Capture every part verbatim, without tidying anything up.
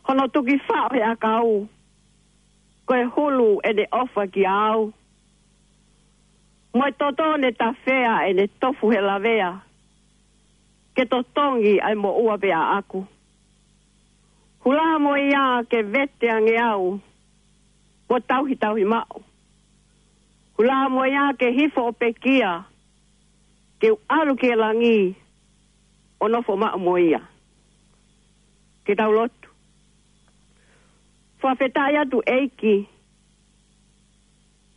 Hono tuki faʻo he ʻakau, ko e hulu ʻene ʻofa kiate au. Mo e toto ne tafea ʻene tofu he lavea, ke totongi ʻa e moʻua pē ʻaʻaku. Hula mo ia ke vete ange au, mo tauhitauhi maʻu. Hula mo ia ke hifo ʻo pekia, ke u ʻalu ki he langi, ʻo nofo maʻu mo ia. Ke tau lotu. Fakafetaʻi atu ʻEiki,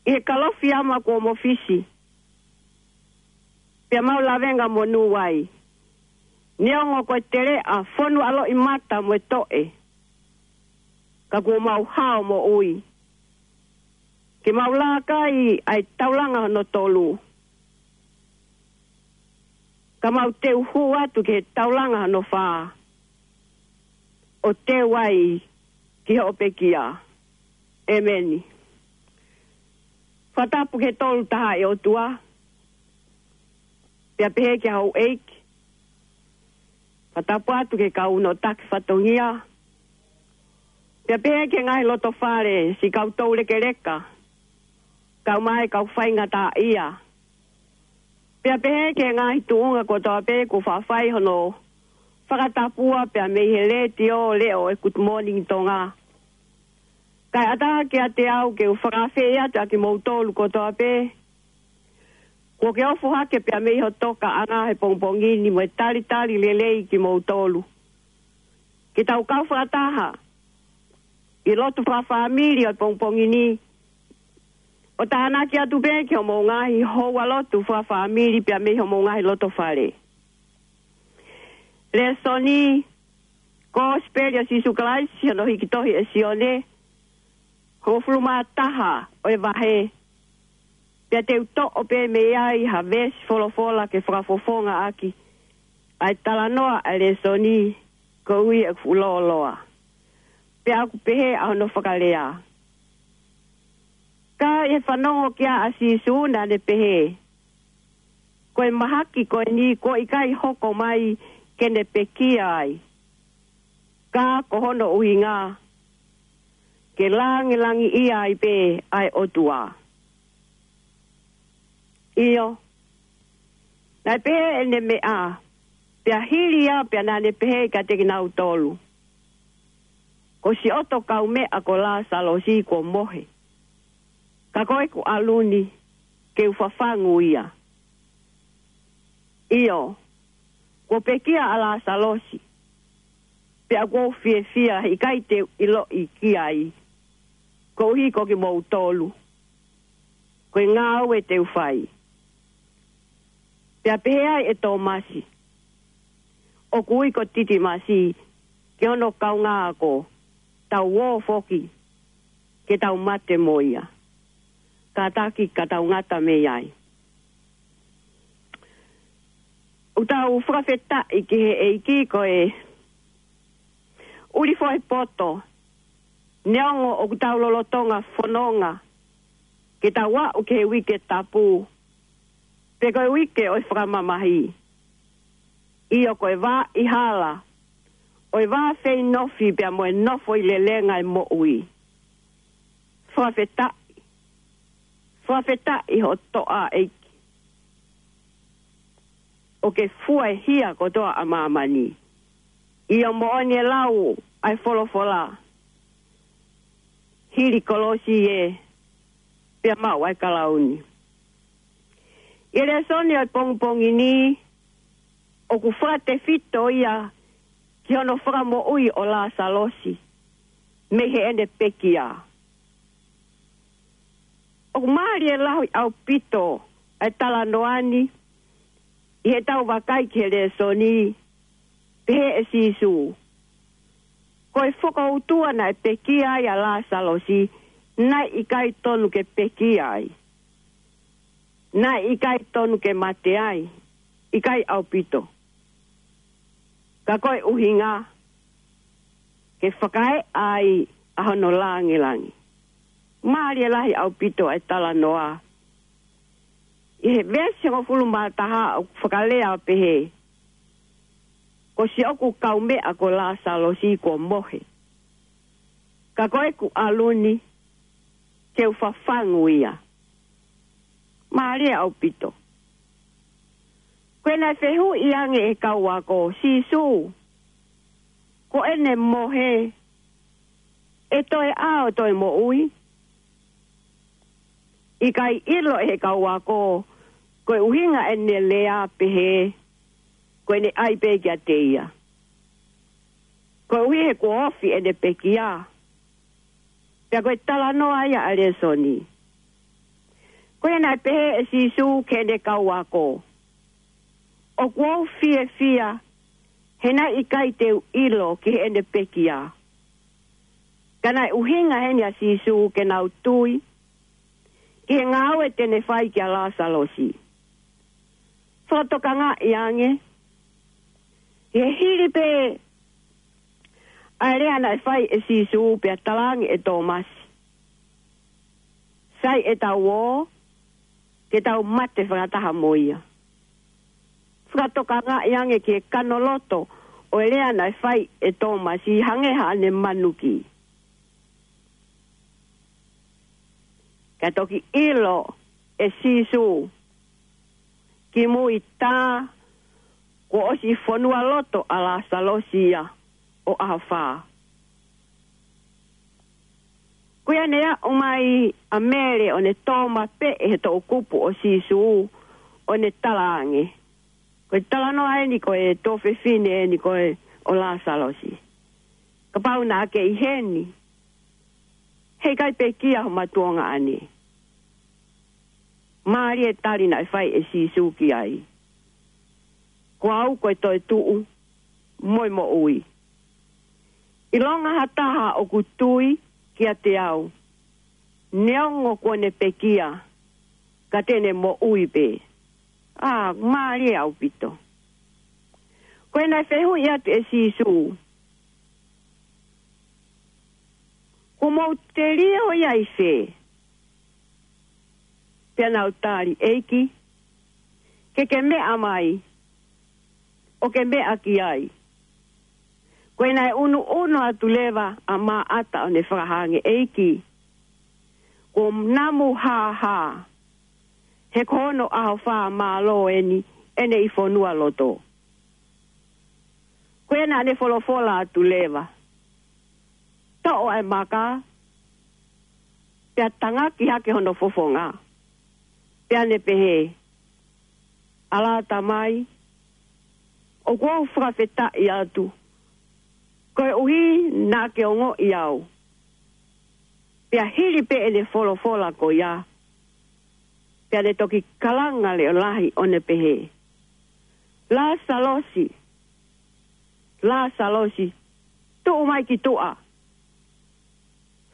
ʻi he kalofiama kuo mofisi, pea mau lavenga monū ai. Neongo ko e teleʻa fonu ʻa loʻimata mo e toʻe, ka kuo mau hao moʻui. Ke mau laka ai ʻa e taulanga hono tolu, ka mau teu hū atu ki he taulanga hono fā, ʻo teu ai ki hoʻo pekia. ʻEmeni. Fakatapu ki he Tolu Tahaʻi ʻOtua, pea pehē ki he houʻeiki. Fakatapu atu ki he kau nō taki fatongia, pea pehē ki he ngaahi lotofale, siʻi kau toulekeleka, kau mai kau faingataʻaʻia. Pea pehē ki he ngaahi tuʻunga kotoa pē kuo faʻa fai hono fakatapua pea mei he letiō leʻo ʻo e Good Morning Tonga. Kae ʻatā kiate au ke u fakaafeʻi atu ʻa kimoutolu kotoa pē kuo ke ofo hake pea mei ho tokaʻanga he pongipongi ni mo e talitali lelei kimoutolu. Ke tau kau fakataha ʻi he lotu fakafāmili ʻo e pongipongi ni, ʻo tānaki atu pē ki hoʻomou ngaahi houa lotu fakafāmili pea mei hoʻomou ngaahi lotofale. Lēsoni, Kosipeli ʻo Sīsū Kalaisi, hono hiki tohi ʻe Sione, hongofulu mā taha ʻo e vahe. Pea te u toʻo pē mei ai ha veesi folofola ke fakafofonga ʻaki ʻa e talanoa ʻa e lēsoni, koeʻuhi ʻeku fuʻu lōloa. Pea ʻoku pehē ʻa hono fakalea: Ka ʻi he fanongo ki ai ʻa Sīsū, naʻa ne pehē, Ko e mahaki ko eni kuo ʻikai hoko mai ke ne pekia ai, ka ko hono ʻuhinga ke langilangiʻia ai pē ʻa e ʻOtua. ʻIo, naʻe pehē ʻene meʻa, pea hili ia pea naʻa ne pehē kiate kinautolu, Ko siʻoto kaumeʻa ko Lāsalosi kuo mohe, ka ko ʻeku ʻalu ni ke u fafangu ia. ʻIo, kuo pekia ʻa Lāsalosi, pea ʻoku ou fiefia he ʻikai te u ʻiloʻi ki ai, koeʻuhi ko kimoutolu, ko e ngāue te u fai. Pea pehē ai ʻe Tōmasi, ʻoku ui ko Titimasi, ki hono kaungāako, Tau ō foki ke tau mate mo ia. Kātaki ka tau ngata mei ai. ʻOku tau fakafetaʻi ki he ʻEiki ko e ʻuli foʻi poto, neongo ʻoku tau lolotonga fononga ke tau aʻu ki he uike tapu, pe ko e uike ʻo e fakamamahi. ʻIo, ko e vā ʻi hala, ʻo e vā feinofi pea mo e nofo ʻi lelenga e moʻui. Fakafetaʻi, fakafetaʻi hoʻo toʻa ʻEiki. ʻOku ke fua e hia kotoa ʻa māmani. ʻIo, moʻoni e lau ʻa e folofola, hili kolosi ē, pea maʻu ʻa e kalauni. ʻI he lēsoni ʻo e pongipongi ni, ʻoku fakatefito ia ki hono fakamoʻui ʻo Lāsalosi mei heʻene pekia. ʻOku mālie lahi ʻaupito ʻa e talanoa ni ʻi heʻetau vakai ki he lēsoni, pehē ʻe Sīsū, ko e fokoutua naʻe pekia ai ʻa Lāsalosi, naʻe ʻikai tonu ke pekia ai. Naʻe ʻikai tonu ke mate ai, ʻikai ʻaupito. Ka ko e ʻuhinga ke fakaeʻa ai ʻa hono langilangi. Mālie lahi ʻaupito ʻa e talanoa. ʻI he veesi hongofulu mā taha ʻoku fakalea ʻo pehē, ko siʻoku kaumeʻa ko Lāsalosi kuo mohe. Ka ko ʻeku ʻalu ni, ke u fafangu ia. Mālie ʻaupito. Ko ʻene fehuʻi ange ʻe he kau ako, Sīsū, ko ʻene mohe, ʻe toe ʻā ʻo toe moʻui? ʻIkai ʻilo ʻe he kau ako, ko e ʻuhinga ʻene lea pehē, ko ʻene ʻai pē kiate ia. Koeʻuhi he kuo ofi ʻene pekia. Pea ko e talanoa ia ʻa e lēsoni. Ko ia naʻe pehē ʻe Sīsū ki heʻene kau ako, ʻOku ou fiefia, he naʻe ʻikai te u ʻilo ki heʻene pekia. Ka naʻe ʻuhinga heni ʻa Sīsū ke nau tui, ki he ngāue te ne fai kia Lāsalosi. Fakatokangaʻi ange, he hili pē ʻa e lea naʻe fai ʻe Sīsū pea talaange ʻe Tōmasi, Sai ʻetau ō, ke tau mate fakataha mo ia. Fakatokangaʻi ange ki he kanoloto ʻo e lea naʻe fai ʻe Tōmasi hangē haʻane manuki. Ka toki ʻilo ʻe Sīsū, kimui tā, kuo ʻosi fonua loto ʻa Lāsalosi ia ʻo ʻaho fā. Ko ia ne aʻu mai ʻa Mele ʻo ne tō mapeʻe he toʻukupu ʻo Sīsū ʻo ne talaange, Ko e talanoa eni ko e tuofefine eni ko e ʻo Lāsalosi. Kapau naʻa ke ʻi heni, heʻikai pekia homa tuongaʻane. Mālie e tali naʻe fai ʻe Sīsū ki ai. Ko au ko e toetuʻu mo e moʻui. ʻIlonga ha taha ʻoku tui kiate au, neongo kuo ne pekia, ka te ne moʻui pē. ʻA, mālie ʻaupito. Ko ʻene fehuʻi atu ʻe Sīsū, Kuo mou telio ia ʻi fē? Pea nau tali, ʻEiki, ke ke meʻa mai, ʻo ke meʻa ki ai. Ko ia naʻe ʻunuʻunu atu leva ʻa Maʻata ʻo ne fakahā ange, ʻEiki, kuo namu hāhā, he ko hono ʻaho fā mālō eni ʻene ʻi fonua loto. Ko ia naʻa ne folofola atu leva, Toʻo ʻa e maka, pea tangaki hake hono fofonga. Pea ne pehē, ʻAlā Tamai, ʻoku ou fakafetaʻi atu, koeʻuhi naʻa ke ongoʻi au. Pea hili pē ʻene folofola ko ia, pea ne toki kalanga leʻo lahi ʻo ne pehē, Lāsalosi, Lāsalosi, tuʻu mai ki tuʻa.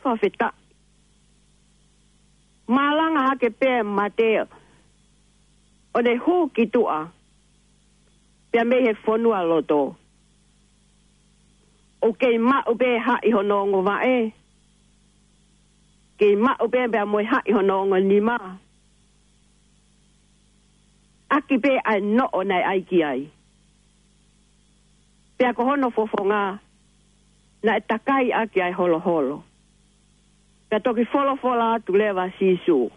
Fakafetaʻi. Mālanga hake pē mate ʻo ne hū ki tuʻa, pea mei he fonua loto. ʻOku kei maʻu pē haʻi hono ongo vaʻe. Kei maʻu pē pea mo e haʻi hono ongo nima. ʻAki pē ʻa e noʻo naʻe ʻai ki ai. Pea ko hono fofonga, naʻe takai ʻaki ʻa e holoholo. Pea toki folofola atu leva Sīsū,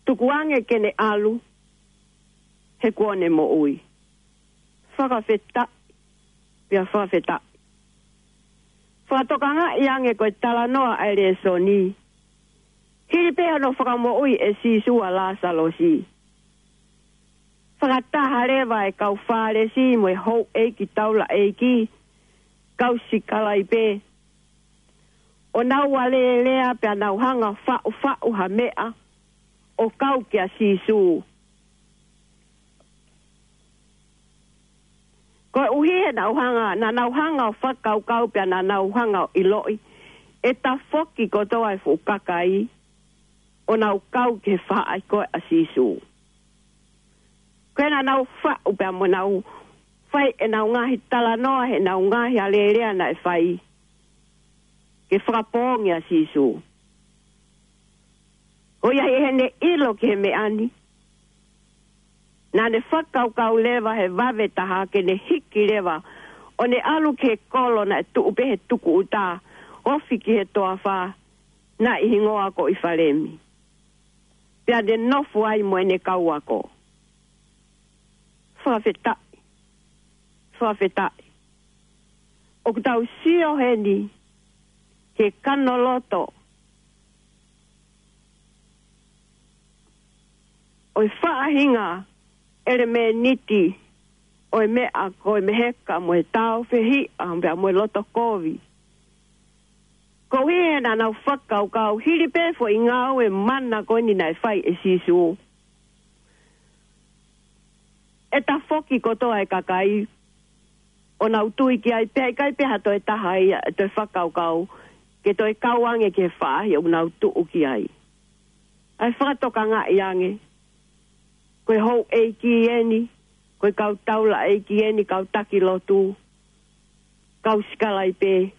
Tukuange ke ne ʻalu, he kuo ne moʻui. Fakafetaʻi, pea fakafetaʻi. Fakatokangaʻi ange ko e talanoa ʻa e lēsoni. Hili pē hono fakamoʻui ʻe Sīsū ʻa Lāsalosi, fakataha leva e kau Fālesi mo e houʻeiki taulaʻeiki, kau sikalaipe, ʻo nau alēlea pea nau hanga faʻufaʻu ha meʻa ʻo kau kia Sīsū. Koeʻuhi he naʻa nau hanga, naʻa nau hanga ʻo fakakaukau pea naʻa nau hanga ʻo ʻiloʻi ʻe tafoki kotoa e fuʻu kakai ʻo nau kau ki he faʻahi ko ē ʻa Sīsū. Ko ia naʻa nau faʻu pea mo nau fai ʻenau ngaahi talanoa, heʻenau ngaahi alēlea naʻe fai ke fakapoongi ʻa Sīsū. Ko ia heʻene ʻilo ki he meʻa ni, naʻa ne fakakaukau leva he vave taha ke ne hiki leva ʻo ne ʻalu ki he kolo naʻe tuʻu pē he tukuʻuta ofi ki he toafa, naʻe hingoa ko ʻIfalemi. Pea ne nofo ai mo ʻene kau ako. Fakafetaʻi. Fakafetaʻi. ʻOku tau sio heni ki he kanoloto ʻo e faʻahinga ʻelemēniti ʻo e meʻa ko e meheka mo e tāufehiʻa pea mo e loto kovi. Koeʻuhi he naʻa nau fakakaukau hili pē foʻi ngāue mana ko eni naʻe fai ʻe Sīsū, ʻe tafoki kotoa e kakai ʻo nau tui ki ai, pea ʻikai pē ha toe taha ia ʻe toe fakakaukau ke toe kau ange ki he faʻahi ʻoku nau tuʻu ki ai. ʻA e fakatokangaʻi ange, ko e houʻeiki eni, ko e kau taulaʻeiki eni, kau taki lotu, kau sikalaipe,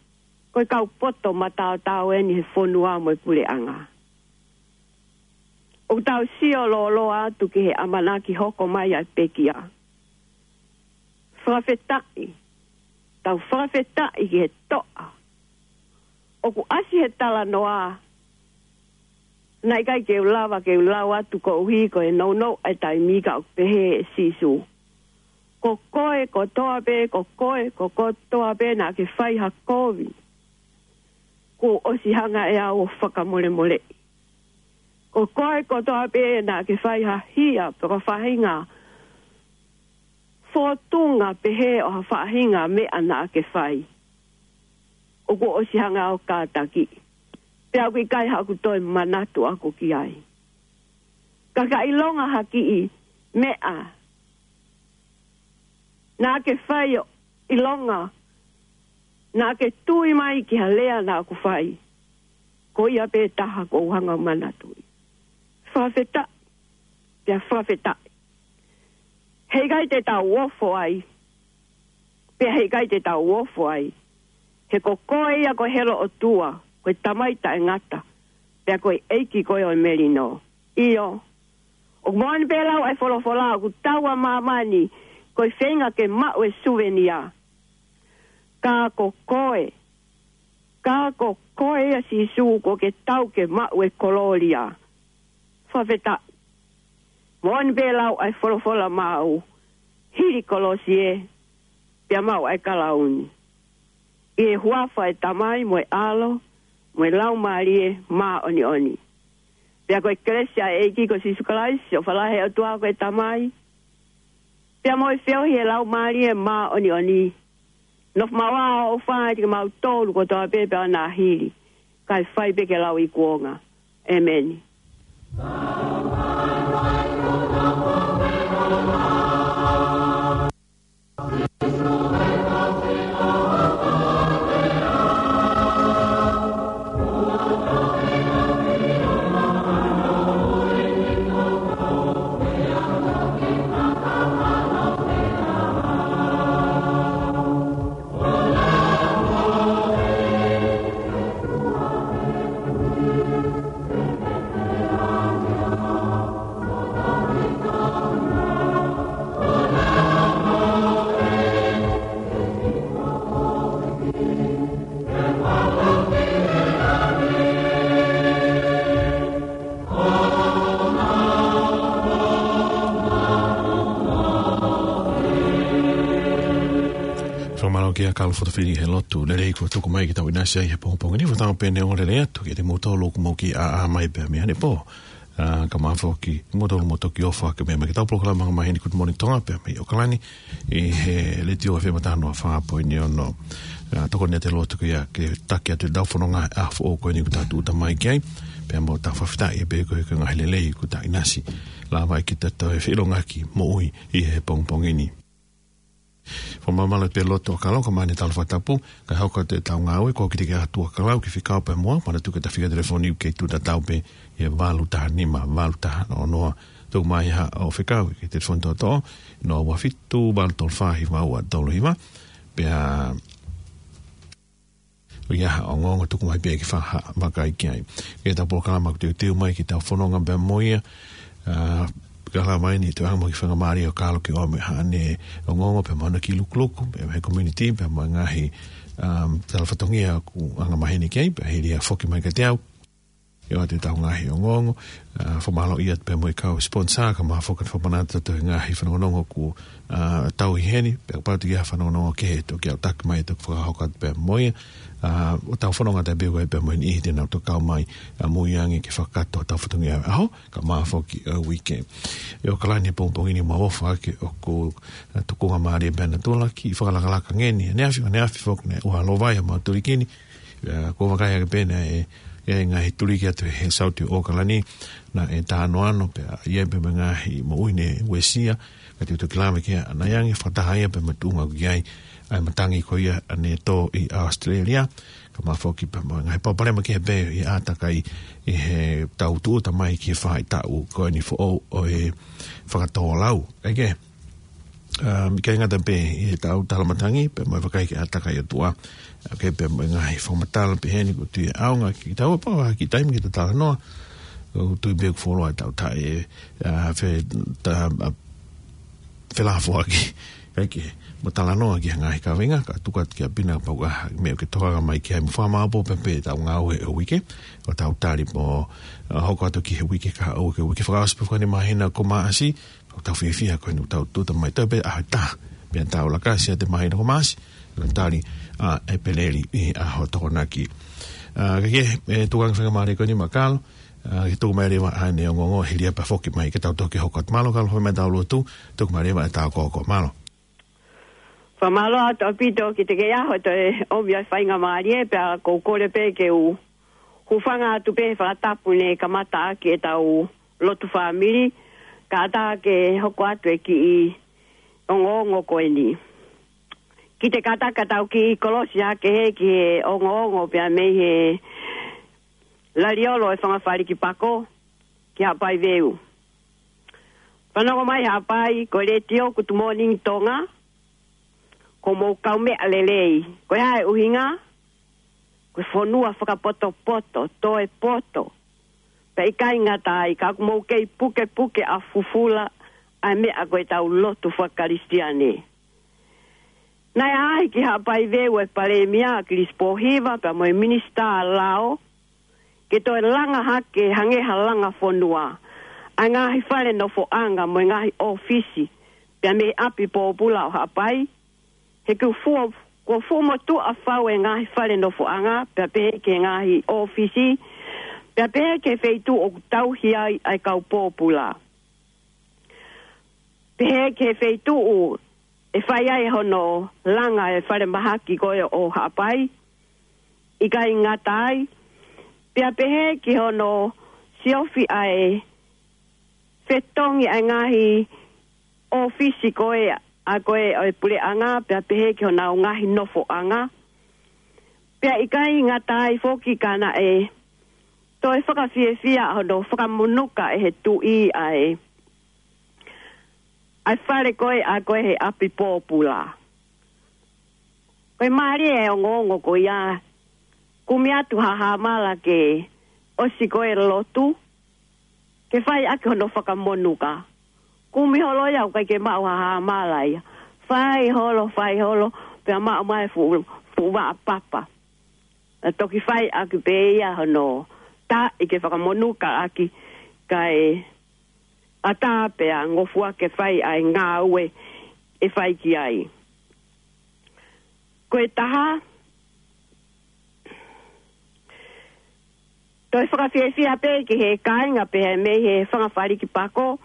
ko e kau poto mataotao eni he fonua mo e puleʻanga. ʻOku tau sio lōloa atu ki he ʻamanaki hoko mai ʻa e pekia. Fakafetaʻi. Tau fakafetaʻi ki he toʻa. ʻOku ʻasi he talanoa, naʻe ʻikai ke u lava ke u lau atu koeʻuhi ko e nounou ʻa e taimi, ka ʻoku pehē ʻe Sīsū: Ko koe kotoa pē, ko koe, ko kotoa pē naʻa ke fai ha kovi, kuo ʻosi hanga ʻe au ʻo fakamolemoleʻi. Ko koe kotoa pē naʻa ke fai ha hia pe ko ha faʻahinga fōtunga pehē ʻo ha faʻahinga meʻa naʻa ke fai, ʻoku ʻosi hanga ʻo kātakiʻi. Pea ʻoku ʻikai haʻaku toe manatu ʻaʻaku ki ai. Ka ka ʻilonga ha kiʻi meʻa naʻa ke fai, ʻo ʻilonga naʻa ke tui mai ki ha lea naʻa ku fai, ko ia pē taha ʻoku ou hanga ʻo manatuʻi. Fakafetaʻi, pea fakafetaʻi. Heʻikai te tau ofo ai, pea heʻikai te tau ofo ai, he ko koe ia ko e helo ʻOtua, ko e Tamai taʻengata, pea ko e ʻEiki koe ʻo e melino. ʻIo, ʻoku moʻoni pē lau ʻa e folofola, ʻoku tau ʻa māmani ko e feinga ke maʻu e suvenia. Ka ko koe, ka ko koe ia Sīsū, kuo ke tau ke maʻu e kolōlia. Fakafetaʻi. Moʻoni pē lau ʻa e folofola maʻau, hili kolosi ē, pea maʻu ʻa e kalauni. ʻI he huafa ʻo e Tamai mo e ʻAlo mo e Laumālie Māʻoniʻoni. Pea ko e kelesi ʻa e ʻEiki ko Sīsū Kalaisi, ʻofa lahi ʻa e ʻOtua ko e Tamai, pea mo e feohi ʻa e Laumālie Māʻoniʻoni, nofo maʻu ʻa e ʻofa ʻiate kimautolu kotoa pē pea ʻo nā hili, kae fai pē ke lau ʻi kuonga. ʻEmeni. Fakamālō kia Kalo Fotofili he lotu lelei kuo tuku mai ke tau ʻinasi ai he pongipongi ni. Fakatauange pē ne ongo lelei atu kiate kimoutolu ʻoku mou kiʻi ʻā mai pē mei ʻanepō. ʻA, ka mafoki kimoutolu mo toki ʻofa ke mea mai ki heʻetau polokalama mai heni Good Morning Tonga pē mei ʻAokalani, ʻi he Letiō F M taha noa fā poini ono. ʻA, tokoni atu e lotu ko ia ke taki atu ʻetau fononga ʻa e foʻou ko eni kuo tau tūʻuta mai ki ai. Pea mo tau fakafetaʻi pē koeʻuhi ko e ngaahi lelei kuo tau ʻinasi, lava ai ke tau toe feʻilongaki moʻui ʻi he pongipongi ni. Fakamālō pē lotu ʻa Kalo, ka mani talo fakatapu, ka hoko atu ʻetau ngāue, ko kite ke atu ʻa Kalo ki he fekau pē muʻa, manatuʻi ko e fika telefoni ʻoku kei tuʻu tatau pē ʻi he valu taha nima, valu taha noa noa. Tuku mai ha ʻo fekau ki he telefoni toʻotoʻo, noa ua fitu, valu tolu fā, hiva ua tolu hiva, pea ʻoku ʻi ai ha ongoongo, tuku mai pē ke fakavakai ki ai. Ke tau polokalama ʻoku teuteu mai ke tau fononga pē mo ia, ʻa, Ka la mai ni, toe ʻaonga mo e kiʻi faingamālie ʻo Kalo ke ʻomai haʻane ongoongo pea mo ʻene kiʻi lukuluku, pea mo e community, pea mo e ngaahi, um, tala fatongia ʻoku anga maheni ki ai, pea hili ia ʻo foki mai kiate au. ʻE ʻoatu ʻetau ngaahi ongoongo, uh, fakamālō atu pea mo e kau sponsor, kae ʻumaʻā foki ʻa e fakamanatu atu e ngaahi fanongonongo ʻoku, uh, tau ʻi heni, pea kapau ʻoku ʻi ai ha fanongonongo kehe, toki ʻalu atu mai, toki fakahoko atu pea mo ia, uh, ʻo tau fononga atu pē ko ē pea mo e niʻihi te nau toki kau mai, uh, mui ange ke fakakakato hotau fatongia ʻaho, kae ʻumaʻā foki ʻa e uike. ʻI ʻAokalani he pongipongi ni, mau ʻofa ʻaki ʻoku, uh, tukunga mālie pē ʻa natula, kiʻi fakalakalaka ngeni, ʻaneafi, ʻaneafi foki naʻe ʻohovale ʻa Mautulikini, uh, ko e vakai ake pē naʻe, ʻi ai e ngaahi tuliki atu he south ʻo ʻAokalani, naʻe tānoano pē, ʻi ai pē mo e ngaahi moʻui ne uesia, ka te u toki lave ki ai ʻanai ange, fakataha ia pea mo e tuʻunga ʻoku ʻi ai ʻa e matangi ko ia ʻanetō ʻi ʻAositelēlia, kae ʻumaʻā foki pea mo e ngaahi palopalema kehe pē ʻi he ʻātakai ʻi heʻetau tūʻuta mai ki he faʻahitaʻu ko eni foʻou ʻo e fakatōlau. ʻEke, um, ʻikai ngata pē ʻi heʻetau tala matangi, pea mo e vakai ki he ʻātakai ʻa e ʻOtua. ʻEke pea mo e ngaahi fakamatala pehē ni ʻoku ou tui ʻe ʻaonga kiate kitaua pea mo e kiʻi taimi ke ta talanoa. ʻOku ou tui pē ʻoku fuoloa ʻetau taʻe, uh, fe-, ta-, uh, felafoaki. ʻEke, mo talanoa ki he ngaahi kaveinga, kae tuku atu kia Pina kapau ʻoku ʻi ai ha meʻa ʻoku ke toka mai ki ai mo fakamāʻopoʻopo pē ʻetau ngāue he uike. ʻO tau tali mo, uh, hoko atu ki he uike kahaʻu, ki he uike fakaʻosi pē ʻo e māhina ko Maʻasi, ʻoku tau fiefia ko eni ʻoku tau tūʻuta mai, tau pē ʻaho ʻe taha, pea tau laka atu ʻi he māhina ko Maʻasi, ʻo tali ʻa ʻEpeleli ʻi he ʻaho Tokonaki. Uh, ka ke, ʻe tuku ange faingamālie ko eni maʻa Kalo, uh, ke tuku mai leva haʻane ongoongo hili ia pea foki mai ke tau toki hoko atu. Mālō Kalo, fai mai ʻetau lotu, tuku mai leva ʻetau koko, mālō. Fakamālō atu ʻaupito kiate koe ʻi he ʻaho ʻo e ʻomi ʻa e faingamālie, pea ʻoku ou kole pē ke u hūfanga atu pē he fakatapu ne kamata ʻaki ʻetau lotu fāmili, kae ʻatā ke hoko atu e kiʻi ongoongo ko eni. Kiʻi kātaki ʻetau kiʻi kolosi hake he ki he ongoongo pea mei he laliolo ʻo e Fanga Faliki Pako ki Haʻapai Veu. Fanongo mai Haʻapai, ko e letiō Good Morning Tonga, ko homou kaumeʻa lelei. Ko e hā e ʻuhinga? Ko e fonua fakapotopoto, toe poto. Pea ʻikai ngata ai, ka ʻoku mou kei pukepuke ʻa fufula ʻa e meʻa ko ʻetau lotu fakakalisitiane. Naʻe ʻaʻahi ki Haʻapai Veu e Palēmia Kilisi Pōhiva pea mo e Minisitā Lao, ke toe langa hake hangē ha langa fonua ʻa e ngaahi fale nofoʻanga mo e ngaahi ʻōfisi, pea mei he ʻapi pōpula ʻo Haʻapai. He kuo fuo-, kuo fuʻu motuʻa fau e ngaahi fale nofoʻanga, pea pehē ki he ngaahi ʻōfisi, pea pehē ki he feituʻu ʻoku tauhi ai ʻa e kau pōpula. Pehē ki he feituʻu ʻe fai ai hono langa e falemahaki ko ē ʻo Haʻapai, ʻikai ngata ai, pea pehē ki hono siofi ʻa e fetongi ʻa e ngaahi ʻōfisi ko ē ʻa ko ē ʻo e puleʻanga, pea pehē ki honau ngaahi nofoʻanga. Pea ʻikai ngata ai foki ka naʻe toe fakafiefia hono fakamonuka ʻe he tuʻi ʻa e, ʻa e fale ko ē ʻa ko ē he ʻapi pōpula. Ko e mālie e ongoongo ko ia, kumi atu haʻamala ke ʻosi ko ē lotu, ke fai ʻaki hono fakamonuka. Kumi holo ia ʻoku ʻikai ke maʻu haʻamala ia. Fai holo, fai holo, pea maʻu mai fuʻu, fuʻu vaʻa papa. ʻE toki fai ʻaki pē ia hono taʻi ke fakamonuka ʻaki, kae ʻatā pea ngofua ke fai ʻa e ngāue ʻe fai ki ai. Ko e taha, toe fakafiefia pē ki he kāinga pehē mei he Fanga Faliki Pako,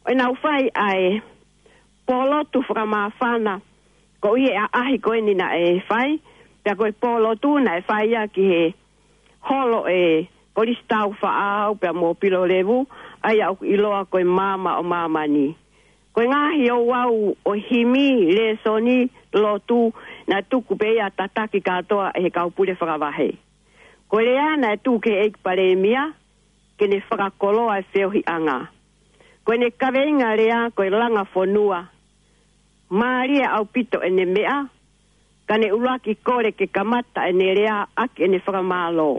ʻo nau fai ʻa e pōlotu fakamāfana, koeʻuhi ʻa e ʻaʻahi ko eni naʻe fai, pea ko e pōlotu naʻe fai ia ki he holo ʻe Kolisi Taufaʻāhau pea mo Pilo Levu, ʻa ia ʻoku ʻiloa ko e Maama ʻo Māmani. Ko e ngaahi ouau ʻo e himi, lēsoni, lotu, naʻe tuku pē ia tataki kātoa ʻe he kau pule fakavahe. Ko e lea naʻe tuku ki he ʻEiki Palēmia, ke ne fakakoloa e feohiʻanga. Ko ʻene kaveinga lea ko e langa fonua. Mālie ʻaupito ʻene meʻa, ka ne ʻuluaki kole ke kamata ʻene lea ʻaki ʻene fakamālō.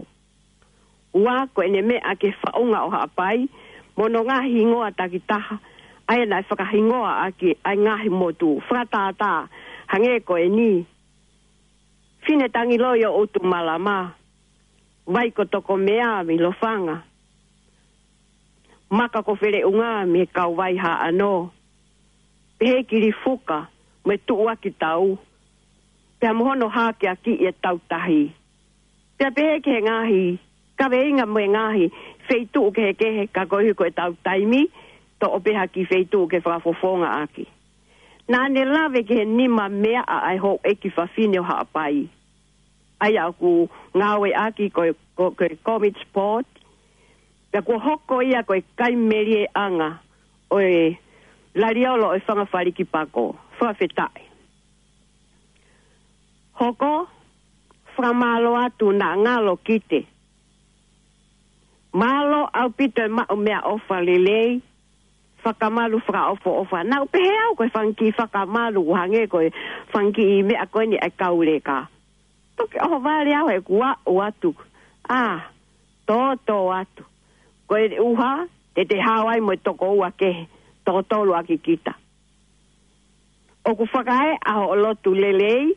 Ua, ko ʻene meʻa ki he faʻunga ʻo Haʻapai, mo hono ngaahi hingoa takitaha, ʻa ia naʻe fakahingoa ʻaki ʻa e ngaahi motu fakatātā, hangē ko eni: Fine Tangiloi ʻo ʻUtumalama, Vai ko Tokomea mei Lofanga, Maka ko Feleʻunga mei Kauvai Haʻano, pehē ki Lifuka mo e Tuʻuakitau, pea mo hono hākeakiʻi e Tautahi. Pea pehē ki he ngaahi kaveinga mo e ngaahi feituʻu kehekehe, ka koeʻuhi ko ʻetau taimi, toʻo pē ha kiʻi feituʻu ke fakafofonga ʻaki. Naʻa ne lave ki he nima meaʻa ʻa e houʻeiki fafine ʻo Haʻapai, ʻa ia ʻoku ngāueʻaki ko e, ko, ko e Comets Board, pea kuo hoko ia ko e kaimeliʻanga ʻo e laliolo ʻo e fanga falikipako. Fakafetaʻi. Hoko, fakamālō atu, naʻa ngalo kite. Mālō ʻaupito e maʻu meʻaʻofa lelei, fakamalu fakaʻofoʻofa. Naʻa ku pehē au ko e fanga kiʻi fakamalu ʻoku hangē ko e fanga kiʻi meʻa ko eni ʻa e kau leka. Toki ʻohovale au he kuo aʻu atu. ʻĀ, tōtō atu. Ko e ʻuha, te te hao ai mo e toko ua kehe, toko tolu ʻaki kita. ʻOku fakaeʻa hoʻo lotu lelei,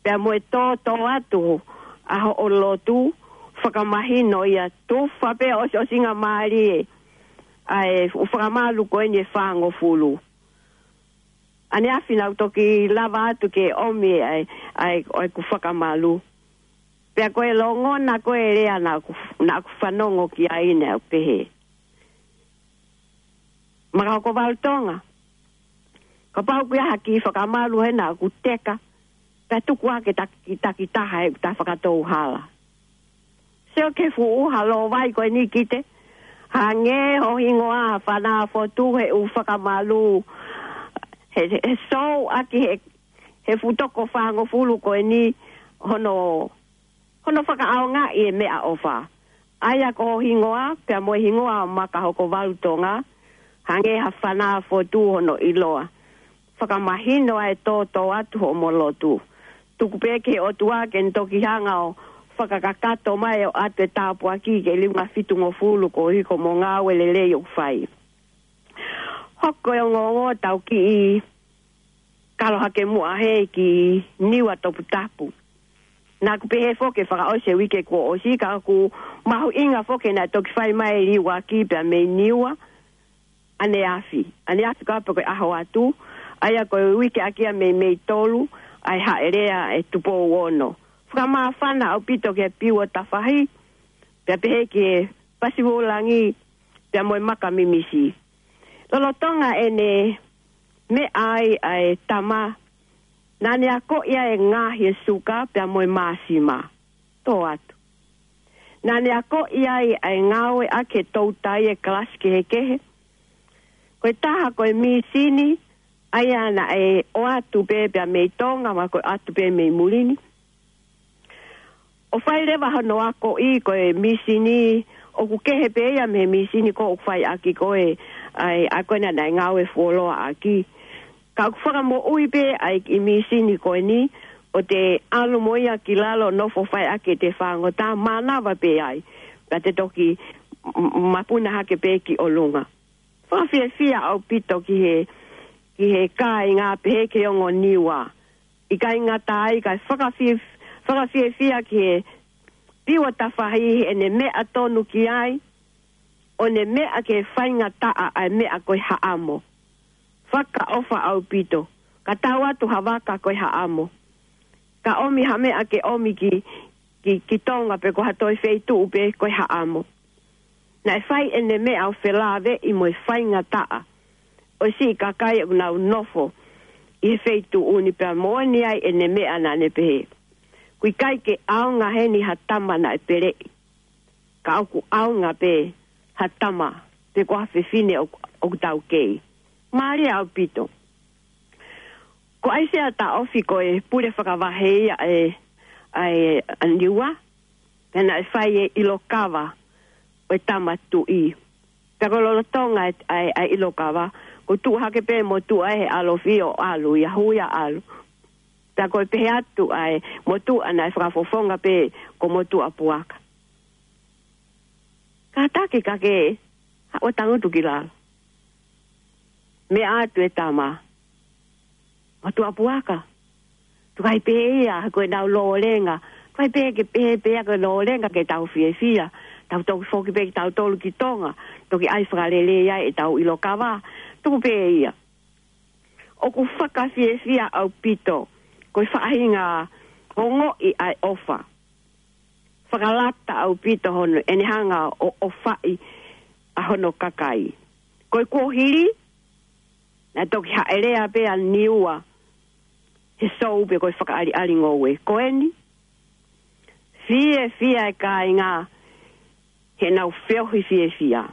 pea mo e tōtō atu ʻa hoʻo lotu, fakamahino ia, tufa pē ʻosiʻosinga mālie ʻa e fu-, fakamalu ko eni ʻe fāngofulu. ʻAneafi naʻa ku toki lava atu ke ʻomi ʻa e, ʻa e, ʻa ʻeku fakamalu. Pea ko e longona ko e lea naʻa ku, naʻa ku fanongo ki ai naʻe pehē: Makahokovalu Tonga, kapau ʻoku ʻi ai ha kiʻi fakamalu hena ʻoku teka, pea tuku ā ke taki, takitaha ʻeku tā fakatou hala. Sio ki he fuʻu ʻuha lōvai ko eni kite, hangē ho hingoa ha fana fotu he ʻū fakamalu, he, he sou ʻaki he, he fuʻu toko fāngofulu ko eni hono, hono fakaʻaongaʻi e meʻaʻofa. ʻA ia ko ho hingoa, pea mo e hingoa Makahokovalu Tonga, hangē ha fana fotu hono ʻiloa. Fakamahino ʻa e tōtō atu hoʻomo lotu. Tuku pē ki he ʻOtua ke ne toki hanga ʻo fakakakato mai ʻo ʻoatu e tāpuaki ki he liunga fitungofulu koeʻuhi ko hoʻomo ngāue lelei ʻoku fai. Hoko e ongoongo ʻo tau kiʻi kalo hake muʻa hē ki Niua toputapu. Naʻa ku pehē foki ke fakaʻosi e uike kuo ʻosi, ka ʻoku mahuʻinga foki naʻe toki fai mai e liuaki pea mei Niua ʻaneafi. ʻAneafi ka pe ko e ʻaho atu, ʻa ia ko e uike ʻaki ia mei, mei tolu, ʻa e haʻelea ʻe Tupou Ono. Fakamāfana ʻaupito ki he Piu ʻo Tafahi, pea pehē ki he Pasivulangi, pea mo e Maka Mimisi. Lolotonga ʻene meʻa ai ʻa e tama, naʻa ne akoʻi ʻa e ngaohi e suka pea mo e māsima. Tō atu. Naʻa ne akoʻi ai ʻa e ngāueʻaki e toutai e kalasi kehekehe. Ko e taha ko e mīsini, ʻa ia naʻe ʻoatu pē pea mei Tonga, mo e ʻoatu pē mei muli ni. ʻO fai leva hono akoʻi ko e mīsini, ʻoku kehe pē ia mei he mīsini ko ē ʻoku fai ʻaki ko ē, ʻa e, ʻa ko ē naʻa ne ngāue fuoloa ʻaki. Ka ʻoku fakamoʻui pē ʻa e kiʻi mīsini ko eni, ʻo te ʻalu mo ia ki lalo nofo fai ʻaki ʻete fāngota, mānava pē ai, ka te toki m-, m-, mapuna hake pē ki ʻolunga. Fakafiefia ʻaupito ki he, ki he kāinga pehē ki he ongo Niua. ʻIkai ngata ai, kae fakafie-, fakafiefia ki he Piu ʻo Tafahi heʻene meʻa tonu ki ai, ʻo ne meʻa ke faingataʻa ʻa e meʻa ko e haʻamo. Fakaʻofa ʻaupito, ka tau atu ha vaka ko e haʻamo. Ka ʻomi ha meʻa ke ʻomi ki, ki, ki Tonga pe ko ha toe feituʻu pē ko e haʻamo. Naʻe fai ʻene meʻa ʻo felāveʻi mo e faingataʻa ʻo e siʻi kakai ʻoku nau nofo ʻi he feituʻu ni pea moʻoni ai ʻene meʻa naʻa ne pehē: ʻOku ʻikai ke ʻaonga heni ha tama naʻe peleʻi. Ka ʻoku ʻaonga pē ha tama pe ko ha fefine ʻoku, ʻoku taukei. Mālie ʻaupito. Ko ʻAisea Taʻofi ko e pule fakavahe ia ʻa e, ʻa e, ʻa Niua, pea naʻe fai e ʻilo kava ʻo e tama tuʻi. Pea ko e lolotonga ʻa e, ʻa e, ʻa e ʻilo kava, ko e tuʻu hake pē motuʻa he ʻalofi ʻo ʻalu, ia hui ʻa ʻalu. Pea ko e pehē atu ʻa e motuʻa naʻe fakafofonga pē ko Motuʻapuaka. Kātaki ka ke ʻO tangutu ki lalo. Meʻa atu e tama, "Motuʻa puaka, tuku ai pē ia, ko ʻenau lōlenga. Tuku ai pē ke pehē pē ia ko e lōlenga ke tau fiefia. Tau toki foki pē kitautolu ki Tonga, toki ʻai fakalelei ai ʻetau ʻilo kava. Tuku pē ia." ʻOku fakafiefia ʻaupito ko e faʻahinga ongoʻi ʻa e ʻofa. Fakalata ʻaupito hono ʻene hanga ʻo ʻofaʻi ʻa hono kakai. Ko e kuohili, naʻe toki haʻelea pē ʻa Niua he sou pe ko e fakaʻaliʻali ngoue. Ko eni, fiefia e kāinga heʻenau feohi fiefia.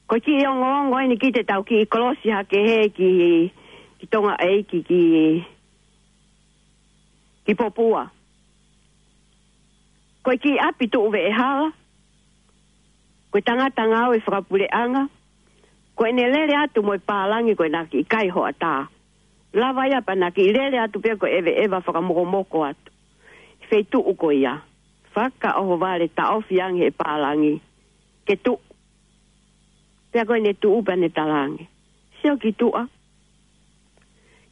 Ko e kiʻi ongoongo eni ki he tau kiʻi kolosi hake he ki, ki Tonga ʻEiki ki, ki Popua. Ko e kiʻi ʻapi tuʻu veʻehala, ko e tangata ngāue fakapuleʻanga, ko ʻene lele atu mo e pālangi ko ʻena kiʻi kai hoʻatā. Lava ia pea na kiʻi lele atu pē ko e ʻeveʻeva fakamokomoko atu. Feituʻu ko ia, fakaʻohovale taʻofi ange he pālangi ke tuʻu. Pea ko ʻene tuʻu pea ne talaange, "Sio ki tuʻa.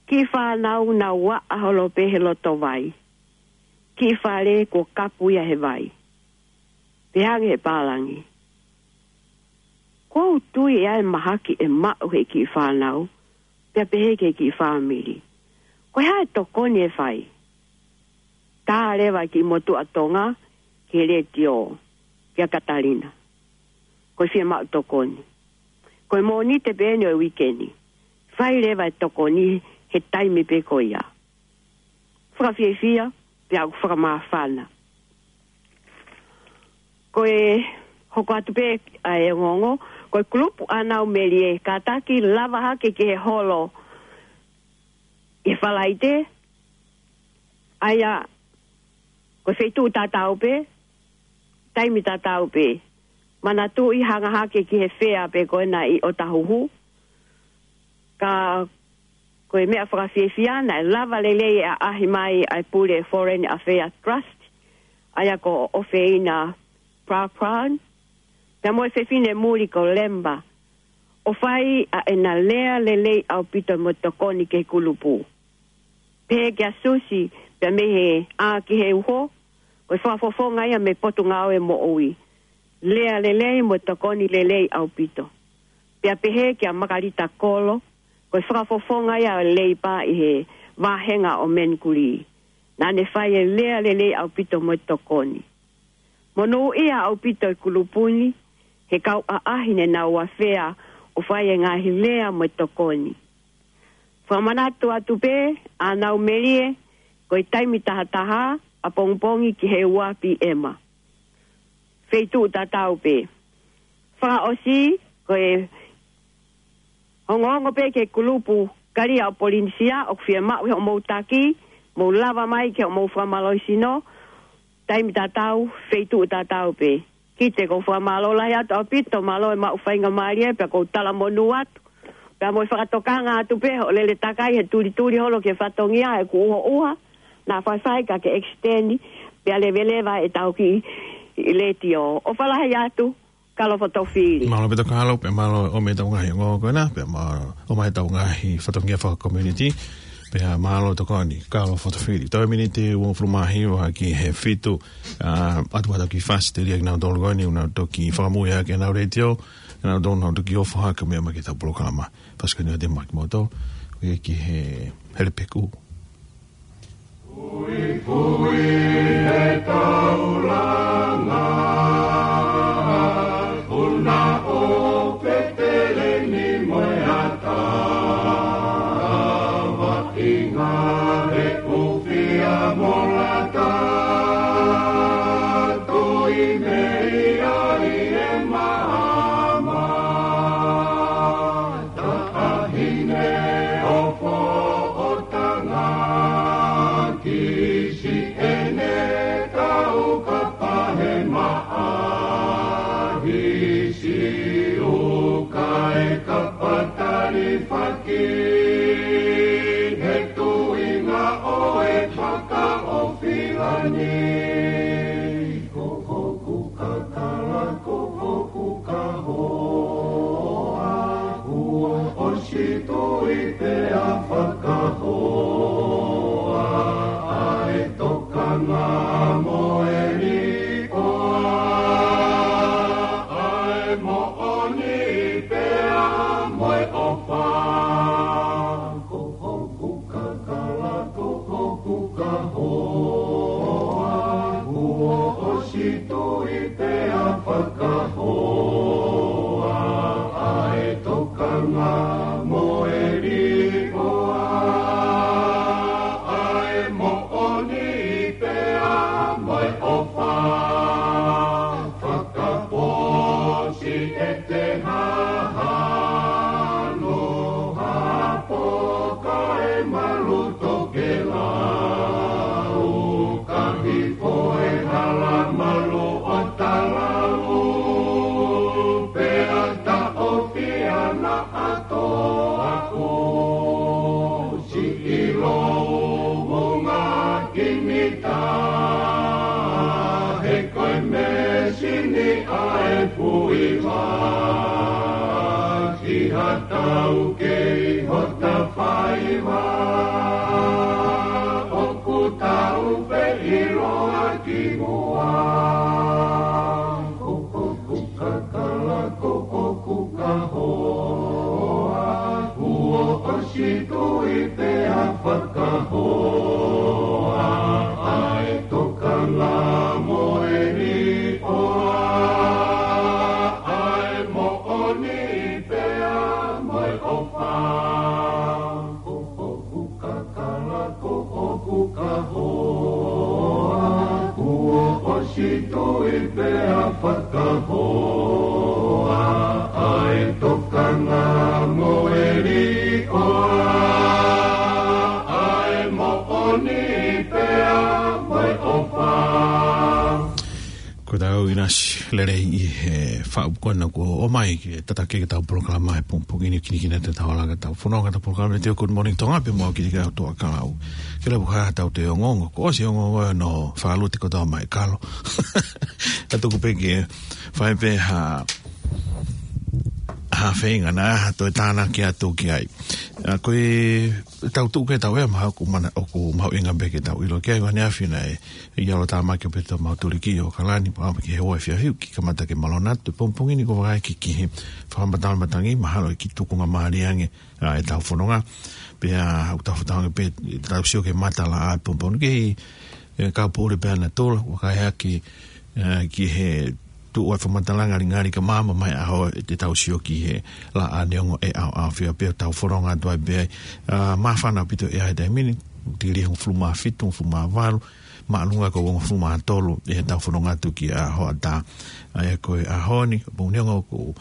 Kiʻi fānau nau aʻa holo pē he loto vai. Kiʻi fale kuo kapu ia he vai." Pehē ange he pālangi, "ʻOku ou tui ʻe ʻi ai e mahaki ʻe maʻu he kiʻi fānau." Pea pehē ki he kiʻi fāmili, "Ko e hā e tokoni ʻe fai?" Tā leva e kiʻi motuʻa Tonga ki he letiō kia Katalina, "Ko e fiemaʻu tokoni. Ko e Mōnite pē eni ʻo e uike ni. Fai leva e tokoni he taimi pē ko ia." Fakafiefia, pea ʻoku fakamāfana. Ko e hoko atu pē ʻa e ongoongo, ko e kulupu ʻa Nau Melie, kātaki lava hake ki he holo ʻi he Falaite, ʻa ia ko e feituʻu tatau pē, taimi tatau pē. Manatuʻi hanga hake ki he fea pē ko ena ʻi ʻOtahuhu. Ka ko e meʻa fakafiefia naʻe lava lelei e ʻaʻahi mai ʻa e pule Foreign Affairs Trust, ʻa ia ko ʻOfeina Prapraun, pea mo e fefine muli ko Lemba, ʻo fai ʻa ʻena lea lelei ʻaupito mo e tokoni ki he kulupu. Pehē kia Susi, pea mei he ʻā ki he uho, ko e fakafofonga ia mei he Potungāue Moʻui. Lea lelei mo e tokoni lelei ʻaupito. Pea pehē kia Makalita Kolo, ko e fakafofonga ia ʻo e Leipa ʻi he vāhenga ʻo Manukulī. Naʻa ne fai e lea lelei ʻaupito mo e tokoni. Monūʻia ʻaupito e kulupu ni, he kau ʻaʻahi ne nau afea ʻo fai e ngaahi lea mo e tokoni. Fakamanatu atu pē ʻa Nau Melie, ko e taimi tahataha ʻapongipongi ki he ua pīema. Feituʻu tatau pē. Fakaʻosi, ko e ongoongo pē ki he kulupu Kalia ʻo Polinisia, ʻoku fiemaʻu hoʻomou taki, mou lava mai ki hoʻomou fakamālohisino, taimi tatau, feituʻu tatau pē. Kiate koe ʻoku ou fakamālō lahi atu ʻaupito, mālō e maʻu faingamālie, pea ʻoku ou talamonū atu. Pea mo e fakatokanga atu pē hoʻo lele takai he tulituli holo ki he fatongia, he kuo ʻuha ʻuha, naʻa faifai ka ke extend, pea leveleva ʻetau kiʻi letiō. ʻOfa lahi atu, Kalo Fotofili. Mālō ʻaupito Kalo, pea mālō ʻomi ʻetau ngaahi ongoongo ko ena, pea mālō ʻomi ʻetau ngaahi fatongia fakacommunity, pea mālō tokoni, Kalo Fotofili. Toe miniti uofulu mā hiva ki he fitu, ʻa, ʻoatu ʻetau kiʻi fasi telia kinautolu ko eni, ʻoku nau toki fakamui hake ʻenau letiō, kinautolu ʻoku nau toki ʻofa hake mei ai mai ki heʻetau polokalama. Fasi ko eni ʻoatu maʻa kimoutolu, ʻo ʻai ki he Helepeku. Puipui e taulanga, ʻuna ʻo Petelemi mo e ata, vaʻinga he kufia mo lata, tui mei ai e maama. Taʻahine ʻo Foʻotanga ki Hoa, kuo ʻosi tui pea fakahoa ʻa e tokanga mo e liʻoa, ʻa e moʻoni pea mo e ʻofa. Fakaposi e te hahano hapo kae malu tokelau, ka hifo e hala malu ʻo talau, pea taʻofi ana ʻato aku. Siʻi lou mo ngā kinita, he ko e mēsini ʻa e puiva, ki ha tau kei hota faiva, ʻoku tau pē ʻiloa ki muʻa. Ko ʻoku kakala, ko ʻoku kahoa, kuo ʻosi tui pea fakahoa ʻa e tokanga mo e liʻoa, ʻa e moʻoni pea mo e ʻofa. Ko ʻoku kakala, ko ʻoku kahoa, kuo ʻosi tui pea fakahoa ʻa e tokanga mo e liʻoa, ʻa e moʻoni pea mo e ʻofa. Ko tau ʻinasi lelei ʻi he faʻu ko ena kuo ʻomai ke tataki ke tau polokalama he pongipongi ni, kinikina te tau alanga tau fononga tau polokalama te Good Morning Tonga pea mo au Kilikiau Toa Kalau. Ke lau ha tau te ongoongo, ko ʻosi ongoongo no falu te ko tau mai kalo. A tuku pē ke fai pē ha, ha feinga na ha toe tānaki atu ki ai. A, ko e tau tuku ke tau ea maha ʻoku mana, ʻoku mahuʻinga pē ke tau ʻilo ki ai, ʻaneafi na e ʻi ʻAlo Tāmaki ʻo pē tau mau tuliki ʻo ʻOkalani, pea ʻamu ki he ua e fiafiu, ki kamata ke malona atu pongipongi ni ko vakai ki, ki he fakamatala matangi, mahalo ʻe ki tukunga mālie ange, a, e tau fononga, pea ʻoku tau fakatātā ange pē, tau sio ke matala ʻa pongipongi ke, e, kau pōle pea na tola, vakai hake, e, ki he tuʻu ʻa e fakamatala ngalingali ka māmā mai ʻaho, e te tau sio ki he laʻā neongo e ʻaoʻaofia pea tau fononga atu ai pē ai, a, māfana ʻaupito e ʻaho he taimi ni, tili hongofulu mā fitu, hongofulu mā valu, māʻolunga ko hongofulu mā tolu, e tau fononga atu ki ʻaho ʻatā. ʻA ia ko e ʻaho ni, pō neongo ko,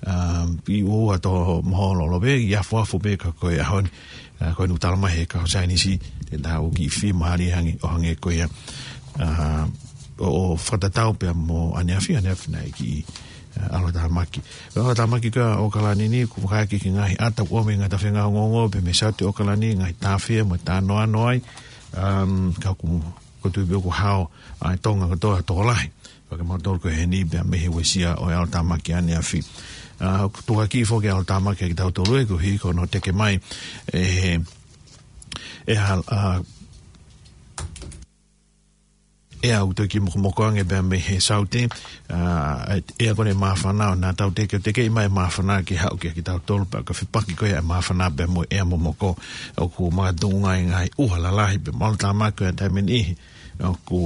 a, ʻi ua tō moho lolo pē, ʻi afuafu pē ka ko e ʻaho ni, a, ko e nutala mai he kau saienisi, te tau kiʻi fie mālie ange, ʻo hangē ko ia, a, ʻo, ʻo fakatatau pea mo ʻaneafi, ʻaneafi na e kiʻi, a, ʻAlo Tāmaki. ʻAlo Tāmaki ka ʻOkalani ni, ʻoku vakai ki he ngaahi ʻata ʻoku ʻomai ngaahi tafenga ongoongo, pea mei Saute ʻOkalani, ngaahi tāfea mo e tānoano ai, um, ka ʻoku, ʻoku ou tui pē ʻoku hao ʻa e Tonga kotoa tokolahi. Pea ke mau tolu ko heni pea mei he uesia ʻo e ʻAlo Tāmaki ʻaneafi. A, ʻoku tuʻaki foki ʻAlo Tāmaki ki tautolu ē, koeʻuhi ko hono teke mai e, e ha, a, ʻea ʻoku toe kiʻi mokomoko ange pea mei he Saute, a, ʻea ko eni māfana ʻo na tau teke, teke mai māfana ke haʻu ki, ki tautolu pea ka fepaki ko ia e māfana pea mo e ʻea momoko ʻoku makatuʻunga ʻi he ngaahi ʻuha lalahi pea mo ʻAlo Tāmaki ko ia taimi ni ʻoku,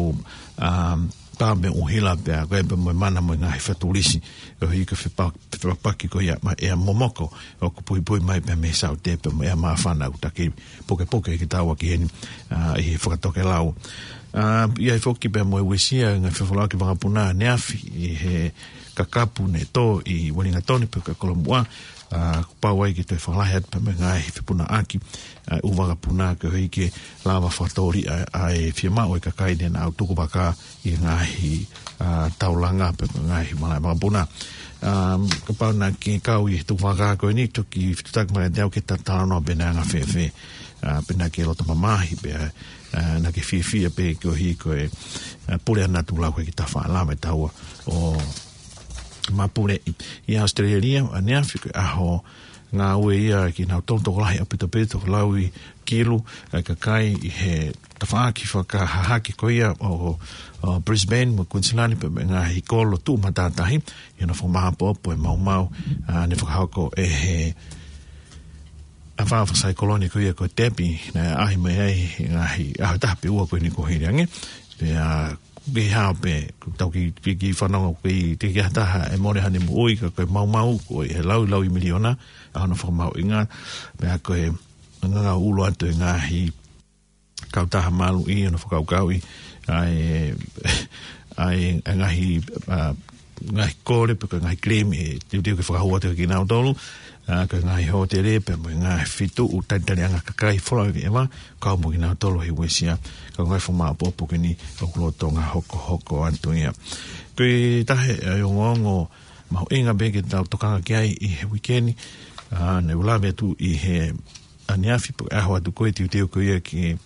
um, pā mo e ʻuhila pea ko ia pea mo e mana mo e ngaahi fatulisi. Koeʻuhi ko e fepa-, fepaki ko ia mo e ʻea momoko ʻoku puipui mai pea mei Saute pea mo e ʻea māfana ʻoku taki pukepuke ki taua ki heni, a, ʻi he fakatokelau. A, ʻi ai foki pea mo e uesia ngaahi fefolauʻaki vakapuna ʻaneafi ʻi he kakapu ne tō ʻi Uelingatoni pea ka Kolomuʻa, a, kuo pau ai ke toe fakalahi atu pea mo e ngaahi fepunaʻaki, a, ʻū vakapuna koeʻuhi ke lava fakatōliʻa ʻa e fiemaʻu ʻa e kakai ne nau tukuvakā ʻi he ngaahi, a, taulanga pea mo e ngaahi malaʻe vakapuna. A, kapau naʻa ke kau ʻi he tukuvakā ko eni, toki fetuʻutaki mai kiate au ke ta talanoa pe naʻe anga fēfē, a, pe naʻa ke loto mamahi, pea, a, naʻa ke fiefia pē koeʻuhi ko e, a, pule ʻa natula ko e ki ta faʻa lava e taua ʻo mapuleʻi. ʻI ʻAositelēlia, ʻaneafi ko e ʻaho ngāue ia kinautolu tokolahi ʻaupito pē, tokolahi kilu e kakai ʻi he tafaʻaki fakahahake ko ia ʻo, ʻo Brisbane mo Queensland pea mo e ngaahi kolo tuʻu matātahi, ʻi hono fakamāʻopoʻopo e maumau, a, ne fakahoko ʻe he ʻa e fakaʻaho fakasaikolone ko ia ko Debbie, naʻe ʻaʻahi mai ai he ngaahi ʻaho ʻe taha pe ua ko eni kuo hili ange. Pea ʻoku kei hao pē, ʻoku tau kei, kei, kei fanongo ʻoku kei, teʻeki ai ha taha ʻe mole haʻane moʻui, ka ko e maumau ko ē he laui laui miliona ʻa hono fakamahuʻinga. Pea ko e ngaahi ʻulu atu e ngaahi kautaha maluʻi ʻo ne fakakaukauʻi ʻa e, ʻa e, ʻa e ngaahi, ʻa, ngaahi kole pe ko e ngaahi claim ʻe teuteu ke fakahū atu kia kinautolu, ʻa, ko e ngaahi hōtele pea mo e ngaahi feituʻu talitaliʻanga kakai folau ʻi he ʻeva, kau mo kinautolu he uesia. Ka ko e ngaahi fakamāʻopoʻopo ko eni ʻoku lolotonga hokohoko atu ia. Ko e taha e ongoongo mahuʻinga pē ke tau tokanga ki ai ʻi he uike ni, ʻa, naʻa ku lave atu ʻi he ʻaneafi pe ko e ʻaho atu ko ē teuteu ko ia ke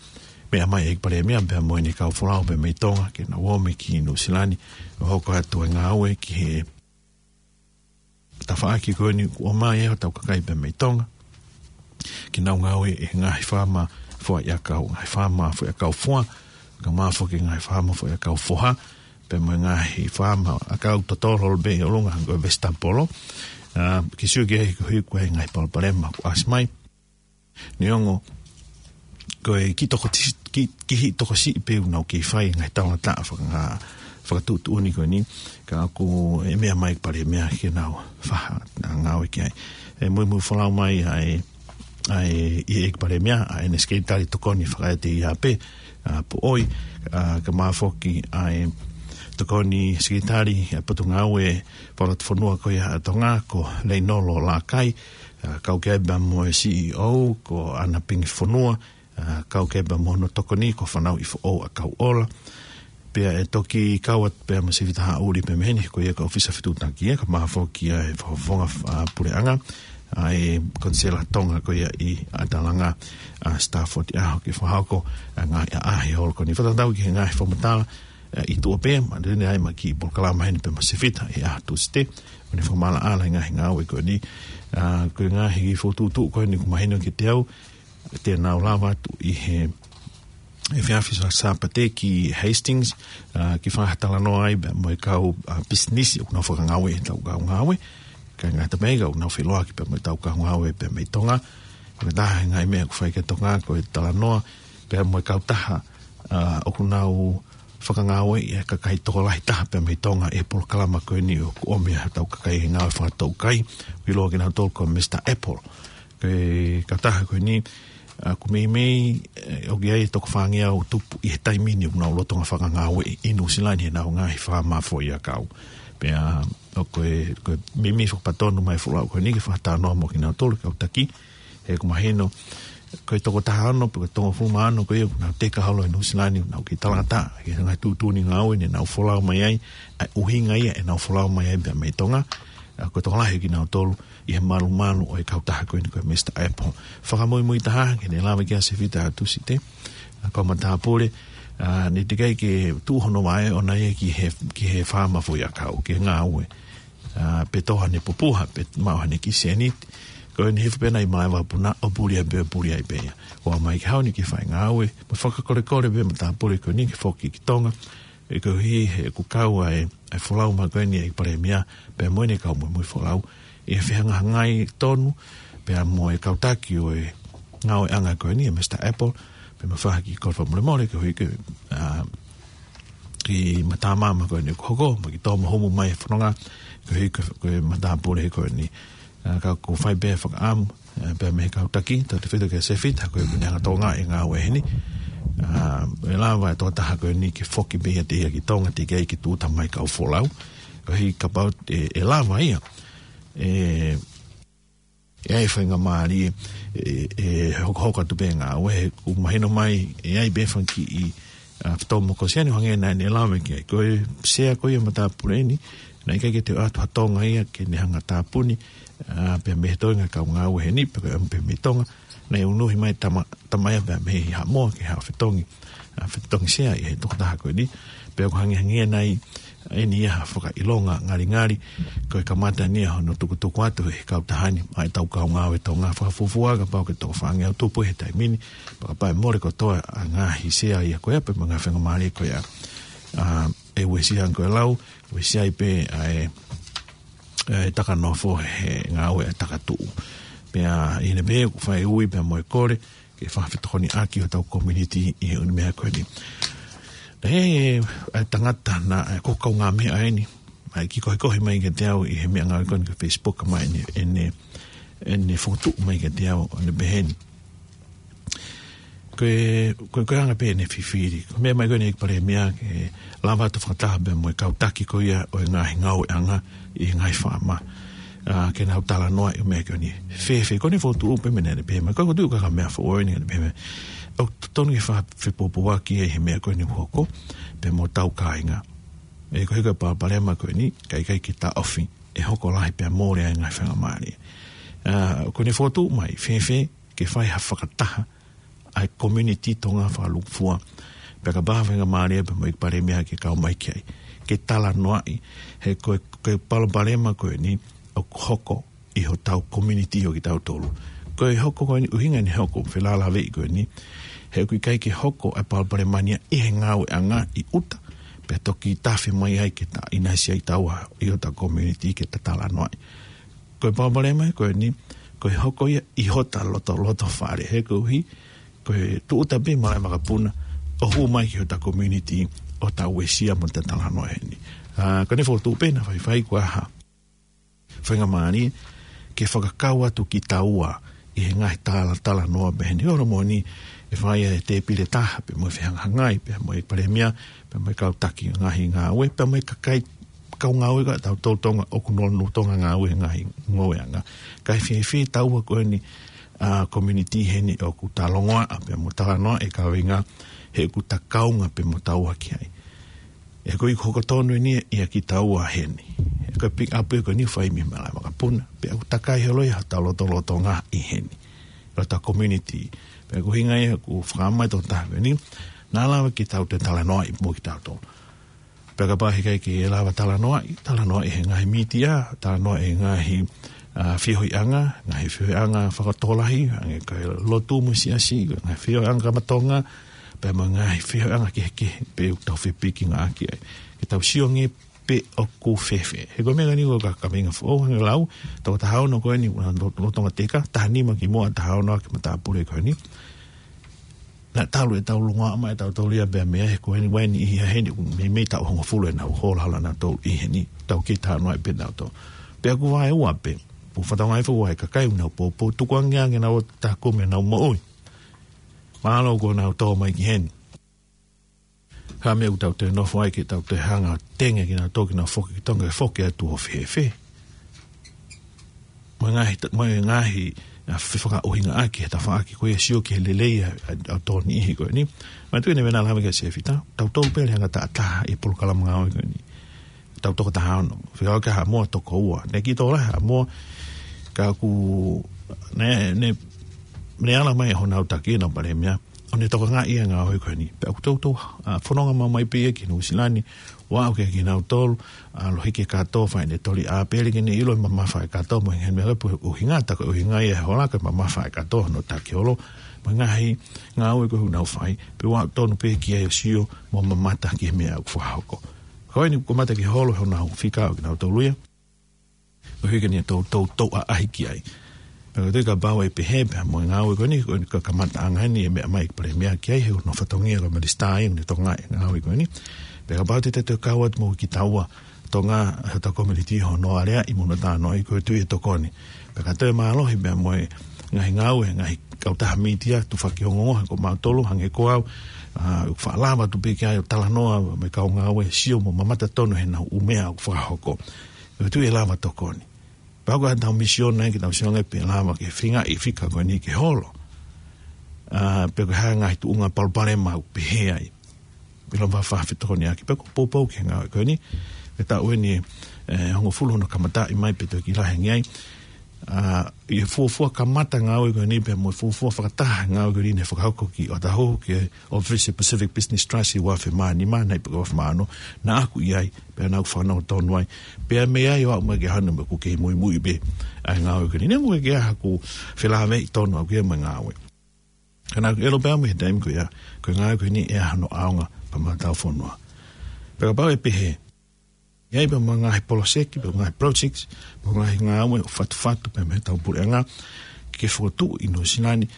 meʻa mai e ʻEiki Palēmia pea mo ʻene kau folau pea mei Tonga ke nau ō mai ki Nuʻusila ni ʻo hoko atu e ngāue ki he tafaʻaki ko eni kuo ʻomai ʻe hotau kakai pea mei Tonga ke nau ngāue ʻi he ngaahi faama foʻiʻakau, ngaahi faama foʻiʻakau fua, kae ʻumaʻā foki e ngaahi faama foʻiʻakau foha, pea mo e ngaahi faama ʻakau totolo pē ʻi ʻolunga ko e vegetable. ʻA, ke sio ki ai koeʻuhi ko e ngaahi palopalema kuo ʻasi mai. Neongo ko e kiʻi tokoti-, kiʻi, kiʻi tokosiʻi pē ʻoku nau kei fai e ngaahi talangataʻa faka-, fakatuʻutuʻuni ko eni, ka ʻoku meʻa mai e ʻEiki Palēmia ke nau faʻa ngāue ki ai. ʻE muimui folau mai ʻa e, ʻa e, ʻa e ʻEiki Palēmia, ʻa ʻene Sekelitali Tokoni Fakaeʻete ia pē, ʻa, Poʻoi, ʻa, kae ʻumaʻā foki ʻa e Tokoni Sekelitali ʻa e Potungāue Fakalotofonua ko ia ʻa Tonga, ko Leinolo Lakai, ʻa, kau ki ai pea mo e C E O, ko ʻAna Pingifonua, ʻa, kau ki ai pea mo hono tokoni, ko Fanauʻi Foʻou ʻa Kauʻola. Pea ʻe toki kau atu pea mo Sefita Haʻuli pea mei heni, ko ia ko e ʻōfisa fetuʻutaki ia, kae ʻumaʻā foki ʻa e fakafofonga, ʻa, puleʻanga, ʻa e Konisela Tonga ko ia ʻi ʻAtalanga, ʻa, Stafford ʻi he ʻaho ke fakahoko ʻa e ngaahi ʻaʻahi holo ko eni. Fakatatau ki he ngaahi fakamatala, ʻa, ʻi tuʻa pē, ma tene ai ma ki polokalama heni pea mo Sefita ʻi he ʻaho Tūsite, ʻo ne fakamaʻalaʻala e ngaahi ngāue ko eni. ʻA, ko e ngaahi fokotuʻutuʻu ko eni ʻoku mahino kiate au, te nau lava atu ʻi he, he efiafi Sā-, Sāpate ki Hastings, ʻa, ke fakatalanoa ai pea mo e kau, ʻa, pisinisi ʻoku nau fakangāue ʻi he tau kau ngāue. Ka ngata pē ka ʻoku nau feʻiloaki pea mo e tau kau ngāue pea mei Tonga. Ko e taha e ngaahi meʻa ʻoku fai ki Tonga ko e talanoa pea mo e kautaha, ʻa, ʻoku nau fakangāueʻi e kakai tokolahi taha pea mei Tonga ʻi he polokalama ko eni ʻoku ʻomi ʻa e tau kakai he ngāue fakatoukai. ʻOku ʻiloa kinautolu ko Mister Apple. Ko e kautaha ko eni, ʻa, ʻoku meimei, ʻe, ʻoku ʻi ai e toko fāngeau tupu ʻi he taimi ni ʻoku nau lolotonga fakangāueʻi ʻi Nuʻusila ni he ʻenau ngaahi faama foʻiʻakau. Pea, ʻa, ko e, ko e meimei fakapatonu mai e folau ko eni ke fakatalanoa mo kinautolu kau taki, he ʻoku mahino, ko e toko taha ono, pe ko e toko hongofulu mā ono, ko ia ʻoku nau teka holo ʻi Nuʻusila ni, ʻoku nau kei talangataʻa ki he ngaahi tuʻutuʻuni ngāue ne nau folau mai ai, ʻa e ʻuhinga ia ʻenau folau mai ai pea mei Tonga, ʻa, ko e tokolahi kinautolu ʻi he malumalu ʻo e kautaha ko eni ko e Mister Apple. Fakamuimui taha, ke ne lava ki ai Sefita ʻa Tūsite, ʻa, ko e matāpule, ʻa, ne teʻeki ai ke tuʻu hono vaʻe ʻoʻona ia ki he, ki he faama foʻiʻakau, ki he ngāue. ʻA, pe tō haʻane pupuha, pe maʻu haʻane kiʻi sēniti. Ko eni hifo pē ʻena ʻi malaʻe vakapuna, ʻo puli ai pē, ʻo puli ai pē ia. ʻO aʻu mai ki he ʻaho ni ke fai ngāue, mo fakakolekole pē matāpule ko eni ke foki ki Tonga. ʻE koeʻuhi he ʻoku kau ai ʻa e folau mai ko eni ʻa e ʻEiki Palēmia, pea mo ʻene kau muimui folau. ʻI he fehangahangai tonu, pea mo e kau taki ʻo e ngāueʻanga ko eni, ʻa Mister Apple, pea mo e faʻahi kiʻi kole fakamolemole, koeʻuhi ko e, ʻa, kiʻi matamama ko eni ʻoku hoko, mo e kiʻi tō mo humu mai e fononga, koeʻuhi ko, ko e matāpule ko eni. ʻA, ka ʻoku fai pē fakaʻamu, ʻa, pea mei he kau taki, tautautefito kia Sefita, ko ia ʻoku ne hanga ʻo tokangaʻi e ngāue heni. ʻA, ʻe lava e tokotaha ko eni ke foki pē ia ʻiate ia ki Tonga, teʻeki ai ke tūʻuta mai e kau folau. Koeʻuhi kapau ʻe, ʻe lava ia, ʻe, ʻe ʻi ai e faingamālie, ʻe, ʻe hokohoko atu pē e ngāue, he ʻoku mahino mai, ʻe ʻi ai pē e fanga kiʻi, ʻa, fetōmokosiani ʻo hangē naʻa ne lave ki ai. Ko e sea ko ia ʻo e matāpule ni, naʻe ʻikai ke toe ʻoatu ha Tonga ia ke ne hanga ʻo tāpuni, ʻa, pea mei he toenga e kau ngāue heni, pe ko e ʻamu pē mei Tonga, naʻe unuhi mai e tama, tama ia pea mei Haʻamoa ke haʻu ʻo fetongi, ʻa, fetongi sea ʻi he tokotaha ko eni, pea ʻoku hangē, hangē nai ʻeni ia ha fakaʻilonga ngalingali, ko e kamata ʻeni ia hono tukutuku atu ʻe he kautaha ni ʻa e tau kau ngāue Tonga. Fakafuofua kapau ʻoku toko fāngeau tupu he taimi ni, pea kapau ʻe mole kotoa ʻa e ngaahi sea ia ko ia, pea mo e ngaahi faingamālie ko ia, ʻa, ʻe uesia ange ko e lau, uesia ai pē ʻa e, ʻa e taka nofo he ngāue ʻa e taka tuʻu. Pea ʻi heʻene pehē ʻoku fai ui pea mo e kole ke fakafetokoniʻaki hotau community ʻi he ʻū meʻa ko eni. Naʻe ʻi ai e tangata naʻe, ʻoku kaungā meʻa eni, naʻe kiʻi kohikohi mai kiate au ʻi he meʻangāue ko eni ki he Facebook mai ʻene, ʻene, ʻene fokotuʻu mai kiate au ʻo ne pehē ni. Ko e, ko e, ko e anga pē ʻene fifili. Ko e meʻa mai ko eni ʻEiki Palēmia ke lava atu fakataha pea mo e kau taki ko ia ʻo e ngaahi ngāueʻanga ʻi he ngaahi faama. ʻA, ke nau talanoaʻi ʻū meʻa ko eni. Fēfē, ko ʻene fokotuʻu pē meʻa naʻe pehē mai. Ko e fokotuʻu ka ko e meʻa foʻou eni naʻe pehē mai. ʻOku totonu ke fa-, fepōpōaki ʻi he meʻa ko eni ʻoku hoko pea mo hotau kāinga. ʻE ko e hā e palopalema ko eni, ka ʻikai ke taʻofi, ʻe hoko lahi pea mole ai e ngaahi faingamālie. ʻA, ko ʻene fokotuʻu mai, fēfē, ke fai ha fakataha ʻa e community Tonga fakalūkufua. Pea kapau ha faingamālie pea mo e ʻEiki Palēmia ke kau mai ki ai. Ke talanoaʻi, he ko e, ko e palopalema ko eni ʻoku hoko ʻi hotau community ʻo kitautolu. Ko e hoko ko eni, ʻuhinga ʻene hoko, felālāveʻi ko eni, he ʻoku ʻikai ke hoko e palopalema ni ia ʻi he ngāueʻanga ʻi ʻuta, pea toki tafe mai ai ke ta ʻinasi ai taua ʻi hotau community ke ta talanoaʻi. Ko e palopalema ko eni, ko e hoko ia ʻi hota loto, loto fale, he koeʻuhi, ko e tūʻuta pē malaʻe makapuna, ʻo hū mai ki hota community, ʻo ta uesia mo ta talanoa heni. ʻA, ko ʻene fokotuʻu pē naʻe faifai ko e hā faingamālie, ke fakakau atu kitaua ʻi he ngaahi tala, talanoa pehē ni. ʻOku moʻoni ʻe fai e tēpile taha, pea mo e fehangahangai, pea mo e palēmia, pea mo e kau taki ngaahi ngāue, pea mo e kakai kau ngāue ka tau tau Tonga ʻoku nau, nau Tonga ngāue he ngaahi ngāueʻanga. Ka ʻe fēfē taua ko eni, ʻa, community heni ʻoku ta longoaʻa, pea mo talanoa e kaveinga, he ʻoku ta kaunga pea mo taua ki ai. ʻE ko e hoko tonu eni ia kitaua heni. ʻE ko e pick up ē ko eni fai mei malaʻe makapuna. Pea ʻoku takai holo ia hotau lotolotonga ʻi heni. Hotau community. Pea ko e ʻuhinga ia ʻoku fakamai tō taha ko eni. Naʻa lava ke tau toe talanoaʻi mo kitautolu. Pea kapau heʻikai ke lava talanoaʻi, talanoaʻi he ngaahi mītia, talanoaʻi he ngaahi, ʻa, feohiʻanga, ngaahi feohiʻanga fakatokolahi, hangē ko e lotu mo e siasi, ngaahi feohiʻanga kamatonga, pea mo e ngaahi feohiʻanga kehekehe, pea ʻoku tau fepikingāʻaki ai. Ke tau sio ange pe ʻoku fēfē. He ko e meʻa ni ko e ka, kaveinga foʻou, hangē lau, toko taha ono ko eni, ʻoku nau lo-, lolotonga teka, taha nima kimuʻa, taha ono ʻaki matāpule ko eni. Naʻa talu ʻetau longoaʻa mai ʻe tautolu ia pea meʻa he ko eni ʻoku ʻi heni, meimei taʻu hongofulu ʻenau hola hala ʻanautolu ʻi heni, tau kei talanoaʻi pē ʻanautolu. Pea ʻoku vaeua pē, ʻoku fakatokangaʻi foki ʻe he kakai ʻoku nau poupou, tukuange ange ʻenau ō ʻo takumi ʻenau moʻui. Mālō kuo nau tō mai ki heni. Ka meʻa ʻoku tau toe nofo ai ke tau toe hanga ʻo tenge kinautolu ke nau foki ki Tonga, ke foki atu ʻo fēfē. Mo e ngaahi ta-, mo e ngaahi, ʻa, fefakaʻuhingaʻaki he tafaʻaki ko ia, sio ki he lelei ʻa, ʻa, ʻa tō niʻihi ko eni. Manatuʻi naʻe ʻi ai ʻena lave kia Sefita, tautolu pē ʻa e anga taʻataha ʻi he polokalama ngāue ko eni. Tau toko taha ono. Fekau kia Haʻamoa toko ua. Naʻe kiʻi tō lahi Haʻamoa, ka ʻoku, naʻe, naʻe, naʻe ala mai honau taki ʻenau palēmia ʻo ne tokangaʻi ʻa e ngāue ko eni. Pea ʻoku toutou, ʻa, fononga maumau pē ia ki Nuʻusila ni, ʻo aʻu kia kinautolu, ʻa, Lohike Kato, fai ʻene toli ʻāpele ke ne ʻilo e mamafa ʻa e kato mo e ngaahi meʻa ko ē, ʻuhinga, tā ko e ʻuhinga ia ʻo e hola ko e mamafa ʻa e kato, hono taki holo, mo e ngaahi ngāue ko ē ʻoku nau fai, pea ʻoku tonu pē ke ʻai ʻo sio mo mamata ki he meʻa ʻoku fakahoko. Ko eni ʻoku kamata ke holo honau fika ʻo kinautolu ia. ʻO hiki ni tou, tou, tou ʻaʻahi ki ai. Pea ko e tui kapau ʻe pehē pea mo e ngāue ko eni, ko eni ko e kamataʻanga eni e meʻa mai ʻEiki Palēmia ki ai, he ko hono fatongia ko e minisitā ia ʻoku ne tokangaʻi e ngāue ko eni. Pea kapau te te toe kau atu mo kitaua Tonga, hotau community hono aleaʻi mo hono talanoaʻi, ko e tui ʻe tokoni. Pea ka toe mālohi pea mo e ngaahi ngāue, ngaahi kautaha mītia, tufaki ongoongo, he ko mautolu, hangē ko au, ʻa, ʻoku faʻa lava atu pē ki ai ʻo talanoa mo e kau ngāue, sio mo mamata tonu heʻenau ʻū meʻa ʻoku fakahoko. ʻOku tui ʻe lava tokoni. Pea ko e hā ʻetau misiona ke tau sio ange pe lava ke feingaʻi e fika ko eni ke holo. ʻA, pe ko e hā e ngaahi tuʻunga palopalema ʻoku pehē ai. Pea lava fakafetokoniʻaki pe ko e poupou ki he ngāue ko eni. Ke taʻu eni, ʻe, hongofulu hono kamataʻi mai pe toe kiʻi lahi ange ai. ʻA, ʻi he fuofua kamata ngāue ko eni pea mo e fuofua fakataha ngāue ko eni naʻe fakahoko ki ʻŌtāhuhu ki he ʻōfisi Pacific Business Trust ʻi he ua afe mā nima, naʻe pe ko e ua afe mā ono, naʻa ku ʻi ai, pea naʻa ku fanongo tonu ai. Pea mei ai ʻo aʻu mai ki he ʻaho ni ʻoku kei muimui pē ʻa e ngāue ko eni. Neongo ʻoku ʻikai ke ʻi ai haʻaku felāveʻi tonu ʻaʻaku ia mo e ngāue. Ka naʻa ku ʻilo pē au mei he taimi ko ia, ko e ngāue ko eni ʻe ʻi ai hano ʻaonga pea mo hotau fonua. Pea kapau ʻe pehē, ʻi ai pē mo e ngaahi poloseki, pe ngaahi projects, mo e ngaahi ngāue ʻoku fatufatu pē mei heʻetau puleʻanga. ke fokotuʻu ʻi Nuʻusila ni,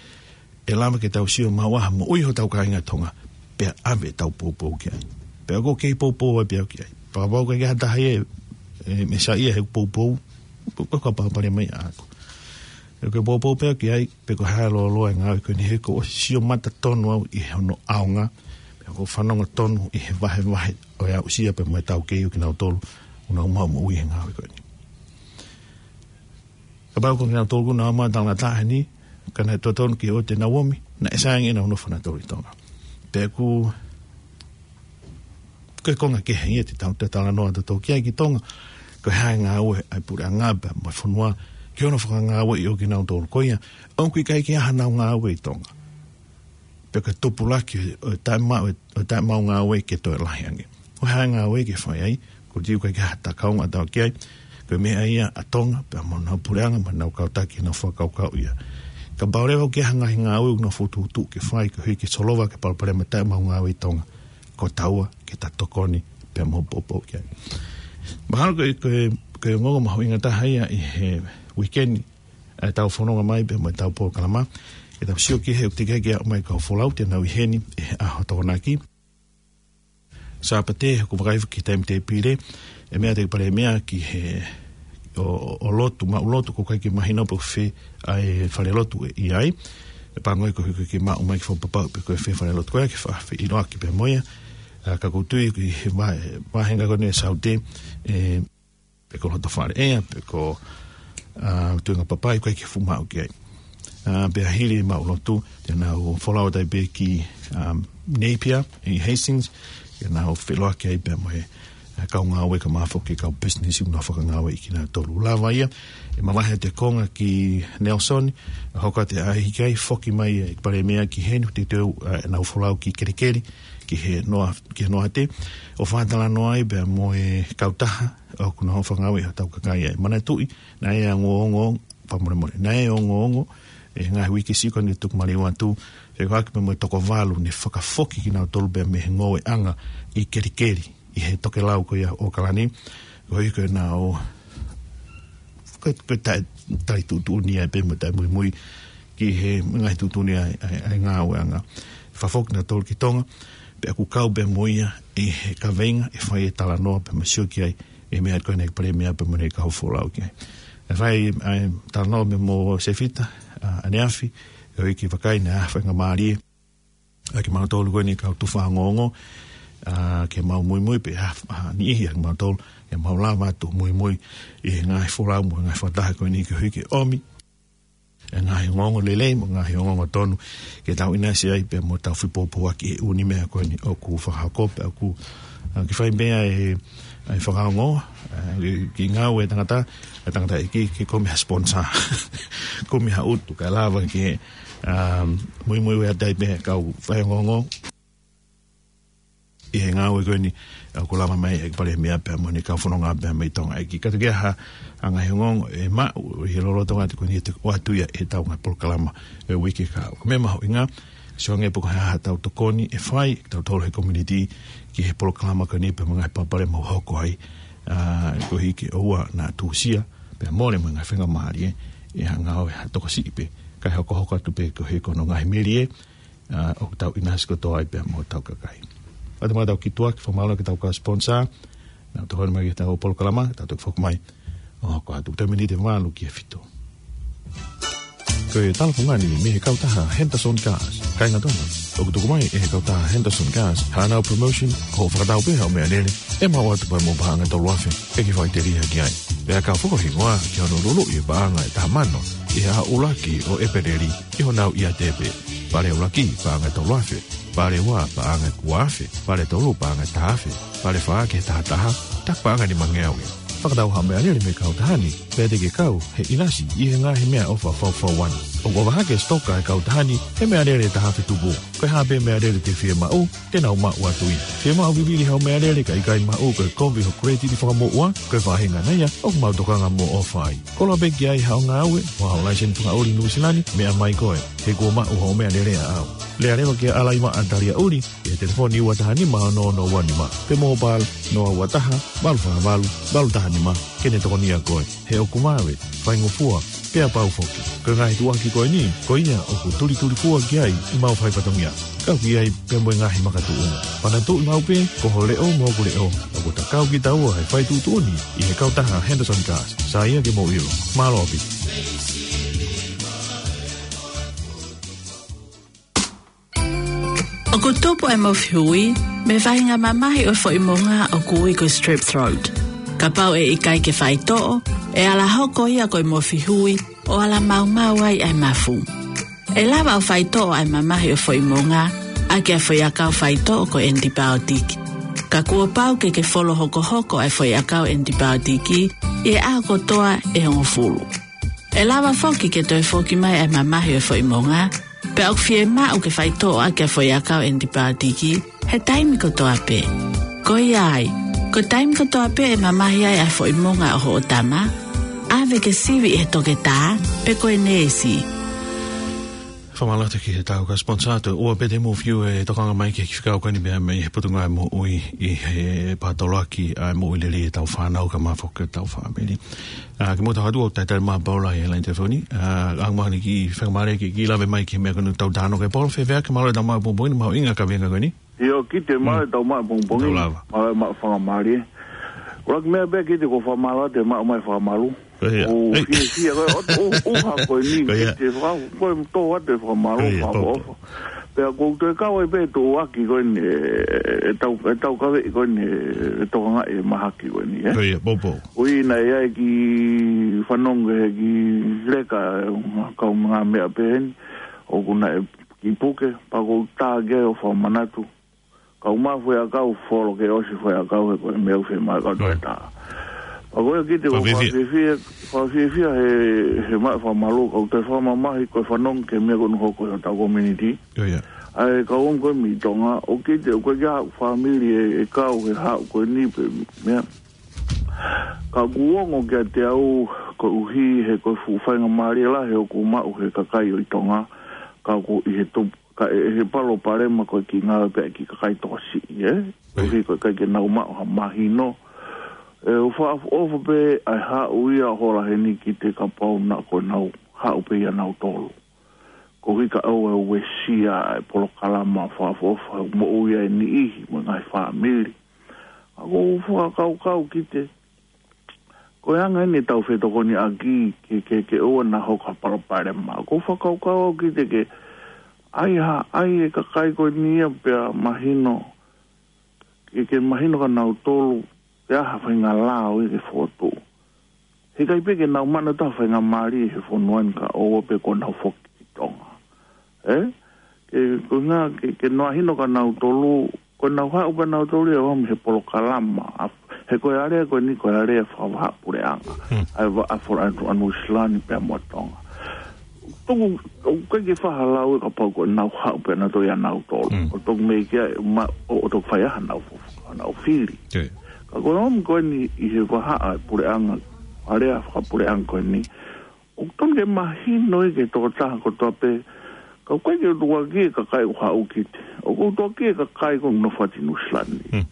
ʻe lava ke tau sio maʻu ai ha moʻui hotau kāinga Tonga, pea ʻave ʻetau poupou ki ai. Pea ʻoku kei poupou ai pē au ki ai. Pea kapau ʻoku ʻikai ha taha ia ʻe, ʻe meʻa ia he poupou, ko e kapau pale mai ʻaʻaku. ʻOku ou poupou pē au ki ai, pe ko e hā e lōloa e ngāue ko eni he kuo u sio mata tonu au ʻi hono ʻaonga, pea ʻoku ou fanongo tonu ʻi he vahevahe ʻo e aʻusia pea mo e taukei ʻo kinautolu ʻoku nau maʻu moʻui he ngāue ko eni. Kapau ko kinautolu ʻoku nau maʻu talangataʻa heni, ka naʻe totonu ke ʻoua te nau omi, naʻe sai ange ʻenau nofo nautolu ʻi Tonga. Pea ʻoku, ko e konga kehe ia te tau talanoa tautolu ki ai ki Tonga, ko e hā e ngāue ʻa e puleʻanga pea mo e fonua, ki hono fakangāueʻi ʻo kinautolu ko ia, ʻoku ʻikai ke ʻi ai hanau ngāue ʻi Tonga. Pe ko e tupulaki ʻo e taʻemaʻu, ʻo e taʻemaʻu ngāue ke toe lahi ange. Ko e hā e ngāue ke fai ai, ʻoku ou tui ʻoku ʻikai ke ʻi ai ha takaunga ʻatautolu ki ai, ko e meʻa ia ʻa Tonga, pea mo honau puleʻanga, mo ʻenau kau taki, ʻenau fakakaukau ia. Kapau leva ʻoku ʻi ai ha ngaahi ngāue ʻoku nau fokotuʻutuʻu ke fai, koeʻuhi ke solova ki he palopalema taʻemaʻu ngāue ʻi Tonga, ko taua ke ta tokoni pea mo poupou ki ai. Mahalo ko e, ko e, ko e ongoongo mahuʻinga taha ia ʻi he uike ni, ʻa ʻetau fononga mai pea mo ʻetau polokalama, ke tau sio ki he ʻoku teʻeki ke aʻu mai e kau folau te nau ʻi heni ʻi he ʻaho Tokonaki. Sāpate, ʻoku vakai ki he taimi tēpile, ʻe meʻa atu e Palēmia ki he ʻo, ʻo lotu, maʻu lotu, ʻoku ʻikai ke mahino pe ko fē ʻa e falelotu ʻe ʻi ai. ʻE pango ia koeʻuhi ke maʻu mai ke fakapapauʻi pe ko e fē falelotu ko ia ke fa-, feʻiloaki pea mo ia. ʻA, ka ʻoku ou tui ki he va-, vāhenga ko eni ʻo e Saute, ʻe, pe ko Lotofale ʻea, pe ko, ʻa, Tuʻunga Papai, ʻoku ʻikai ke fuʻu maʻu ki ai. ʻA, pea hili e maʻu lotu, te nau folau atu ai pē ki, ʻa, Napier, ʻi Hastings, te nau feʻiloaki ai pea mo e, ʻa, kau ngāue kae ʻumaʻā foki e kau pisinisi ʻoku nau fakangāueʻi kinautolu. Lava ia, ʻe mavahe atu e konga ki Nelson, hoko atu e ʻaho ki ai, foki mai e Palēmia ki heni, teuteu, ʻa, ʻenau folau ki Kelikeli, ki he noa, ki he noa te, ʻo fakatalanoa ai pea mo e kautaha, ʻoku nau fakangāueʻi hotau kakai ai. Manatuʻi, naʻe ongoongo, fakamolemole, naʻe ongoongo, ʻi he ngaahi uike siʻi ko eni ʻoku tuku maliu atu, fekauʻaki pea mo e toko valu ne fakafoki kinautolu pea mei he ngoueʻanga ʻi Kelikeli, ʻi he tokelau ko ia ʻo ʻOkalani, koeʻuhi ko ʻenau, ko e, ko e taʻe, taʻe tuʻutuʻuni ai pea mo e taʻe muimui ki he ngaahi tuʻutuʻuni ʻa e, ʻa e, ʻa e ngāueʻanga. Fakafoki kinautolu ki Tonga, pea ʻoku kau pea mo ia ʻi he kaveinga ʻe fai e talanoa pea mo e sio ki ai, ʻi he meʻa ko eni ʻa e Palēmia pea mo ʻene kau folau ki ai. ʻE fai ʻa e talanoa pea mo Sefita, ʻa, ʻaneafi, koeʻuhi ke vakai naʻa faingamālie ʻa kimautolu ko eni kau tufa ongoongo, ʻa, ke mau muimui pē, ʻa, ʻa, niʻihi ʻa kimautolu, ke mau lava atu muimui ʻi he ngaahi folau mo e ngaahi fakataha ko eni koeʻuhi ke ʻomi e ngaahi ongoongo lelei mo e ngaahi ongoongo tonu ke tau ʻinasi ai pea mo tau fepoupouaki he ʻū meʻa ko eni ʻoku fakahoko pea ʻoku, ʻa, ke fai pē ʻa e, ʻa e fakaongo, ʻa, ke, ke ngāue e tangata, e tangataʻeiki, ke kumi ha sponsor, kumi ha utu, kae lava ke, ʻa, muimui ʻo ʻai atu ai pē kau fai ongoongo ʻi he ngāue ko eni, ʻa, ʻoku lava mai ʻe he Palēmia pea mo ʻene kau fononga pea mei Tonga ʻEiki. Ka ʻoku ʻi ai ha, ha ngaahi ongoongo ʻe maʻu ʻi he lolotonga atu ko eni ʻe ʻoatu ia ʻe heʻetau ngaahi polokalama ʻo e uike ka. Ko e meʻa mahuʻinga, sio ange pe ko e hā haʻatau tokoni ʻe fai, tautolu he community, ki he polokalama ko eni pea mo e ngaahi palopalema ʻoku hoko ai, ʻa, koeʻuhi ke ʻoua naʻa tuʻusia, pea mole mo e ngaahi faingamālie, ʻe ha ngāue ha tokosiʻi pē, kae hokohoko atu pē koeʻuhi ko hono ngaahi melie, ʻa, ʻoku tau ʻinasi kotoa ai pea mo hotau kakai. ʻOatu mai ʻetau kiʻi tuʻa ke fakamālō ki heʻetau kau sponsor, naʻa nau tokoni mai ki heʻetau polokalama, tau toki foki mai ʻo hoko atu. Toe miniti ʻe valu ki he fitu. Ko e talafungani mei he kautaha Henderson Gas. Kāinga Tonga, ʻoku tuku mai ʻe he kautaha Henderson Gas haʻanau promotion, ko hoʻo fakatau pē haʻo meʻalele, ʻe maʻu atu pē mo e paʻanga ʻe tolu afe ʻe ke faʻiteliha ki ai. Pea ka fakahingoa ki hono luluʻi e paʻanga ʻe taha mano ʻi he ʻaho ʻuluaki ʻo ʻEpeleli ʻi honau ʻiate pē. Pale ʻuluaki, paʻanga ʻe tolu afe. Pale ua, paʻanga ʻe ua afe. Pale tolu, paʻanga ʻe taha afe. Pale fā ki he taha taha, taku paʻanga ʻe nima ngeau ia. Fakatau haʻo meʻalele mei he kautaha ni, pea te ke kau he ʻinasi ʻi he ngaahi meʻaʻofa faufau ʻana. ʻOku ʻofa hake e sitoka ʻa e kautaha ni he meʻalele ʻe taha afe tupu. Ko e hā pē meʻalele te ke fiemaʻu, te nau maʻu atu ia. Fiemaʻu vivili haʻo meʻalele ka ʻikai maʻu, ko e kovi hoʻo credit ʻi fakamoʻua, ko e faʻahinga ia ʻoku mau tokanga mo ʻofa ai. Koloa pē ki ai haʻo ngāue, mo haʻo laiseni fakaʻuli ʻi Nuʻusila ni, meʻa mai koe, he kuo maʻu hoʻo meʻalele ʻaʻau. Lea leva kia Alaimaʻa Taliaʻuli, ʻi he telefoni ua taha nima ono ono ua nima, pe mobile noa ua taha, valu fā valu, valu taha nima, ke ne tokonia koe. He ʻoku vave, faingofua, pea pau foki. Ko e ngaahi tuʻuaki ko eni, ko ia ʻoku tulitulifua ki ai ʻemau fai fatongia. Kau ki ai pea mo e ngaahi makatuʻunga. Panatuʻi maʻu pē, ko ho leʻo mo hoku leʻo. ʻOku ta kau kitaua he fai tuʻutuʻuni ʻi he kautaha Henderson Cars. Sai ia ke mou ʻilo. Mālō ʻaupito. ʻOku tupu e mofihui mei he faʻahinga mamahi ʻo e foʻi monga ʻoku ui ko e strep throat. Kapau ʻe ʻikai ke faitoʻo, ʻe ala hoko ia ko e mofihui ʻo ala maumau ai ʻa e mafu. ʻE lava ʻo faitoʻo ʻa e mamahi ʻo e foʻi monga ʻaki ʻa e foʻiʻakau faitoʻo ko e ʻenitipaotiki. Ka kuo pau ke ke folo hokohoko ʻa e foʻiʻakau ʻenitipaotiki ʻi he ʻaho kotoa ʻe hongofulu. ʻE lava foki ke toe foki mai ʻa e mamahi ʻo e foʻi monga, pea ʻoku fiemaʻu ke faitoʻo ʻaki ʻa e foʻiʻakau ʻenitipaotiki he taimi kotoa pē. Ko ia ai, ko e taimi kotoa pē ʻe mamahi ai ʻa e foʻi monga ʻo hoʻo tama, ʻave ke sivi ʻe he toketā pe ko e neesi. Fakamālō atu ki he tau ka sponsor atu, ʻoua pē te mou fiu e tokanga mai ki he kiʻi fekau ko eni pea mei he Potungāue Moʻui ʻi he Pātoloaki ʻa e moʻui lelei ʻetau fānau kae ʻumaʻā foki ʻetau fāmili. ʻA, ke mou tau atu ʻo talitali mai Paula ʻi he laine telefoni. ʻA, ʻoku mahalo ʻoku fakamālō ki he kiʻi lave mai ki he meʻa ko eni ʻoku tau talanoa ki ai, Paula, fēfē, kae mālō e tau maʻu pongipongi ni, mahuʻinga e kaveinga ko eni. ʻIo, kiate au maʻu e tau maʻu pongipongi ni. Tau lava. Mālō e maʻu fakamālie. Ko e laki meʻa pē kiate au ko e fakamālō atu e maʻu mai e fakamālō. Ko ia. ʻOku ou fiefia, ko e ʻotu ʻuha ko eni, ko ia, kiate au, ko e tō atu e fakamālō, ko ia, fakaʻofoʻofa. Pea ʻoku ou toe kau ai pē tuʻuaki ko eni, e, e tau, e tau kaveʻi ko eni, e tokangaʻi e mahaki ko eni, ē? Ko ia, poupou. Ui naʻe ʻi ai e kiʻi fanongo he kiʻi leka, e, kaungāmeʻa pehē ni, ʻoku naʻe kiʻi puke, pea ʻoku ou tā ki ai ʻo fakamanatu. Kau maʻu foʻiʻakau, folo ke ʻosi foʻiʻakau he ko e meʻa ʻoku fiemaʻu e kau toketā. Pea ko ia kiate au, fakafiefia, fakafiefia he, he maʻu e fakamālō, kau toe fakamamahi ko e fanongo ki he meʻa ko eni ʻoku hoko ʻi hotau community. Ko ia. ʻA e kau ʻomi ko ē mei Tonga, ʻoku kiate au, ʻoku ʻikai ke ʻi ai haʻaku fāmili ʻe, ʻe kau he haʻu ko eni pe meʻa. Ka ʻoku ongo kiate au koeʻuhi he ko e fuʻu faingamālie lahi ʻoku maʻu he kakai ʻo e Tonga, ka ʻoku ʻi he tupu, ka ʻi he palopalema ko e kiʻi ngāue pē ʻa e kiʻi kakai tokosiʻi, ē? Koeʻuhi ko e ʻikai ke nau maʻu ha mahino. ʻE, ʻoku fakaʻofoʻofa pē ʻa e haʻu ia ʻo hola heni kiate kapau naʻa ko ʻenau haʻu pē ia nautolu. Koeʻuhi ka ʻoua ʻe uesia e polokalama fakaʻofoʻofa moʻui ʻa e niʻihi mo e ngaahi fāmili. ʻOku ou fakakaukau kiate au, ko e anga eni ʻetau fetokoniʻaki ke, ke, ke ʻoua naʻa hoko ha palopalema. ʻOku ou fakakaukau au kiate au ke ʻai ha, ʻai e kakai ko eni ia pea mahino, ke, ke mahino kia nautolu pe ʻi ai ha faʻahinga lao ia ke fokotuʻu. Heʻikai pē ke nau maʻu ha faʻahinga mali he fonua ni ka ʻoua pē kuo nau foki ki Tonga. Ē? Ke, ko e ʻuhinga ke, ke mahino kia nautolu, ko ʻenau haʻu pē nautolu ia ʻo ʻomi he polokalama, ʻa, he ko e alea ko eni ko e alea fakavahaʻapuleʻanga. Hmm. ʻA e va-, ʻa e fola atu ʻa Nuʻu Sila ni pea mo Tonga. Tuku, ʻoku ʻikai ke fai ha lau ia kapau ko ʻenau haʻu pē nautolu ia nautolu. Mm. ʻO toki meʻa ki ai, ma-, ʻo, ʻo toki fai ai haʻanau fo-, haʻanau fili. Ko ia. Ka ko e ʻomi ko eni ʻi he vahaʻa e puleʻanga, alea fakapuleʻanga ko eni. ʻOku tonu ke mahino ia ki he tokotaha kotoa pē. Ka ʻoku ʻikai ke u tukuakiʻi e kakai ʻoku haʻu kiate au. ʻOku ou tukuakiʻi e kakai ʻoku nofo atu ʻi Nuʻu Sila ni. Mm.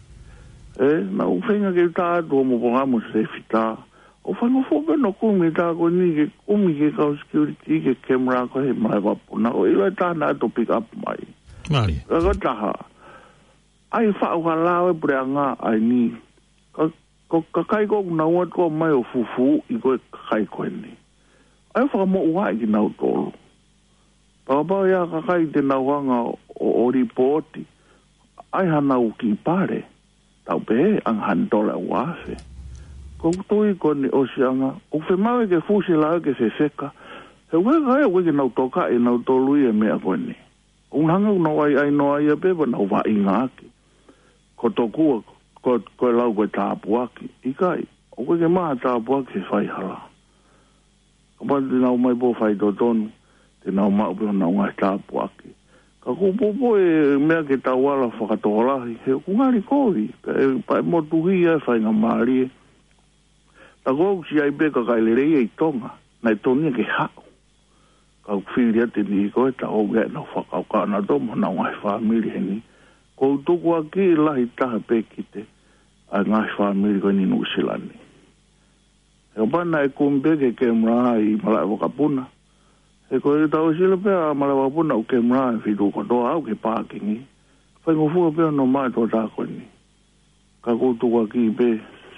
Ē, naʻa ku feinga ke u tā atu hoʻomo polokalama Sefita. ʻOku faingofua pē hono kumi e tā ko eni ke kumi ki he kau security ki he camera ko ē he malaʻe vapu. Naʻa ku ʻilo e tā naʻa nau toe pick up mai. Mālie. Ka ko e taha. ʻAi faʻu ha lao e puleʻanga ʻa eni. Ka, ko e kakai ko ē ʻoku nau ō atu ko ē mai ʻo fufū ʻi ko e kakai ko eni. ʻAi fakamoʻua ʻaki kinautolu. Pea kapau ʻe ʻi ai ha kakai te nau hanga ʻo, ʻo lipooti, ʻai haʻanau kiʻi pale, tau pehē, ʻanga hanidola ʻe ua afe. Ko e tui ko eni ʻosiʻanga, ʻoku fiemaʻu ke fusi e lao ke fefeka. He ʻoku ʻikai ke nau tokaʻi ʻe nautolu ia e meʻa ko eni. ʻOku nau hanga ʻo nau ʻaiʻainoa ia pē pea nau vaʻinga ʻaki. Ko tokua, ko, ko e lau ko e tāpuaki. ʻIkai, ʻoku ʻikai ke maʻu ha tāpuaki he faihala. Kapau te nau ō mai pē ʻo faitotonu, te nau maʻu pē honau ngaahi tāpuaki. Ka ʻoku ou poupou e meʻa ke tau ala fakatokolahi, he ʻoku ngali kovi, pea ʻe, pea ʻe motuhi e faingamālie. Tā ko ē ʻoku ʻi ai pē kakai lelei ʻi Tonga, naʻe tonu ia ke haʻu. Ka ʻOku fili atu e niʻihi ko ē, tau ō ia ʻenau fakakaukau naʻa tau mo honau ngaahi fāmili heni. Ko u tukuakiʻi lahi taha pē ki he ʻa e ngaahi fāmili ko eni Nuʻu Sila ni. He ʻoku pau naʻe kumi pē ke kemera ʻi Malaʻevakapuna. He ko e tau sila pē ʻa Malaʻevakapuna ʻoku kemera ʻi Fitungofulu kotoa, ʻalu ki he pākingi. Faingofua pē ʻo nau maʻu e tokotaha ko eni. Ka ko u tukuakiʻi pē,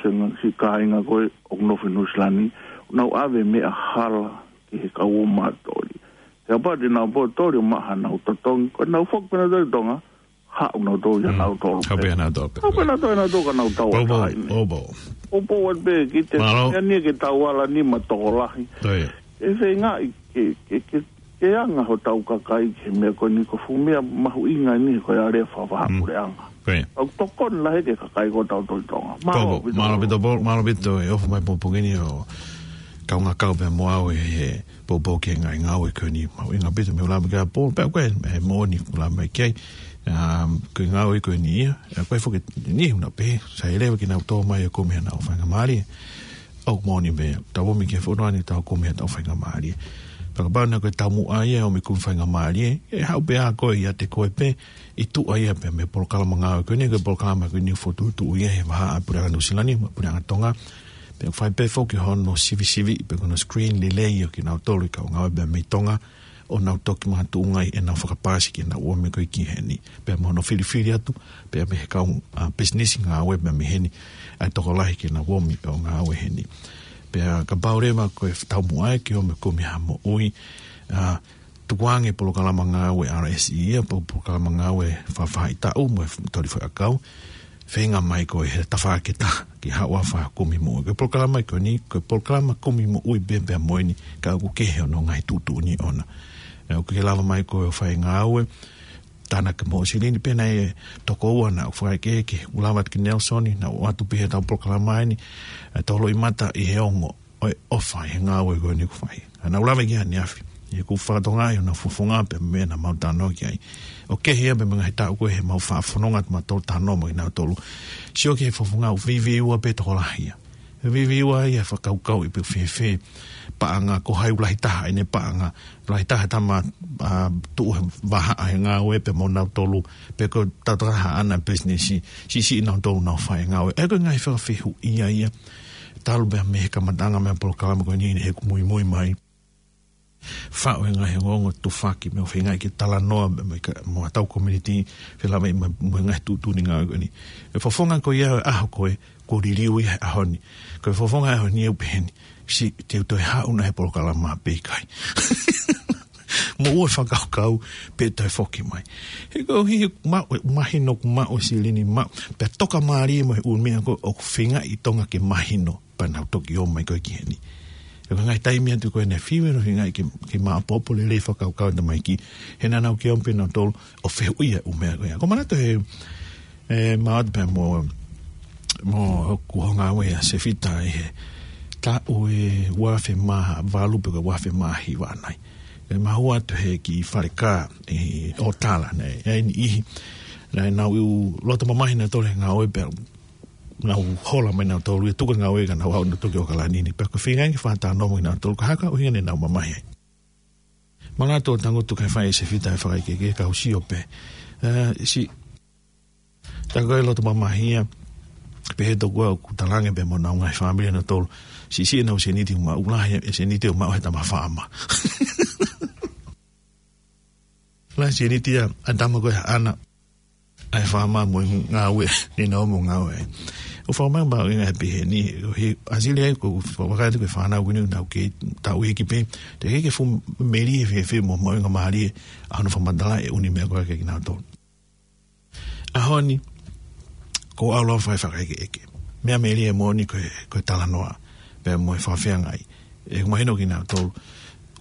se ngaahi kāinga ko ē ʻoku nofo ʻi Nuʻu Sila ni, nau ʻave meʻa hala ki he kau ō mātoli. He ʻoku pau te nau pōtoli ʻo maʻu haʻanau totongi, ko ʻenau foki pē nautolu ki Tonga, haʻu nautolu ia nautolu. Haʻu pē nautolu pē. Haʻu pē nautolu ia nautolu ka nau tau ʻo taha ʻi ni. ʻO pau. ʻO pau atu pē ki he meʻa ni ke tau ala ni mo e tokolahi. ʻE feingaʻi ke, ke, ke, ke anga hotau kakai ki he meʻa ko eni, ko e fuʻu meʻa mahuʻinga eni ko e alea fakafaʻahinga puleʻanga. ʻOku tokoni lahi ki he kakai ko ē ʻo tautolu ʻi Tonga. Mālō ʻaupito. Mālō ʻaupito, Paul, mālō ʻaupito e ʻofa mai poupou ni ʻo kaungā kau pē mo au ʻi he poupou ki he ngaahi ngāue ko eni. Mahuʻinga ʻaupito mei he lava ki ai Paul, pea ko e, e moʻoni ʻoku lava mai ki ai. Um, ko e ngāue ko eni ia, ʻa ko e foki ni huna pē, sai leva ke nau tō mai ʻo kumi haʻanau faingamālie. ʻOku moʻoni pē, tau ō mai ki he fonua ni tau kumi haʻatau faingamālie. Pea kapau naʻe ko e taumuʻa ia ʻo ō mai kumi faingamālie, ʻe haʻu pē ʻa koe ʻiate koe pē, ʻi tuʻa ia pē mei he polokalama ngāue ko eni, ko e polokalama ko eni fokotuʻutuʻu ia ʻe he vahaʻa puleʻanga Nuʻu Sila ni, mo e puleʻanga Tonga. Pea fai pē foki hono sivisiviʻi, pe ko hono screen lelei ʻo kinautolu ʻoku ngāue pē mei Tonga, ʻo nau toki makatuʻunga ai ʻenau fakapaasi ke nau ō mai ko ē ki heni. Pea mo hono filifili atu, pea mei he kau, a, pisinisi ngāue pea mei heni, ʻa e tokolahi ke nau ō mai ʻo ngāue heni. Pea kapau leva ko e taumuʻa ia ke ō mai kumi ha moʻui, a, tukuange polokalama ngāue R S E ia, po polokalama ngāue fakafaʻahitaʻu mo e toli foʻiʻakau, feinga mai koe he tafaʻaki ʻe taha ke haʻu ʻo fai ha kumi moʻui. Ko e polokalama ko eni, ko e polokalama kumi moʻui pē pea mo eni, ka ʻoku kehe hono ngaahi tuʻutuʻuni ʻoʻona. ʻE, ʻoku ke lava mai koe ʻo fai ngāue, tānaki mo Silini pē naʻe toko ua naʻa ku fakaʻekeʻeke, ʻoku lava atu ki Nelson, naʻa ku ʻoatu pē he tau polokalama eni, ʻe tau loʻimata ʻi he ongo ʻo e ʻofa ʻi he ngāue ko eni ʻoku fai. ʻA naʻa ku lave ki ai ʻaneafi, ʻi heʻeku fakatokangaʻi honau fofonga pea mo e meʻa naʻa mau talanoa ki ai. ʻOku kehe ia pea mo e ngaahi taʻu ko ē heʻemau faʻa fononga atu mautolu talanoa mo kinautolu. Sio ki he fofonga ʻoku veiveiua pē tokolahi ia. Veiveiua ia fakakaukauʻi pe ʻoku fēfē paʻanga, ko hai ʻoku lahi taha ʻene paʻanga, lahi taha tama, a, tuʻu he vahaʻa he ngāue pea mo nautolu, pe ko e tau taha ʻana pisinisi, siʻisiʻi nautolu ʻenau fai ngāue. ʻA ia ko e ngaahi fakafehuʻia ia, talu pē mei he kamataʻanga mei he polokalama ko eni heʻeku muimui mai. Faʻu e ngaahi ongoongo tufaki mo e feingaʻi ke talanoa mo e ka-, mo ʻetau community, felāveʻi mo, mo e ngaahi tuʻutuʻuni ngāue ko eni. E fofonga ko ia ʻo e ʻaho ko ē, kuo liliu ia he ʻaho ni. Ko e fofonga ʻaho ni ʻoku pehē ni, siʻi te u toe haʻu nai he polokalama pe ʻikai. Mo ʻoua ʻe fakakaukau pe toe foki mai. He ko e ʻuhi maʻu, mahino ʻoku maʻu ʻe Silini maʻu, pea toka mālie mo e ʻū meʻa ko ē ʻoku feingaʻi Tonga ke mahino, pea nau toki ō mai ko ē ki heni. He ko e ngaahi taimi atu ko ē naʻe fiu ʻenau feingaʻi ke, ke maʻopoʻopo lelei fakakaukau ʻa e tamaiki, he naʻa nau kei ō pē nautolu ʻo fehuʻia e ʻū meʻa ko ia. Ko e manatu he, ʻe, maʻu atu pē mo, mo hoku ngāue ʻa Sefita ʻi he taʻu ʻe uaafe mā valu pe ko e uaafe mā hiva ʻanai. ʻE, mahua atu he kiʻi fale kā ʻi ʻOtala, naʻe ʻi ai e niʻihi naʻa nau loto mamahi nautolu he ngāue pea nau hola mai nautolu ia tuku e ngāue ka nau haʻu nautolu ki ʻAokalani ni. Pea ko e feingaʻi ke fakatalanoa mo kinautolu, ko e hā e ʻuhinga naʻa nau mamahi ai. Manatu ʻo tangutu kae fai ʻe Sefita e fakaʻekeʻeke, ka u sio pē. ʻE, siʻi, tā ko e loto mamahi ia, pehē tokua ʻoku talaange pē mo honau ngaahi fāmili nautolu, siʻisiʻi ʻenau sēniti ʻoku maʻu, lahi e sēniti ʻoku maʻu he tama faama. Lahi e sēniti ia ʻa e tama ko ē haʻana, ʻa e faama mo e ngāue, ne nau ō mo ngāue. ʻOku fakamāʻopoʻopo ʻa e ʻuhinga he pehē ni, he ʻa Silini ia ko e fakakaukau ko e fānau ko eni ʻoku nau kei taʻu iiki pē, teʻeki ke fuʻu melie fēfē mo e maʻuʻanga mālie ʻa hono fakamatalaʻi e ʻū meʻa ko ē kiate kinautolu. ʻAho ni, ko au lava fai fakaʻekeʻeke. Meʻa melie moʻoni ko e, ko e talanoa, pea mo e fakafeangai. ʻE mahino kinautolu,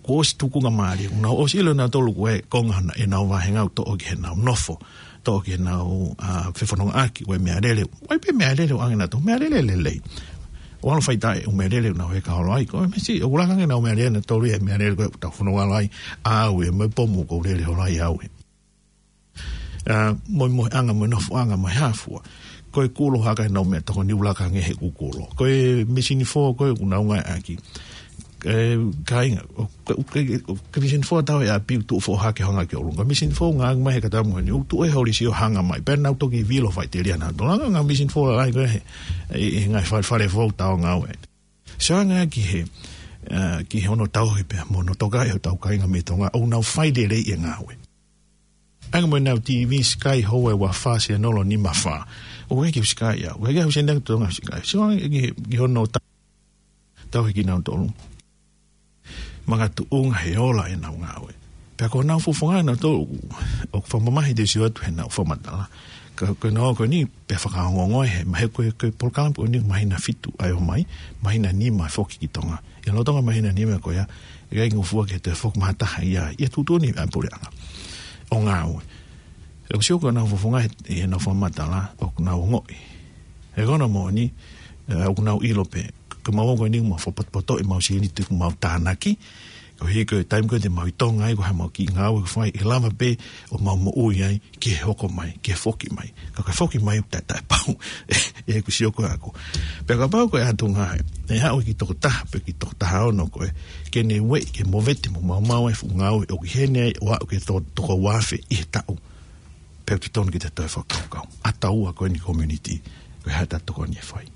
kuo ʻosi tukunga mālie, nau ʻosi ʻilo nautolu ko e konga ʻenau vāhenga ʻo toʻo ki heʻenau nofo, toʻo ki heʻenau, a, fefonongaʻaki, ʻo e meʻalele, ʻo e pē meʻalele ʻoange nautolu, meʻalele lelei. ʻO ʻalu fai taʻe ʻū meʻalele ʻoku nau heka holo ai, ko e meʻa siʻi, ʻoku langa ange ʻenau meʻalele nautolu ia he meʻalele ko ē ʻoku tau fononga holo ai, ʻa au ē, mo e pomu ʻoku ou lele holo ai au ē. A, mo e moheʻanga, mo e nofoʻanga, mo e hā fua. Ko e kulo haka ʻenau meʻatokoni ʻoku laka ange he kukulo. Ko e misini fō ko ē ʻoku nau ngāueʻaki. ē, kāinga, ʻoku, ʻoku, ʻoku, ʻoku ke Mission Four tau e ʻapi ʻoku tuʻu foʻohake hanga ki ʻolunga. Mission Four ngā mai he kata moʻoni, ʻoku tuʻu e holisi ʻo hanga mai. Pea nau toki vilo faʻiteliana. Tolanga ngā Mission Four ʻa ia ko ē he, ʻi, ʻi he ngaahi fale, fale foʻou tau ngāue. Sio ange ki he, ā, ki he ono tauhi pea mo hono tokaʻi hotau kāinga mei Tonga, ʻoku nau fai lelei e ngāue. Ange mo ʻenau T V Sky Hawaii ua fā sēnolo nima fā. ʻOku ʻikai ke u Sky au. ʻOku ʻikai ke u sēnolo Tonga Sky. Sio ange ki, ki hono ta-, tauhi kinautolu. Makatuʻunga he ola ʻenau ngāue. Pea ko honau fofonga nautolu ʻoku fakamamahi te u sio atu heʻenau fakamatala. Ka, ko e nō ko eni pea fakaongoongo he, mahalo ko e, ko e polokalama ko eni māhina fitu ʻa e ō mai, māhina nima foki ki Tonga. ʻI he lolotonga māhina nima ko ia, ʻe ʻikai ngofua ke toe foki mai ha taha ia, ʻi he tuʻutuʻuni ʻa e puleʻanga ʻo ngāue. ʻOku sio ko honau fofonga he, heʻenau fakamatala, ʻoku nau ongoʻi. He ko hono moʻoni, ē, ʻoku nau ʻilo pē, ko mau ko eni mau fakapotopoto ʻemau sēniti ʻoku mau tānaki, koeʻuhi ko e taimi ko ē te mau ʻi Tonga ai, ko e hā ʻemau kiʻi ngāue ʻoku fai, ʻe lava pē ʻo mau moʻui ai, ki he hoko mai, ki he foki mai. Ka ko e foki mai ʻoku taʻe, taʻepau. ʻE, ʻoku sio ko ē ʻaku. Pea kapau ko e ʻatunga ē, ʻe haʻu ki he toko taha, pe ki he toko taha ono ko ē, ke ne ueʻi, ke movete mo maumau ai e fuʻu ngāue ʻoku ʻi heni ai, ʻo aʻu ki he to-, toko uaafe ʻi he taʻu. Pea ʻoku totonu ke ta toe fakakaukau. ʻA taua ko eni community, ko e hā ʻeta tokoni ʻe fai.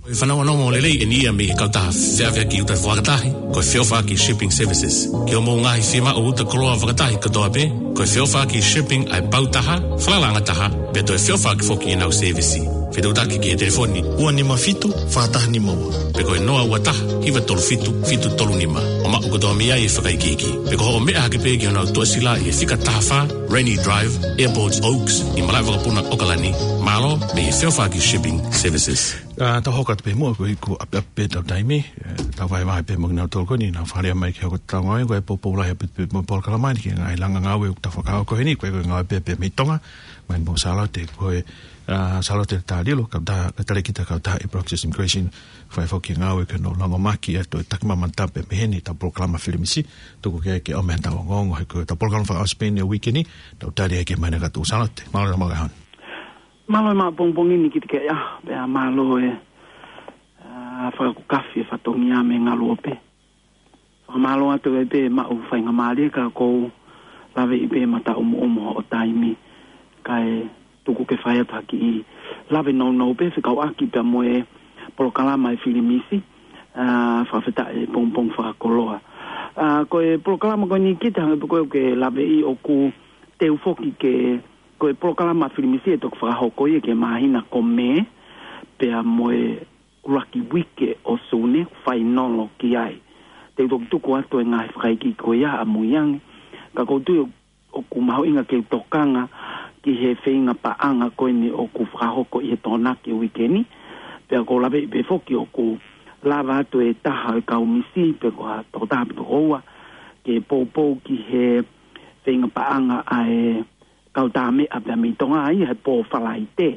Ko e fanongonongo lelei eni ia mei he kautaha feʻaveʻaki uta fakatahi, ko e Feʻofaʻaki Shipping Services. Ki hoʻomou ngaahi fiemaʻu uta koloa fakatahi kotoa pē, ko e Feʻofaʻaki Shipping ʻa e pau taha, falala anga taha, pea toe feʻofaʻaki foki ʻenau sēvisi. Fetuʻutaki ki he telefoni ua nima fitu, fā taha nima ua. Pe ko e noa ua taha, hiva tolu fitu, fitu tolu nima. ʻO maʻu kotoa mei ai e fakaikiiki. Pe ko hoʻo meʻa hake pē ki honau toʻasila ʻi he fika taha fā, Rainy Drive, Airport Oaks, ʻi Malaʻevakapuna, ʻOkalani. Mālō, mei he Feʻofaʻaki Shipping Services. Ā, tau hoko atu pē muʻa ko e iku ʻapiʻapi pē ʻetau taimi, ē, tau vahevahe pē mo kinautolu ko eni, naʻa nau fāʻeleʻa mai ke hoko atu ʻetau ngāue, ko e poupou lahi ʻaupito pē mo e polokalama ni ki he ngaahi langa ngāue ʻoku tau fakahoko heni, ko e, ko e ngāue pē, pē mei Tonga, mai mo Sālote, ko e, ā, Sālote Talilo, kautaha, ka tale kita kautaha ʻi Process Immigration, fai foki e ngāue ke nau langa mai ki he ʻa e Takimamata pē mei heni ʻetau polokalama Filimisi, tuku ke, ke ʻomai haʻatau ongoongo, he ko ʻetau polokalama faka-Aussie pē eni he uike ni, tau tali ai ke mai na katu Sālote, mālō e maʻu e ʻaho ni. Mālō e maʻu pongipongi ni kiate koe, ā, pea mālō e, ā, fakakukafi e fatongia mei Ngaluope. Fakamālō atu ai pē maʻu faingamālie ka ʻoku ou laveʻi pē mataʻumu ʻumu hoʻo taimi kae tuku ke fai atu ha kiʻi lave nounou pē fekauʻaki pea mo e polokalama e Filimisi, ā, fakafetaʻi e pongipongi fakakoloa. Ā, ko e polokalama ko eni kita hangē pē ko ē ʻoku ke laveʻi ʻoku teu foki ke, ko e polokalama Filimisi ʻe toki fakahoko ia ki he māhina ko Mē, pea mo e ʻuluaki uike ʻo Sune, fainolo ki ai. Te u toki tuku atu e ngaahi fakaikiiki ko ia ʻamui ange. Ka ʻoku ou tui ʻoku mahuʻinga ke u tokanga ki he feinga paʻanga ko eni ʻoku fakahoko ʻi he Tokonaki uike ni. Pea ʻoku ou laveʻi pē foki ʻoku lava atu e taha ʻo e kau misi, pe ko ha tokotaha pe ko ua, ke poupou ki he feinga paʻanga ʻa e kau tā meʻa pea mei Tonga ʻi he pō Falaite.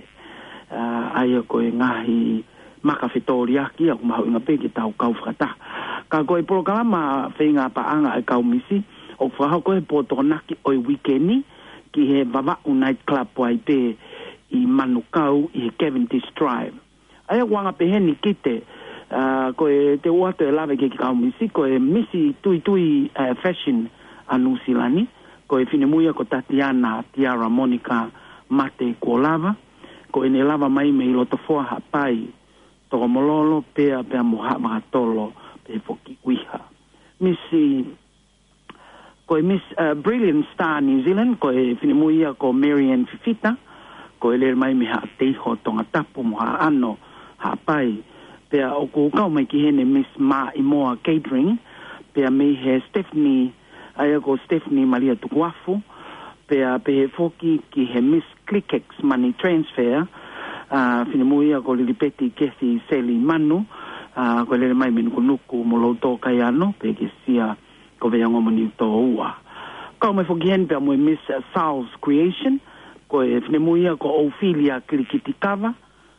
Ā, ʻa ia ko e ngaahi maka fetōliʻaki ʻoku mahuʻinga pē ke tau kau fakataha. Ka ko e polokalama feinga paʻanga ʻa e kau misi, ʻoku fakahoko he pō Tokonaki ʻo e uike ni, ki he Vavaʻu Night Club ʻo ai pē ʻi Manukau ʻi he Cavendish Drive. ʻA ia ʻoku anga pehē ni kita, ā, ko e te u ʻoatu e lave ki he kau misi, ko e Misi Tuitui, ā, Fashion ʻa Nuʻusila ni, ko e finemui ia ko Tatiana Tiara Monica Mate Kuolava, ko ʻene lava mai mei Lotofoa, Haʻapai, Tokomololo, pea, pea mo Haʻavakatolo, pea foki ʻUiha. Misi Ko e Miss, uh, Brilliant Star New Zealand, ko e finemui ia ko Marianne Fifita, ko e lele mai mei Haʻateiho, Tongatapu mo Haʻano, Haʻapai. Pea ʻoku kau mai ki heni Miss Maʻimoa Catering, pea mei he Stephanie, ʻa ia ko Stephanie Malia Tukuafu, pea pehē foki ki he Miss Clickex Money Transfer, uh, finemui ia ko Lilipeti Kethi Seli Manu, uh, ko e lele mai mei Nukunuku mo Loutokaiano, pea ki Sia ko Veiangomo Niutōua. Kau mai foki heni pea mo e Miss Sal's Creation, ko e finemui ia ko Ophelia Kilikitikava,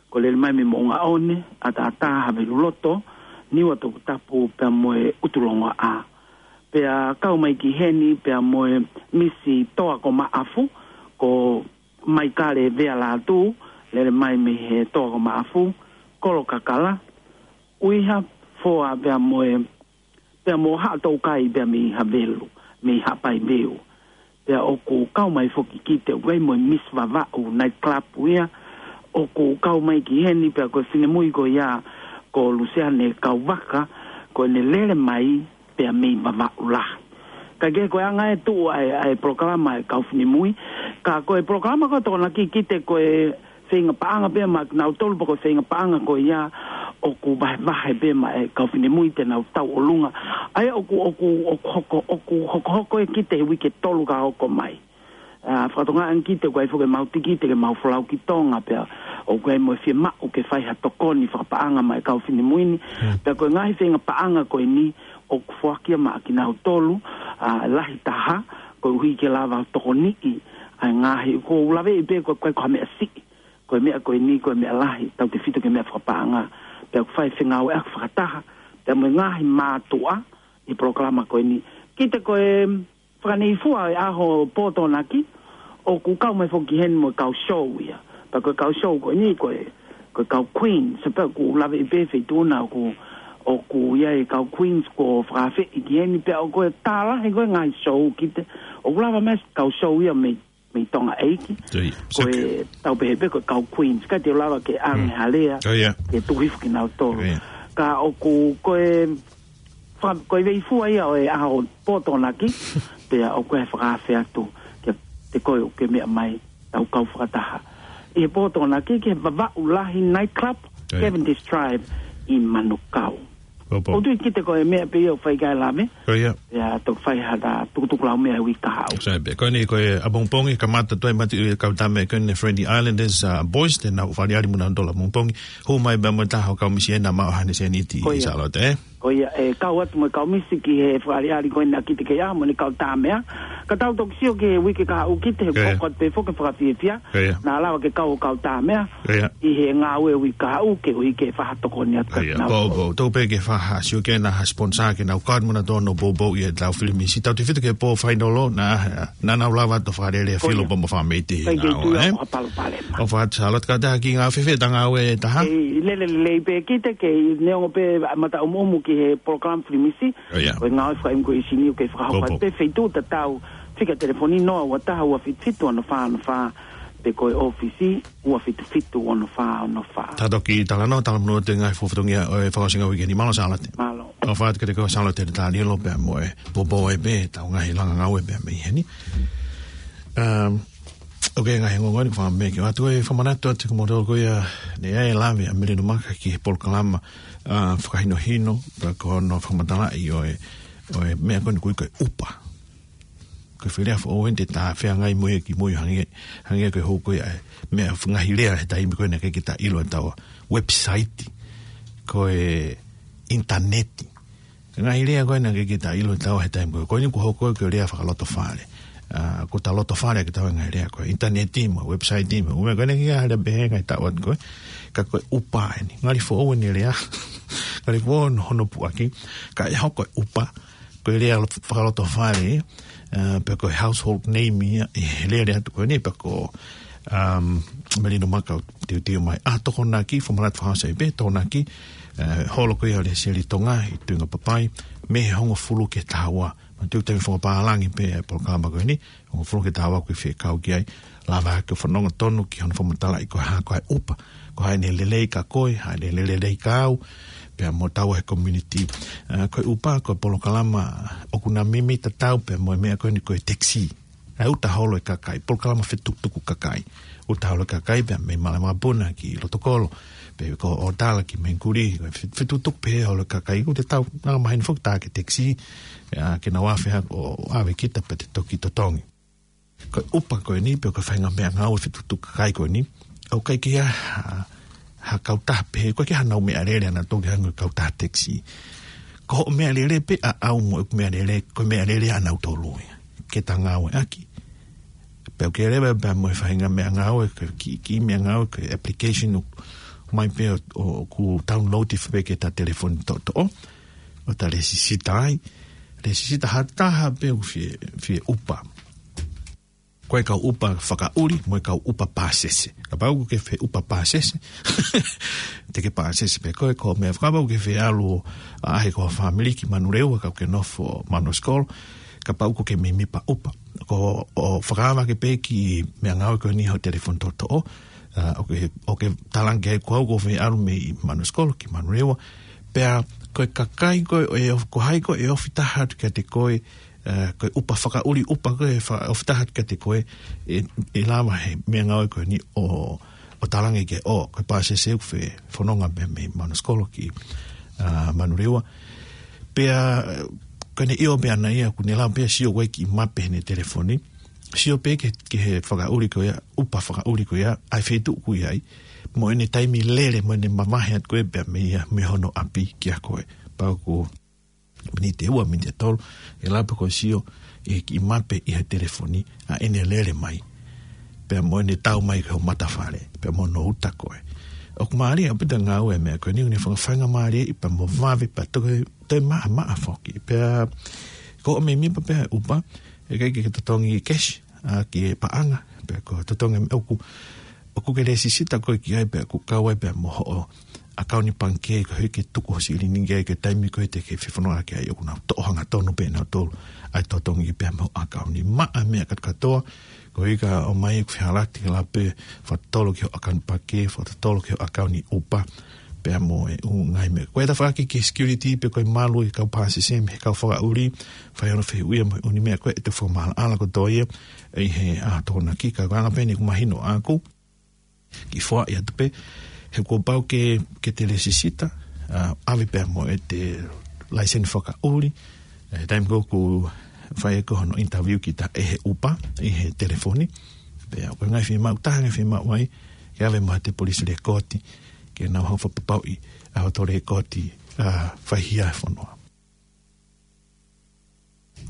ko e lele mai mei Moʻungaʻone, ʻAtaʻatā, Haveluloto, Niua Tongatapu pea mo e ʻUtulongoaʻa. Pea kau mai ki heni pea mo e Misi Toa ko Maʻafu, ko Maikale Vealātū, lele mai mei he Toa ko Maʻafu, Kolokakala, ʻUiha, Foa pea mo e, pea mo Haʻatoukai pea mei Havelu, mei Haʻapaiveu. Pea ʻoku kau mai foki Kite, ʻoku ʻi ai mo e Miss Vavaʻu, night club ia, ʻoku kau mai ki heni, pea ko e finemui ko ia, ko Luseane Kauvaka, ko ʻene lele mai, pea mei Vavaʻu lahi. Ka ke ko e anga e tuʻu ʻa e, ʻa e polokalama ʻa e kau finemui, ka ko e polokalama ko e Tokonaki Kite ko e feinga paʻanga pē maʻa kinautolu pea ko e feinga paʻanga ko ia ʻoku vahevahe pē maʻa e kau finemui te nau tauʻolunga. ʻA ia ʻoku, ʻoku, ʻoku hoko, ʻoku hokohoko ē Kite he uike tolu ka hoko mai. ʻA, fakatokangaʻi ange Kite ʻoku ʻi ai foki ʻemau tikite ke mau folau ki Tonga pea ʻoku ʻi ai mo e fiemaʻu ke fai ha tokoni fakapaʻanga maʻa e kau finemui ni. Pea ko e ngaahi feinga paʻanga ko eni ʻoku foaki ia maʻa kinautolu, ʻa, lahi taha, koeʻuhi ke lava tokoniʻi ʻa e ngaahi, ʻoku ou laveʻi pē ko e, ko e, ko ha meʻa siʻi. Ko e meʻa ko eni, ko e meʻa lahi, tautefito ki he meʻa fakapaʻanga. Pea ʻoku fai fengāueʻaki fakataha pea mo e ngaahi mātuʻa ʻi he polokalama ko eni. Kite ko e fakaneifua ʻo e ʻaho pō Tokonaki, ʻoku kau mai foki heni mo e kau show ia. Pea ko e kau show ko eni, ko e, ko e kau Queens, pea ʻoku laveʻi pē feituʻu na ʻoku, ʻoku ʻi ai e kau Queens kuo fakaafeʻi ki heni, pea ʻoku ʻi ai e tālahi ko e ngaahi show Kite, ʻoku lava mai e kau show ia mei mei Tonga ʻEiki. Ko e tau pehē pē ko e kau Queens, ka te lava ke ʻange ha lea, ke tuku hifo kinautolu. Ka ʻoku, ko e, fa-, ko e veifua ia ʻo e ʻaho pō Tokonaki, pea ʻoku ʻi ai e fakaafe atu, ke, te koe ʻoku ke meʻa mai, tau kau fakataha. ʻI he pō Tokonaki, ki he Vavaʻu Lahi Night Club, Cavendish Drive, ʻi Manukau. ʻOku ou tui Kite ko e meʻa pē ia ʻoku fai ki ai e lave. Ia, toki fai ha ta tukutuku lau meʻa he uike kahaʻu. Sai pē, ko eni ko e ʻapongipongi, kamata tuai mati e kau tame ko eni Friendly Islanders, ʻa, Boys, te nau fakaʻaliʻali mo kinautolu ʻapongipongi. Hū mai pea mo e taha ʻo e kau misi ena maʻu haʻane sēniti ʻi Sālote, ē? Ko ia, ʻe kau atu mo e kau misi ki he fakaʻaliʻali ko ena Kite ke ʻaho mo ʻene kau tāmeʻa. Ka tau toki sio ki he uike kahaʻu Kite he hoko atu pē foki e fakafiefia. Naʻa lava ke kau ʻo kau tāmeʻa ʻi he ngāue uike kahaʻu koeʻuhi ke fakatokoni atu. Ia, pō, pō, tau pē ke fakasio ke na ha sponsor ke nau kau mo kinautolu ʻo poupou ʻi he tau filimisi. Tautefito ki he pō fainolo, naʻa, naʻa nau lava ʻo fakalele filo pea mo fāmili ʻi he ngāue, ē? ʻO fakaʻatā Sālote, kātaki ngāue fēfē ʻeta ngāue ʻe taha? ʻE, lele lelei pē Kite, kei neongo pē mata ʻumuʻumu ki he polokalama filimisi. Ko e ngāue fakaʻimu ko e ʻisi ni ʻoku kei fakahoko atu pē feituʻu tatau, fika telefoni noa ua taha ua fitu fitu ono fā ono fā, pe ko e ʻōfisi ua fitu fitu ono fā ono fā. Tau toki talanoa, talanoa atu e ngaahi fatongia ʻo e fakaʻosinga uike ni. Mālō Sālote. Mālō. ʻOfa atu kiate koe Sālote Talilo pea mo e poupou ai pē ʻetau ngaahi langa ngāue pea mei heni. Um, ʻOku ʻi ai e ngaahi ongoongo ʻeni ʻoku ou fie meʻa ki ai. ʻOatu e fakamanatu atu kiate kimoutolu ko ia naʻe ʻi ai e lave ʻa Melino Maka ki he polokalama, ʻa, fakahinohino, pea ko hono fakamatalaʻi ʻo e, ʻo e meʻa ko eni ʻoku ui ko e ʻupa. Ko e foʻi lea foʻou ʻeni te ta feangai mo ia kimui hangē, hangē ko e hoko ia e meʻa ngaahi lea he taimi ko ena ʻikai ke ta ʻilo ʻe taua website, ko e ʻinitaneti. Ngaahi lea ko ena ʻikai ke ta ʻilo ʻe taua he taimi ko ē. Ko eni ʻoku hoko ko e lea fakalotofale. ʻA, ko e lotofale ke tau ngaahi lea ko e ʻinitaneti mo e website mo e ʻū meʻa ko ena ʻikai ke lea pehē ngaahi taʻu atu ko ē. Ka ko e ʻupa ʻeni. Ngali foʻou ʻeni e lea. Ngali foʻou hono puʻaki. Ka ʻe hoko e ʻupa ko e lea fakalotofale, ʻa, pe ko e household name ia ʻi he lele atu ko eni pe ko, um, Melino Maka ʻoku teuteu mai. ʻA, Tokonaki, fakamanatu fakaʻosi pē, Tokonaki, ʻa, holo ko ia ʻo e Lēseli Tonga ʻi Tuingapapai, mei he hongofulu ki he taha ua. Manatuʻi taimi fakapālangi pē e polokalama ko eni, hongofulu ki he taha ua ʻoku ou fie kau ki ai, lava ke fanongo tonu ki hono fakamatalaʻi ko e hā ko e ʻupa, ko e hā ʻene lelei kia koe, hā ʻene lelei kia au, pea mo taua he community. ʻA, ko e ʻupa, ko e polokalama ʻoku na mimi tatau pea mo e meʻa ko eni ko e taxi. ʻA e uta holo e kakai, polokalama fetukutuku kakai. Uta holo e kakai pea mei Malama Puna ki Lotokolo, pe ko ʻOtala ki Mengkuli, ko e fe-, fetukutuku pē holo e kakai, ʻoku te tau, naʻa mahino foki tā ki he taxi, ʻa, ke nau afe hake ʻo ʻave kita pea te toki totongi. Ko e ʻupa ko eni, pe ko e faʻahinga meʻangāue fetukutuku kakai ko eni, ʻoku ʻikai ke ʻi ai ha, ha kautaha pehē, ʻoku ʻikai ke ʻi ai haʻanau meʻalele ʻanautolu ke hangē ko e kautaha taxi. Ko hoʻo meʻalele pē ʻaʻau mo ʻeku meʻalele, ko e meʻalele ʻanautolu ia ke ta ngāueʻaki. Pea ʻoku ʻi ai leva pea mo e faʻahinga meʻangāue, ko e kiʻi, kiʻi meʻangāue, ko e application ʻoku ʻomai pē ʻo, ʻo, ʻoku download pē ki heʻeta telefoni toʻotoʻo, ʻo ta lēsisita ai. Lēsisita ha taha pē ʻoku fie, fie ʻupa. ko e kau ʻupa fakaʻuli, mo e kau ʻupa pāsese. Kapau ʻoku ke fie ʻupa pāsese, te ke pāsese pē koe, ko e meʻa kapau ʻoku ke fie ʻalu ʻo ʻaʻahi ko ho fāmili ki Manurewa, ka ʻoku ke nofo Manuskolo, kapau ʻoku ke mēmipa ʻupa. Ko hoʻo fakaava ake pē kiʻi meʻangāue ko eni ho telefoni toʻotoʻo, ʻa, ʻoku ke, ʻoku ke talaange ko au ʻoku ou fie ʻalu mei Manuskolo ki Manurewa. Pea ko e kakai ko ē, ʻe of-, ko hai ko ē ʻe ofi taha atu kiate koe, ʻa, ko e ʻupa fakaʻuli ʻupa ko ē ʻe fa-, ofi taha atu kiate koe, ʻe, ʻe lava he meʻangāue ko eni ʻo, ʻo talaange ke ʻo, ko e pāsese ʻoku fie fononga pē mei Manuskolo ki, ʻa, Manurewa. Pea, ko ʻene ʻio pē ʻana ia, ʻoku ne lava pē ʻo sio ʻoku ʻi ai e kiʻi mape heʻene telefoni. Sio pē ki he, ki he fakaʻuli ko ia, ʻupa fakaʻuli ko ia, ʻa e feituʻu ʻoku ʻi ai, mo ʻene taimi lele, mo ʻene mavahe atu ko ē pea mei ia, mei hono ʻapi kia koe. Pea ʻoku miniti ʻe ua, miniti ʻe tolu, ʻe lava pē koe ʻo sio ʻi he kiʻi mape ʻi he telefoni, ʻa ʻene lele mai, pea mo ʻene tau mai ki ho matafale, pea mo hono uta koe. ʻOku mālie ʻaupito e ngāue e meʻa ko eni, ʻoku ne fakafaingamālieʻi pea mo vave pea toe, toe maʻamaʻa foki. Pea ko hoʻo mēmipa pē ʻupa, ʻe ʻikai ke ke totongi kesi, ʻa, ki he paʻanga, pea ko e totongi ʻoku, ʻoku ke lēsisita koe ki ai pea ʻoku kau ai pea mo hoʻo ʻakauni pangikē, ko e ʻikai ke tuku ho silini ki ai ki he taimi ko ē te ke fie fononga ki ai, ʻoku nau toʻo hangatonu pē nautolu ʻa e totongi pea mo e ʻakauni. Maʻa e meʻa kātoa, koeʻuhi ka ʻomai ʻeku fehālaaki ke lava pē fakatotolo ki hoʻo ʻakauni pangikē, fakatotolo ki hoʻo ʻakauni ʻupa, pea mo e ʻū ngaahi meʻa. Ko e tafaʻaki ki he security pe ko e malu ʻa e kau pāsese mei he kau fakaʻuli, fai hono fehuʻia mo e ʻū meʻa ko ē, ʻe toe fakamaʻalaʻala kotoa ia ʻi he ʻaho Tokonaki. Ka ko e anga pē eni ʻoku mahino ʻaʻaku, kiʻi foaʻi atu pē, he kuo pau ke, ke te lēsisita, ʻa, ʻave pea mo ʻete laiseni fakaʻuli, ʻi he taimi ko ē ʻoku fai ai ko ē hono interview kita ʻe he ʻupa, ʻi he telefoni, pea ko e ngaahi fiemaʻu, taha e ngaahi fiemaʻu ai, ke ʻave mo ʻete police record, ke nau hanga ʻo fakapapauʻi ʻa hoto record, ʻa, faihia he fonua.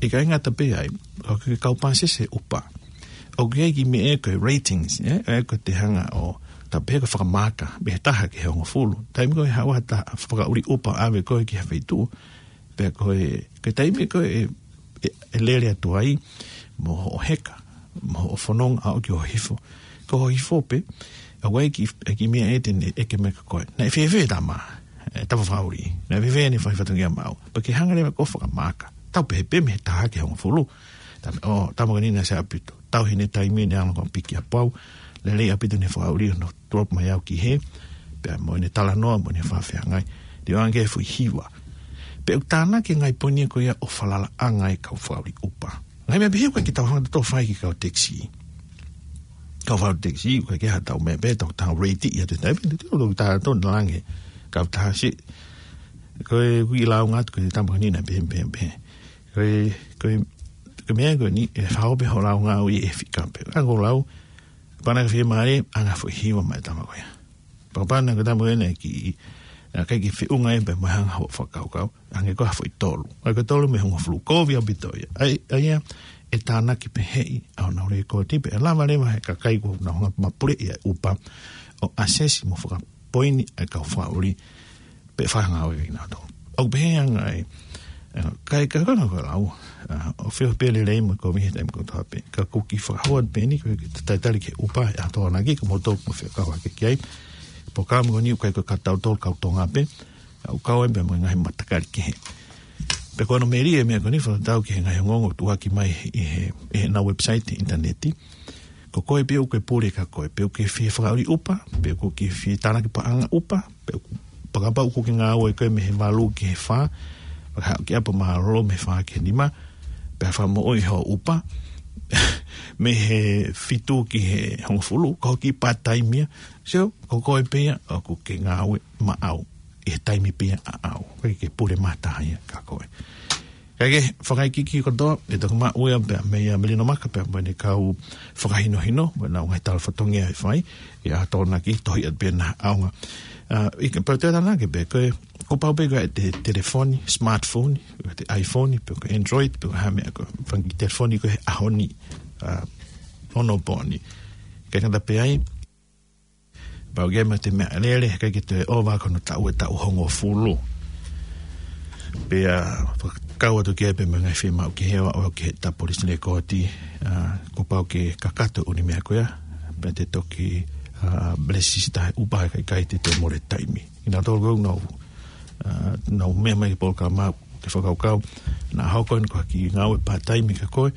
ʻIkai ngata pē ai, ʻoku ke kau pāsese ʻupa, ʻoku ʻi ai e kiʻi meʻa ko e ratings, ē, ē, ko ʻete hanga ʻo, tā pē ko e fakamaaka, mei he taha ki he hongofulu. Taimi ko ē ʻe haʻu ha taha fakaʻuli ʻupa ʻo ʻave koe ki ha feituʻu, pea ko e, ko e taimi ko ē ʻe, ʻe, ʻe lele atu ai, mo hoʻo heka, mo hoʻo fononga ʻo aʻu ki hoʻo hifo. Ko hoʻo hifo pē, ʻoku ʻi ai e kiʻi, e kiʻi meʻa ʻe te ne ʻeke mai kia koe: Naʻe fēfē e tama, e tama fakaʻuli? Naʻe fēfē ʻene fai fatongia maʻau? Pea ke hanga leva ʻo fakamaaka. Tau pehē pē mei he taha ki he hongofulu. Tama, ʻo, tama ko eni naʻe sai ʻaupito. Tau ʻi heʻene taimi ne ʻalu ko ē ʻo piki ʻa Pau. Lelei ʻaupito ʻene fakaʻuli ʻo ne drop mai au ki hē, pea mo ʻene talanoa, mo ʻene fakafeangai. Te u ʻoange ki he foʻi hiva. Pea ʻoku tānaki e ngaahi poini ko ia ʻo falalaʻanga e kau fakaʻuli ʻupa. Ngaahi meʻa pehē ʻoku ʻikai ke tau hanga ʻo tō fai ki he kau taxi. Kau fakaʻuli taxi, ʻoku ʻikai ke ʻi ai haʻatau meʻa pē, tau, tau rate ia ʻi he taimi, te tau, tau, tau lange, kau taha si. Ko e kiʻi lāunga atu, ko e tama ko eni naʻe pehē, pehē, pehē. Ko e, ko e, ko e meʻa ko eni, ʻe fakaʻosi pē hoʻo lāunga ʻo ʻai e fika pē. Ango lau, pana ke fiemālie, ʻoange e foʻi hiva maʻa e tama ko ia. Papa na ko e tama ko ena ki, ʻa, ʻikai ke feʻunga ia pea mo e hanga hoʻo fakakaukau. ʻOange ko e foʻi tolu. ʻOange ko e tolu mei he hongofulu, kovi ʻaupito ia. ʻA ia, ʻa ia, ʻe tānaki pehē ʻi honau lēkooti, pea ʻe lava leva ʻe he kakai ʻoku nau hanga ʻo mapuleʻi ʻa e ʻupa ʻo assess mo fakapoini ʻa e kau fakaʻuli, pea fakangāueʻaki kinautolu. ʻOku pehē ange ai, ʻa, kae kakano ko e lau, ʻa, ʻoku fiemaʻu pē lelei mo e kovi he taimi kotoa pē. Ka ʻoku ou kiʻi fakahua pē eni, ko e kiʻi talitali ki he ʻupa ʻi he ʻaho Tokonaki, ko moutolu ʻoku mou fekau hake ki ai. Polokalama ko eni ʻoku ʻikai ko e kau tautolu kau Tonga pē, ʻa, ʻoku kau ai pē mo e ngaahi matakali kehe. Pea ko hono melie e meʻa ko eni, fakatatau ki he ngaahi ongoongo ʻoku tuʻuaki mai ʻi he, ʻi heʻenau website he ʻinitaneti. Ko koe pē ʻoku ke pule kia koe, pe ʻoku ke fie fakaʻuli ʻupa, pe ʻoku ke fie tānaki paʻanga ʻupa, pe ʻoku, pe kapau ʻoku ke ngāue koe mei he valu ki he fā, pea haʻu ki ʻapi mālōlō mei he fā ki he nima, pea fakamoʻui hoʻo ʻupa mei he fitu ki he hongofulu, ko e kiʻi part-time ia. So, ko koe pē ia ʻoku ke ngāue maʻau ʻi he taimi pē ia ʻaʻau. ʻOku ʻikai ke pule mata ia kia koe. Kae kehe, fakaikiiki kotoa, ʻe toki maʻu ia pea meia Melino Maka pea mo ʻene kau fakahinohino, mo ʻenau ngaahi tala fatongia ʻe fai, ʻi he ʻaho Tokonaki, tohi atu pē ʻena ʻaonga. ʻA, ʻi he pau te tānaki pē, ko e, kuo pau pē ke ʻi ai ʻete telefoni, smartphone, ʻete iPhone, pe ko e Android, pe ko e hā e meʻa ko ē, fanga kiʻi telefoni ko ē he ʻaho ni, ʻa, ʻo e pō ni. ʻIkai ngata pē ai, pau ke ʻomai ʻete meʻalele, he ʻikai ke toe ʻova ko hono taʻu ʻe taʻu hongofulu. Pea fakakau atu ki ai pē mo e ngaahi fiemaʻu ki he ʻoaʻoa ki he Tapolisi Lēkooti, ʻa, kuo pau ke kakato ʻū meʻa ko ia, pea te toki, ʻa, lēsisita he ʻupa, kae ʻikai te te mole taimi. Kinautolu ʻoku nau, ʻa, nau meʻa mai ki he polokalama ke fakakaukau, naʻa hoko eni ko ha kiʻi ngāue part-time kia koe,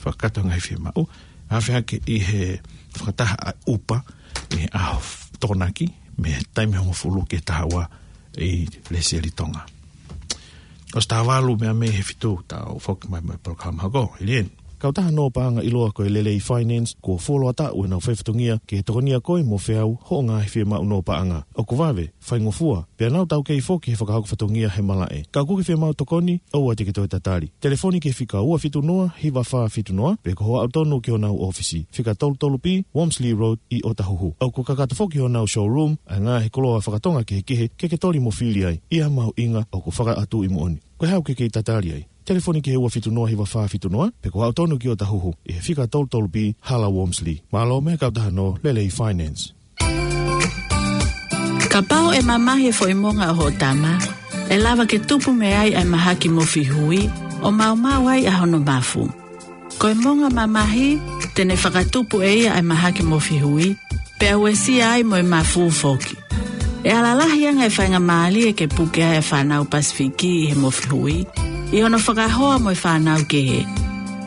fakakakato e ngaahi fiemaʻu, ʻa, feʻunga ki he fakataha ʻa e ʻupa ʻi he ʻaho Tokonaki, mei he taimi hongofulu ki he taha ua ʻi Lesieli Tonga. ʻOsi taha valu meʻa mei he fitu, tau foki mai mo e polokalama hoko, Hilien. Kautaha Nō Paʻanga ʻiloa ko e Lelei Finance, kuo fuoloa taʻu ʻenau faifatongia ke tokonia koe mo feau hoʻo ngaahi fiemaʻu nō paʻanga. ʻOku vave, faingofua, pea nau taukei foki he fakahoko fatongia he malaʻe. Ka ʻoku ke fiemaʻu tokoni, ʻoua te ke toe tatali. Telefoni ki he fika ua fitu noa, hiva fā fitu noa, pe ko hoʻo aʻu tonu ki honau ʻōfisi, fika tolu tolu B, Wormsley Road, ʻi ʻŌtāhuhu. ʻOku kakato foki honau showroom, ʻa e ngaahi koloa fakatonga kehekehe, ke ke toli mo fili ai, ʻi ha mahuʻinga ʻoku fakaʻatu ʻi moʻoni. Ko e hā ʻoku ke kei tatali ai? Telefoni ki he ua fitu noa, hiva fā fitu noa, pe ko hoʻo aʻu tonu ki ʻŌtāhuhu, ʻi he fika tolu tolu B, Hala Wormsley. Mālō mei he kautaha Nō Lelei Finance. Kapau ʻe mamahi e foʻi monga ʻo hoʻo tama, ʻe lava ke tupu mei ai ʻa e mahaki mofi hui, ʻo maumau ai ʻa hono mafu. Ko e monga mamahi, te ne fakatupu ʻe ia ʻa e mahaki mofi hui, pea uesia ai mo e mafu foki. ʻE ala lahi ange e faingamālie ke puke ai e fānau Pasifiki ʻi he mofi hui, ʻi hono fakahoa mo e fānau kehe.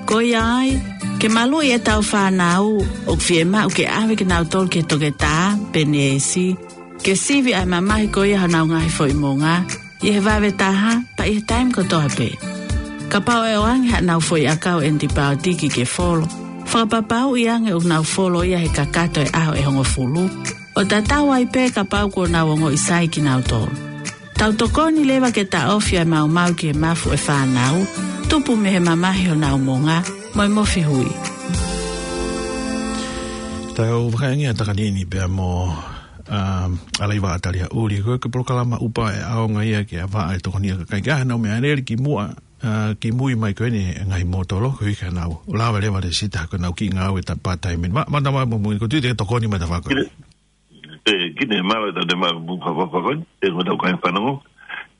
Ko ia ai, ke maluʻi ʻetau fānau, ʻoku fiemaʻu ke ʻave kinautolu ki he toketā pe neesi, ke sivi ʻa e mamahi ko ia honau ngaahi foʻi monga, ʻi he vave taha, pea ʻi he taimi kotoa pē. Kapau ʻe ʻoange haʻanau foʻi ʻakau ʻenitipaotiki ke folo, fakapapauʻi ange ʻoku nau folo ia he kakato e ʻaho ʻe hongofulu, ʻo tatau ai pē kapau kuo nau ongoʻi sai kinautolu. Tau tokoni leva ke taʻofi ʻa e maumau ki he mafu ʻa e fānau, tupu mei he mamahi honau monga, mo e mofi hui. Tau vakai ange ʻa e takanini pea mo, um, ʻAlaiva ʻAtalia ʻUli. Ko e polokalama ʻupa ʻe ʻaonga ia ke ʻavaʻa e tokoni ʻa e kakai ke ʻave honau meʻalele ki muʻa, uh, kimui mai ko eni e ngaahi mōtolo, koeʻuhi ke nau lava leva lēsisita ko ʻenau kiʻi ngāue part-time. Ma, ma tama mo mui, ko tui te tokoni mai ta fako. Kine, e, kine mālō ʻetau te ma mu fa fa fa ko eni, ʻe ko tau kai fanongo.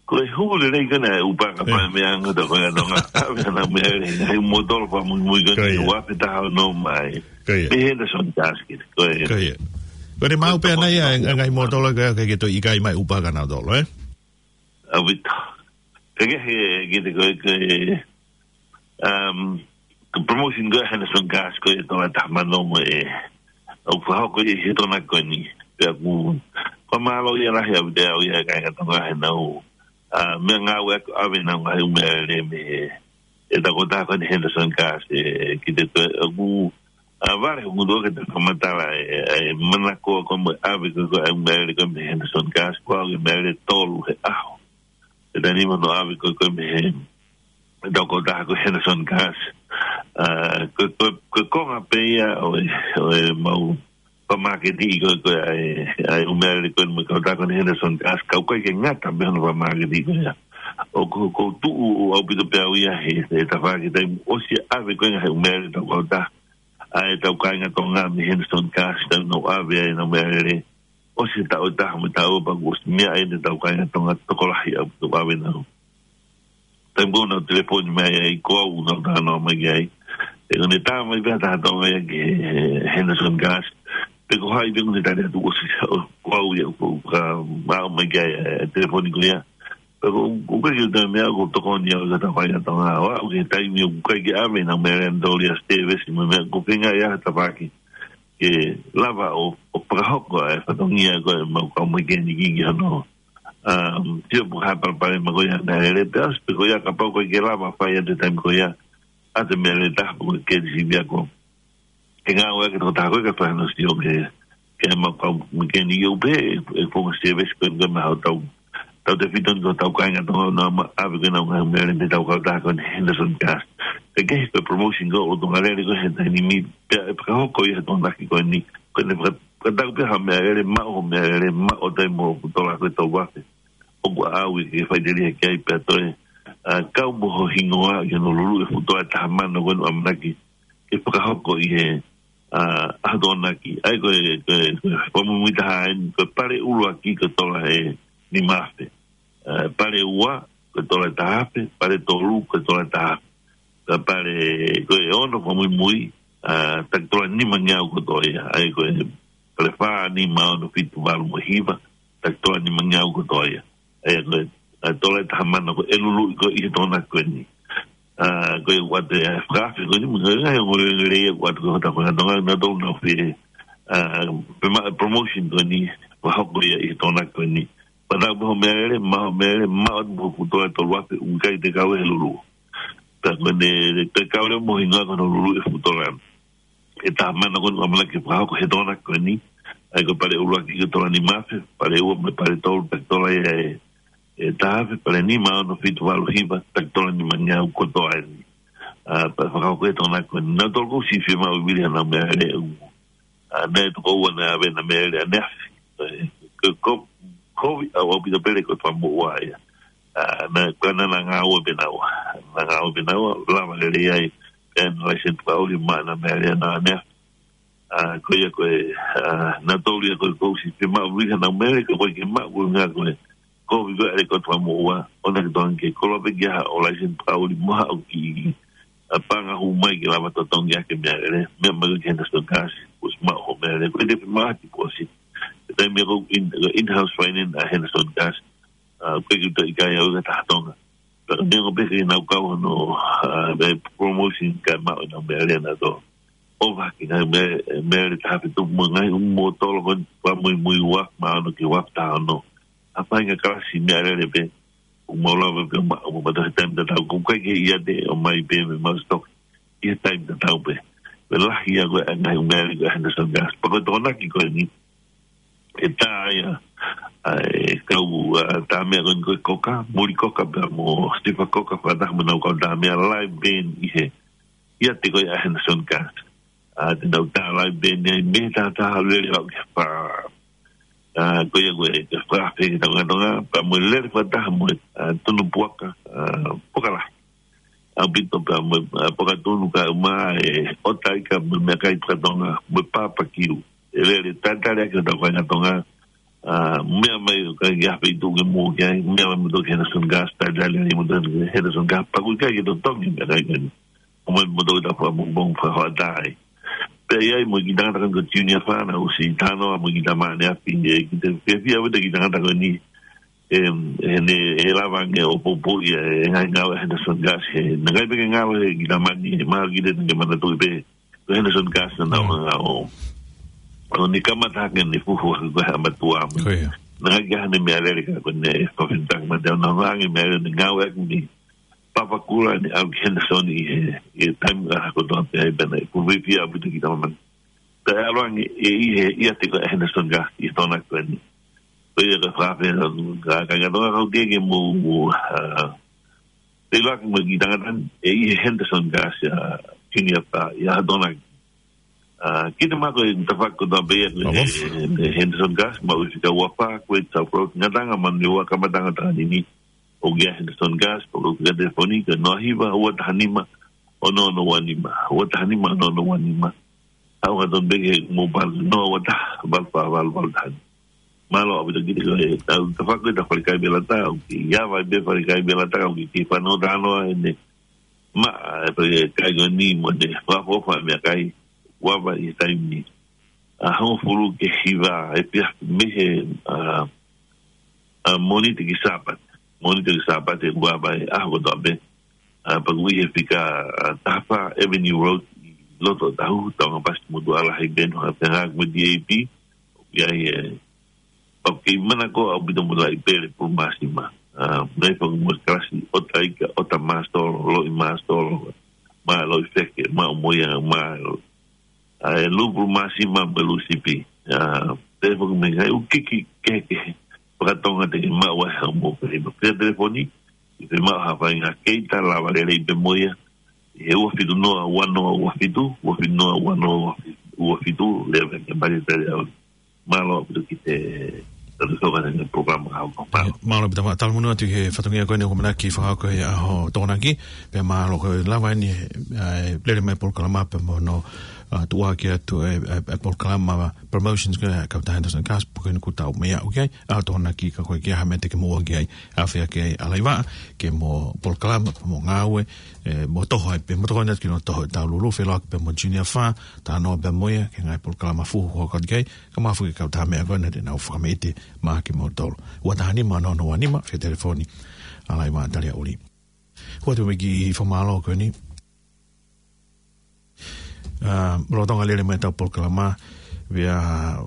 Ko e hū lelei ko ena e ʻupa kapau ʻe meʻa ange ʻa e kakai Tonga. ʻAve honau meʻalele, ngaahi mōtolo fakamuimui ko eni, ua pe taha ʻo nō mai. Ko ia. Mei Henderson Gas kite, ko ia. Ko ia. Ko ʻene maʻu pē ʻana ia e ngaahi mōtolo ko ia ke, ke toe ʻikai mai ʻupa kia nautolu, ē? ʻAupito. Ke ke he, kite ko e, ko e, um, ko e promotion ko e Henderson Gas ko e Tonga taha mano mo e, ʻoku fakahoko ia he Tokonaki ko eni. Pea ʻoku fakamālō ia lahi ʻaupito au ia kakai Tonga heʻenau, ʻa, meʻangāue ʻaki ʻave honau ngaahi ʻū meʻalele mei he, ʻetau kautaha ko eni Henderson Gas, ē, kite ko e, ʻoku, ʻa, vale hoku ndu ke te fakamatala e, e manako ko e mo e ʻave ko e, ko e ʻū meʻalele ko e mei Henderson Gas, ko e ʻū meʻalele tolu he ʻaho. ʻE taimi ni mo hono ʻave ko e, ko e mei he, ʻetau kautaha ko e Henderson Gas. ʻA, ko e, ko e, ko e konga pē ia ʻo e, ʻo e mau fakamāketi ko e, ko e ʻa e, ʻa e ʻū meʻalele ko e mo e kautaha ko eni Henderson Gas, ka ʻoku ʻikai ke ngata pē hono fakamāketi ko ia. ʻOku, ʻoku ou tuʻu ʻaupito pē au ia he, he tafaʻaki taimi ʻosi ʻave ko e ngaahi ʻū meʻalele ʻetau kautaha, ʻa ʻetau kāinga Tonga mei Henderson Gas, taimi nau ʻave ai honau meʻalele, ʻosi e taʻu ʻe taha mo e taʻu ʻe ua pea kuo ʻosi meʻa ai ʻetau kāinga Tonga tokolahi ʻaupito ʻave nau. Taimi ko ē naʻa nau telefoni mai ai, ko au naʻa nau talanoa mai ki ai. ʻE, ko ʻene tā mai pē ha taha Tonga ia ki he Henderson Gas. Pe ko hai pē, ko ʻene tali atu ʻosi, ko au ia, ko, ka, maʻu mai ki ai, e, telefoni ko ia. Pea ko, ko e kiʻi toe meʻa ʻoku tokoni au ki hotau kāinga Tonga. ʻOku ʻi ai e taimi ʻoku ʻikai ke ʻave honau meʻalele, nau tōlia service mo e meʻa, ko e feinga ia ha tafaʻaki ke lava ʻo, ʻo fakahoko e fatongia ko e mau kau mekeniki ki hono, um, sio pe ko e hā e palopalema ko ia ʻa e meʻalele, pea ʻosi pē ko ia kapau ʻoku ʻikai ke lava fai ʻi he taimi ko ia ʻa e meʻalele taha pe ko e kesi via ko. Ke ngāue ʻaki e tokotaha ko ē ke fai hono sio ki he, ki he mau kau mekeniki ʻo pehē, e, e konga service ko ē ko e mahalo tau, tautefito eni ko hotau kāinga Tonga naʻa nau ʻave ko ē honau ngaahi meʻalele mei heʻetau kautaha ko eni Henderson Gas. Ke kehe ko e promotion ko ē ʻoku tō ngalele ko ē he taimi ni, pea ʻe fakahoko ia he Tokonaki ko eni, ko ʻene faka-, fakatau pē ha meʻalele, maʻu ha meʻalele, maʻu ʻo taimi mo e fuʻu tola ko e tau afe. ʻOku ʻaʻau ia ke faʻiteliha ki ai pea toe, ʻa, kau mo ho hingoa ki hono luluʻi e fuʻu tola ʻe taha mano ko eni ʻoku ʻamanaki ke fakahoko ʻi he, ʻa, ʻaho Tokonaki. ʻA ia ko e, ko e, ko e fakamuimui taha eni, ko e pale ʻuluaki ko e tola ʻe nima afe. ʻA, pale ua, ko e tola ʻe taha afe, pale tolu, ko e tola ʻe taha afe. Ka pale ko e ono fakamuimui, ʻa, taki tola nimangeau kotoa ia. ʻA ia ko e pale fā, nima, ono, fitu, valu mo e hiva, taki tola nimangeau kotoa ia. ʻA ia ko e, ʻa, tola ʻe taha mano ko e luluʻi ko ē ʻi he Tokonaki ko eni. ʻA, ko e ʻoatu e fakaafe ko eni, mo e ngaahi ongoongolelei ʻoku ʻoatu ko ē ʻi he Tokonaki, naʻa tau nau fie, ʻa, pē maʻu e promotion ko eni, fakahoko ia ʻi he Tokonaki ko eni. Pea tau pē hoʻo meʻalele, maʻu hoʻo meʻalele, maʻu atu mo e fuʻu tola ʻe tolu afe, ʻoku ʻikai te kau he lulu. Pea ko eni, te kau leva mo e hingoa ko hono lulu e fuʻu tola ʻe taha mano ko eni ʻoku ʻamanaki ke fakahoko he Tokonaki ko eni. ʻA ia ko e pale ʻuluaki ko e tola nima afe, pale ua mo e pale tolu, taki tola ia ʻe, ʻe taha afe, pale nima, ono, fitu, valu, hiva, taki tola nimangeau kotoa eni. ʻA, pea fakahoko he Tokonaki ko eni. Naʻa tau ʻosi fiemaʻu vili haʻanau meʻalele ʻoku ʻa, naʻe toko ua naʻe ʻave ʻena meʻalele ʻaneafi. ʻE, ko, ko, kovi ʻaupito pē lele ko e fakamuʻomuʻa ia. ʻA, naʻe, ko ena naʻa ngāue pē naua. Naʻa ngāue pē naua, lava lelei ai, ʻena license fakaʻuli mo ʻena meʻalele ʻaneafi. ʻA, ko ia ko e, ʻa, naʻa tau lia ko e ʻosi fiemaʻu vili haʻanau meʻalele, ko e ke maʻu ko e ngā ko e kovi ko ē ʻa e lele ko e fakamuʻomuʻa, ʻoua naʻa ke tokanga ki ai, koloa pē ki ai haʻo license fakaʻuli mo haʻo kiʻi, ʻa, paʻanga hū mai ke lava totongi ʻaki e meʻalele, meʻa mai ki he Henderson Gas, ʻosi maʻu hoʻo meʻalele, ko e te fiemaʻu ha tipōsiti. Ko e taimi ko ē in, in-house finance ʻa e Henderson Gas, ʻa, ko e ke toe ʻikai au ka taha Tonga. Pea ka neongo pē ke nau kau hono, ʻa, e promotion kae maʻu ʻenau meʻalele naʻa tau ʻohovake ngaahi meʻa, meʻalele taha afe tupu mo e ngaahi ʻū mōtolo ko eni fakamuimui ua afe mā ono ki he ua afe taha ono. ʻA, fai ngaahi kalasi meʻalele pē, ʻoku mau lava pē maʻu, ʻoku mau toe taimi tatau, ʻoku ʻikai ke ʻiate, ʻomai pē mei stock ʻi he taimi tatau pē. Pea lahi ia ko e ngaahi meʻalele ko ē ʻa e Henderson Gas. Pea ko e Tokonaki ko eni, ʻe tā ia, ʻa, e kau, ʻa, tā meʻa ko eni ko e Coca, Moʻoleʻi Coca pea mo Sifa Coca fakataha mo ʻenau kau tā meʻa live band ʻi he, ʻiate ko ē ʻa e Henderson Gas. ʻA, te nau tā live band ai mei he taha lele ʻo ke fā. ʻA, ko ia ko e, ke fā fē ke tau ngā Tonga, pea mo e lele fakataha mo e, ʻa, Tunu Puaka, ʻa, Puaka Lahi. ʻAupito pea mo e, ʻa, Puaka Tunu kae ʻumaʻā e ʻota ika mo e meʻakai faka-Tonga, mo e papakiu. ʻE lele tatali ʻaki ʻo tau kāinga Tonga, ʻa, meʻa mai ʻoku ʻikai ha feituʻu ke mou ki ai, meʻa mai moutolu ki he Henderson Gas, tatali ai moutolu ki he Henderson Gas, pea ʻoku ʻikai ke totongi meʻakai ko eni. ʻOmai moutolu ki he tafaʻaki pongipongi fakahoʻatā ai. Pea ʻi ai mo e kiʻi tangata ko eni ko Junior Fana, ʻosi talanoa mo e kiʻi tama ʻaneafi, ʻe, kiʻi te fiefia ʻaupito e kiʻi tangata ko eni, ʻe, ʻe ne, ʻe lava ange ʻo poupouʻi e ngaahi ngāue ʻa e Henderson Gas, he naʻe ʻikai pē ke ngalo he kiʻi tama ni, ʻe mahalo kiʻi te ne manatuʻi pē, ko e Henderson Gas naʻa nau hanga ʻo, ʻo ne kamata hake ʻene fuhu hake ko e ʻa e mātuʻa mo. Ko ia. Naʻe ʻikai ke ʻi ai haʻane meʻalele ka ko ʻene fefine taki mate, ʻo ne hanga ange meʻalele ʻo ne ngāueʻaki ʻene papakura ʻene ʻalu ki Henderson ʻi he, ʻi he taimi ʻaho kotoa pē ai pea naʻe fuʻu fiefia ʻaupito e kiʻi tama ni. Pea ʻalu ange ʻe ʻi he, ʻiate ko ē ʻa e Henderson Gas ʻi he Tokonaki ko eni. Ko ia ka fakaafeʻi atu, ka, kāinga Tonga, kau ke ke mou, ʻa, feʻiloaki mo e kiʻi tangata ni, ʻe ʻi he Henderson Gas, ʻa, Junior Fana, ʻi he ʻaho Tokonaki. ʻA, kiʻi te mako e tafaʻaki kotoa pē ia, ʻa, ʻe, ʻe Henderson Gas, maʻu ʻi he fika ua fā, Kuwait South Road, Gatanga, Manurewa, Kamataʻanga ʻo Takanini, ʻoku ʻi ai e Henderson Gas, pea ko e fika telefoni, ko e noa hiva, ua taha nima, ono ono ua nima, ua taha nima, ono ono ua nima. ʻAu ka tonu pē ke mou palu noa ua taha, valu fā valu valu taha. Mālō ʻaupito kiʻi te ko e, ʻa, tafaʻaki ko e ta falekai Velata, ʻoku ʻi ai pē falekai Velata, ʻoku kei fanongo talanoa ʻene maʻa, ʻe falekai ko eni mo ʻene fakaʻofoʻofa meʻakai, ʻoku ava ʻi he taimi ni. ʻA, hongofulu ki he hiva, ʻe pea mei he, ʻa, ʻa, Mōnite ki he Sāpate. Mōnite ki he Sāpate, ʻoku ava e ʻaho kotoa pē. ʻA, pea ʻoku ʻi he fika, ʻa, taha fā Avenue Road, ʻi loto Otahuhu, Taungapasi, Motuʻa Lahi, Benue, Hafenga, mo D A P, ʻoku ʻi ai e, ʻoku kei manako ʻaupito mo Laʻipele Pulumāsima. ʻA, naʻe fakamoʻoni kalasi, ʻota ika, ʻota māsolo, loʻi māsolo, mo e loʻi feke, mo e ʻumoia, mo e ʻa e lū pulumāsima mo e lū sipi. ʻA, pea foki mo e ngaahi ʻū kiki kehekehe faka-Tonga te ke maʻu ai haʻo mou pē. Pea telefoni, ʻi he maʻu ha faʻahinga keita lava lelei pē mo ia, ʻi he ua fitu noa ua noa ua fitu, ua fitu noa ua noa ua fitu, lea pē ke mali tali au. Mālō ʻaupito kiʻi te tatu soka ʻene polokalama ka hoko. Mālō. Mālō ʻaupito, ma-, talamonū atu ki he fatongia ko eni ʻoku ʻamanaki fakahoko he ʻaho Tokonaki, pea mālō ko e lava eni, ʻa, lele mai polokalama pea mo hono, ʻa, tuʻuaki atu e, e, e polokalama promotions ko ē ʻa e kautaha Henderson Cars, pea ko eni kuo tau meʻa ʻoku ʻi ai, ʻa, tōnaki ka ko e ke ʻi ai ha meʻa te ke mou ʻoange ai, ʻa, fea ke ʻalaiva, ke mo polokalama, mo ngāue, e, mo toho ai pē, mo toho ʻi he ʻaho ni ke nau toho ʻetau lulu, felōaki pē mo Junior Fa, talanoa pē mo ia, ki he ngaahi polokalama fuhu, hoko atu ki ai, kae ʻumaʻā foki e kautaha meʻa ko ena te nau fakameʻite maʻa kimoutolu. Ua taha nima noa noa nima, fie telefoni, ʻalaiva Talia ʻUli. Ua te meki fakamālō ko eni. ʻA, lolotonga lele mai ʻetau polokalama, pea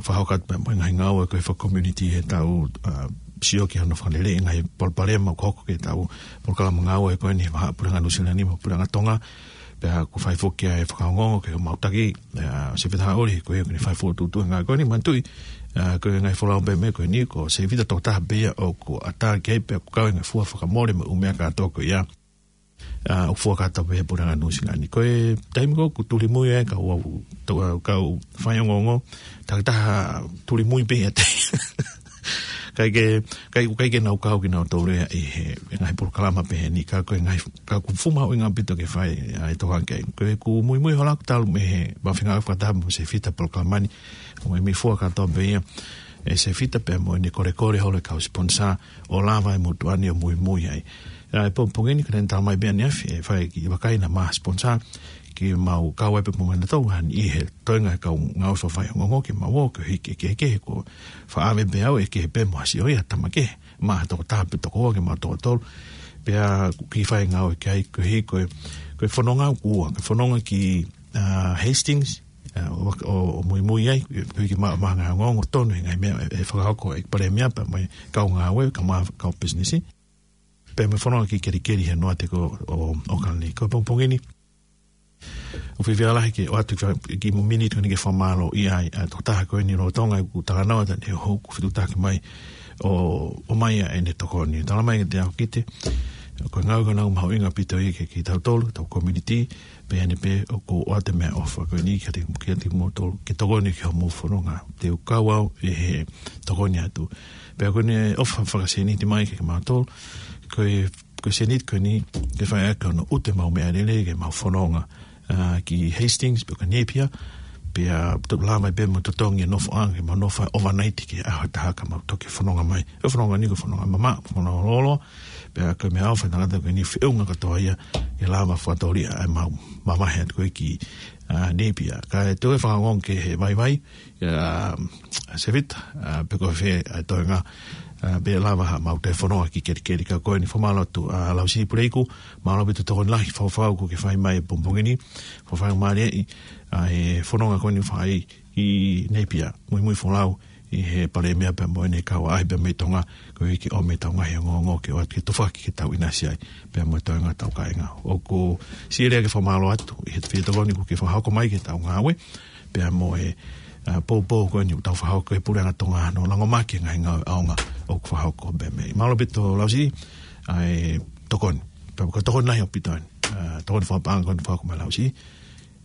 fakahoko atu pē mo e ngaahi ngāue ko ē faka-community heʻetau, ʻa, sio ki hano fakalele e ngaahi palopalema ʻoku hoko ki heʻetau polokalama ngāue ko eni, vahaʻa puleʻanga Nuʻu Sila ni mo puleʻanga Tonga, pea ʻoku fai foki ʻa e fakaongoongo ki homau taki, ʻa, Sefita Haʻauli, ko ia ʻoku ne fai fokotuʻutuʻu e ngāue ko eni, manatuʻi, ʻa, ko e ngaahi folau pē meʻa ko eni, ko Sefita tokotaha pē ia ʻoku ʻatā ki ai pea ʻoku kau e ngaahi fua fakamole mo e ʻū meʻa kātoa ko ia. ʻA, ʻoku fua kātoa pē he puleʻanga Nuʻu Sila ni. Ko e taimi ko ē ʻoku tuli mui ai e kau, tau, kau faiongoongo, takitaha tuli mui pē ia te. ʻIkai ke, ʻikai, ʻikai ke nau kau kinautolu ia ʻi he, he ngaahi polokalama pehē ni, ka ko e ngaahi, ka ʻoku fuʻu mahuʻinga ʻaupito ke fai, ʻa, e tokangaʻi. Ko ʻeku muimui hola ʻoku talu mei he, ma fenga fakataha mo Sefita polokalama ni, ʻoku meimei fua kātoa pē ia ʻe Sefita pea mo ʻene kolekole holo e kau sponsor, ʻo lava e motuʻa ni ʻo muimui ai. ʻA, e pongipongi ni, ko ʻene tala mai pē ʻaneafi, ʻe fai e kiʻi vakai naʻa ma sponsor, ke mau kau ai pē mo kinautolu, hangē ʻi he toenga e kau ngāue fakafaiongoongo ke mau ō, koeʻuhi ke, ke, ke, ko e faʻa ʻave pē au ʻe kehe pē mo ha sio ia, tama kehe, mo ha tokotaha pe toko ua ke mau toko tolu. Pea ʻoku kiʻi fai e ngāue ki ai, koeʻuhi ko e, ko e fononga ʻoku ua, ko e fononga ki, ʻa, Hastings, ʻa, ʻo, ʻo, ʻo muimui ai, koeʻuhi ke ma, maʻu ha ngaahi ongoongo tonu he ngaahi meʻa ʻe, ʻe fakahoko ʻe he palēmia pea mo e kau ngāue, kae ʻumaʻā e kau pisinisi. Pea mo e fononga ki Kelikeli he noate ko ē ʻo, ʻo ʻAokalani. Ko e pongipongi ni, ʻoku fiefia lahi ke ʻoatu ki, kiʻi miniti ko eni ke fakamālōʻia ai ʻa e tokotaha ko eni lolotonga ʻeku talanoa atu ʻanenai ʻoku fetuʻutaki mai ʻo, ʻomai ʻa ʻene tokoni. Tala mai kiate au Kite, ko e ngāue ko ena ʻoku mahuʻinga ʻaupito ia ki, kitautolu, tau community, pea ʻi heʻene pehē ʻoku ou ʻoatu e meʻaʻofa ko eni kiate, kiate kimoutolu, ke tokoni ki hoʻomou fononga. Te u kau au ʻi he tokoni atu. Pea ko ʻene ʻofa fakasēniti mai kiate kimautolu, ko e, ko e sēniti ko eni, ke fai ʻaki hono ʻutu ʻemau meʻalele ki heʻemau fononga, ʻa, ki Hastings, pe ko Napier, pea to-, lava ai pē mo totongi e nofoʻanga, ke mau nofo ai overnight ki he ʻaho ʻe taha ka mau toki fononga mai. Ko e fononga ni ko e fononga mamaʻo, fononga lōloa, pea ko e meʻaʻofa ʻa e tangata ko eni, feʻunga kātoa ia, ke lava fakatōliʻa ʻemau mavahe atu ko ē ki, ʻa, Napier. Kae toe fakaongoongo ki he vaivai, ʻa, ʻa Sefita, ʻa, pe ko e fē ʻa e toenga, ʻa, pea lava haʻamau toe fononga ki Kelikeli. Ka ko eni fakamālō atu, ʻa, Lausi Puleiku, mālō ʻaupito e tokoni lahi fakafaifekau kuo ke fai mai he pongipongi ni, fakafaifekau mālie ʻi, ʻa, he fononga ko eni ʻoku fai ʻi Napier, muimui folau ʻi he palēmia pea mo ʻene kau ʻaʻahi pea mei Tonga, koeʻuhi ke ʻomi ʻetau ngaahi ongoongo ke ʻoatu ke tufaki ke tau ʻinasi ai, pea mo e toenga ʻetau kāinga. ʻOku siʻi lea ke fakamālō atu ʻi he fie tokoni kuo ke fakahoko mai ki heʻetau ngāue, pea mo e, ʻa, poupou ko eni ʻoku tau fakahoko ʻi he puleʻanga Tonga hono langomaki e ngaahi ngāue ʻaonga ʻoku fakahoko pē mei. Mālō ʻaupito Lausi, ʻa e tokoni. Pea ko e tokoni lahi ʻaupito eni. ʻA, tokoni fakapaʻanga ko eni ʻoku fakahoko mai Lausi.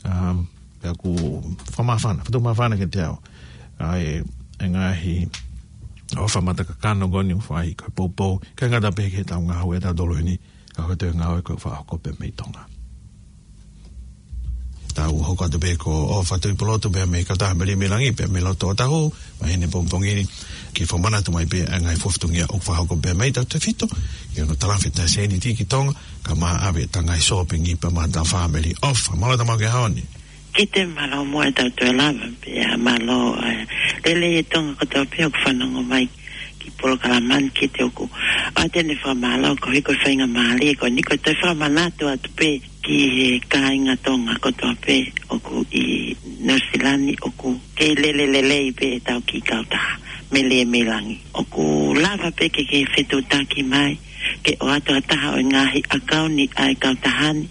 Um, pea ʻoku fakamāfana, fakatau māfana kiate au ʻa e, e ngaahi ʻofa mata kakano ko eni ʻoku fai ko e poupou, ʻikai ngata pē ki heʻetau ngāue ʻatautolu heni, ka ko e toe ngāue ko ē ʻoku fakahoko pē mei Tonga. Tau hoko atu pē ko ʻOfa Tuʻipulotu pea mei he kautaha Melie mei Langi, pea mei loto ʻo Otahuhu, mai heni he pongipongi ni, ke fakamanatu mai pē ʻa e ngaahi fua fatongia ʻoku fakahoko pē mei tautefito, ki hono talafeta e sēniti ki Tonga, kae ʻumaʻā ʻave ʻetau ngaahi sōpingi pea mo ʻetau fāmili. ʻOfa, mālō e tau maʻu ki he ʻaho ni. Kite, mālō muʻa ʻetau toe lava, pea mālō, ʻa, lelei e Tonga kotoa pē ʻoku fanongo mai ki he polokalama ni. Kite, ʻoku ʻoatu ʻeni e fakamālō koeʻuhi ko e faingamālie ko eni, ko e toe fakamanatu atu pē ki he kāinga Tonga kotoa pē ʻoku ʻi Nuʻu Sila ni, ʻoku kei lele lelei pē ʻetau kiʻi kautaha Melie mei Langi. ʻOku lava pē ke ke fetuʻutaki mai, ke ʻoatu ha taha ʻo e ngaahi ʻakauni ʻa e kautaha ni,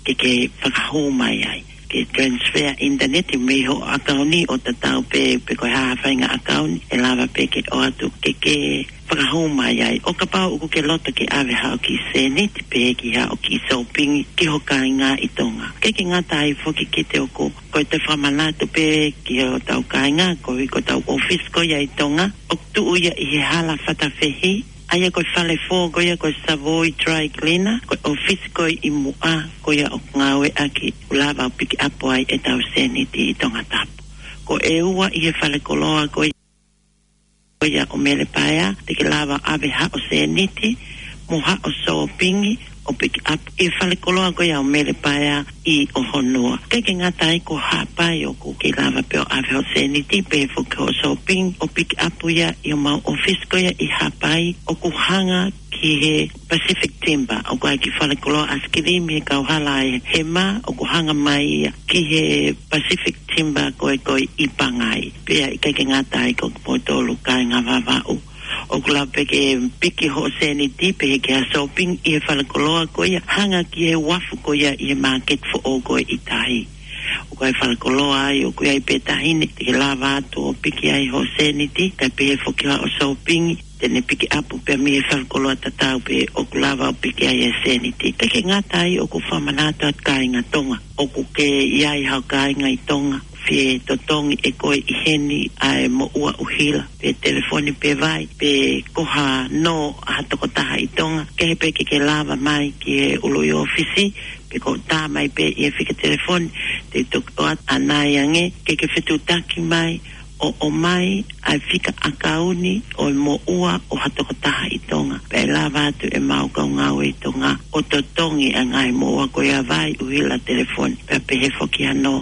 ke ke fakahū mai ai, ke transfer ʻinitaneti mei hoʻo ʻakauni ʻo tatau pē pe ko e hā ha faʻahinga ʻakauni ʻe lava pē ke ʻoatu ke ke fakahū mai ai. ʻO kapau ʻoku ke loto ke ʻave haʻo kiʻi sēniti pē ki haʻo kiʻi sōpingi ki ho kāinga ʻi Tonga. ʻIkai ke ngata ai foki, Kite, ʻoku, ko e toe fakamanatu pē ki hotau kāinga, koeʻuhi ko hotau ʻōfisi ko ia ʻi Tonga ʻoku tuʻu ia ʻi he hala Fatafehi, ʻA ia ko e fale fō ko ia ko e Savoy Dry Cleaner, ko e ʻōfisi ko ē ʻi muʻa ko ia ʻoku ngāueʻaki, ʻoku lava ʻo pikiʻapu ai ʻetau sēniti ʻi Tongatapu. Ko e ua ʻi he fale koloa ko ia ko ia ʻo Mele Paea, te ke lava ʻave haʻo sēniti mo haʻo sōpingi ʻo pikiʻapu ʻi he fale koloa ko ia ʻo Mele Paea ʻi ʻOhonua. ʻIkai ke ngata ai, ko Haʻapai ʻoku ke lava pē ʻo ʻave hoʻo sēniti pehē foki hoʻo sōpingi ʻo pikiʻapu ia ʻi homau ʻōfisi ko ia ʻi Haʻapai ʻoku hanga ki he Pacific Timber, ʻoku ʻi ai e kiʻi fale koloa ʻaisikilimi he kauhala ʻa e hema, ʻoku hanga mai ia ki he Pacific Timber ko ē ko ē ʻi Pangai. Pea ʻikai ke ngata ai, ko kimoutolu kāinga Vavaʻu, ʻoku lava pē ke piki hoʻo sēniti pehē ki ha sōpingi ʻi he fale koloa ko ia hanga ki he uafu ko ia ʻi he māketi foʻou ko ē ʻi tahi. ʻOku ʻi ai e fale koloa ai ʻoku ʻi ai pē taʻahine te ke lava atu ʻo piki ai hoʻo sēniti, kae pehē foki haʻo sōpingi, te ne pikiʻapu pē mei he fale koloa tatau pē ʻoku lava ʻo piki ai e sēniti. ʻIkai ke ngata ai, ʻoku fakamanatu atu, kāinga Tonga, ʻoku ke ʻi ai haʻo kāinga ʻi Tonga, fie totongi ʻe koe ʻi heni ʻa e moʻua ʻuhila, pe telefoni pe vai, pe ko ha nō ʻa ha tokotaha ʻi Tonga, kehe pē ke ke lava mai ki he ʻuluʻi ʻōfisi, pe ko e tā mai pē ʻi he fika telefoni, te u toki ʻoatu ʻanai ange ke ke fetuʻutaki mai ʻo ʻomai ʻa e fika ʻakauni ʻo e moʻua ʻo ha tokotaha ʻi Tonga. Pea ʻe lava atu ʻemau kau ngāue ʻi Tonga ʻo totongi ʻa e ngaahi moʻua ko ia, vai, ʻuhila, telefoni, pea pehē foki ha nō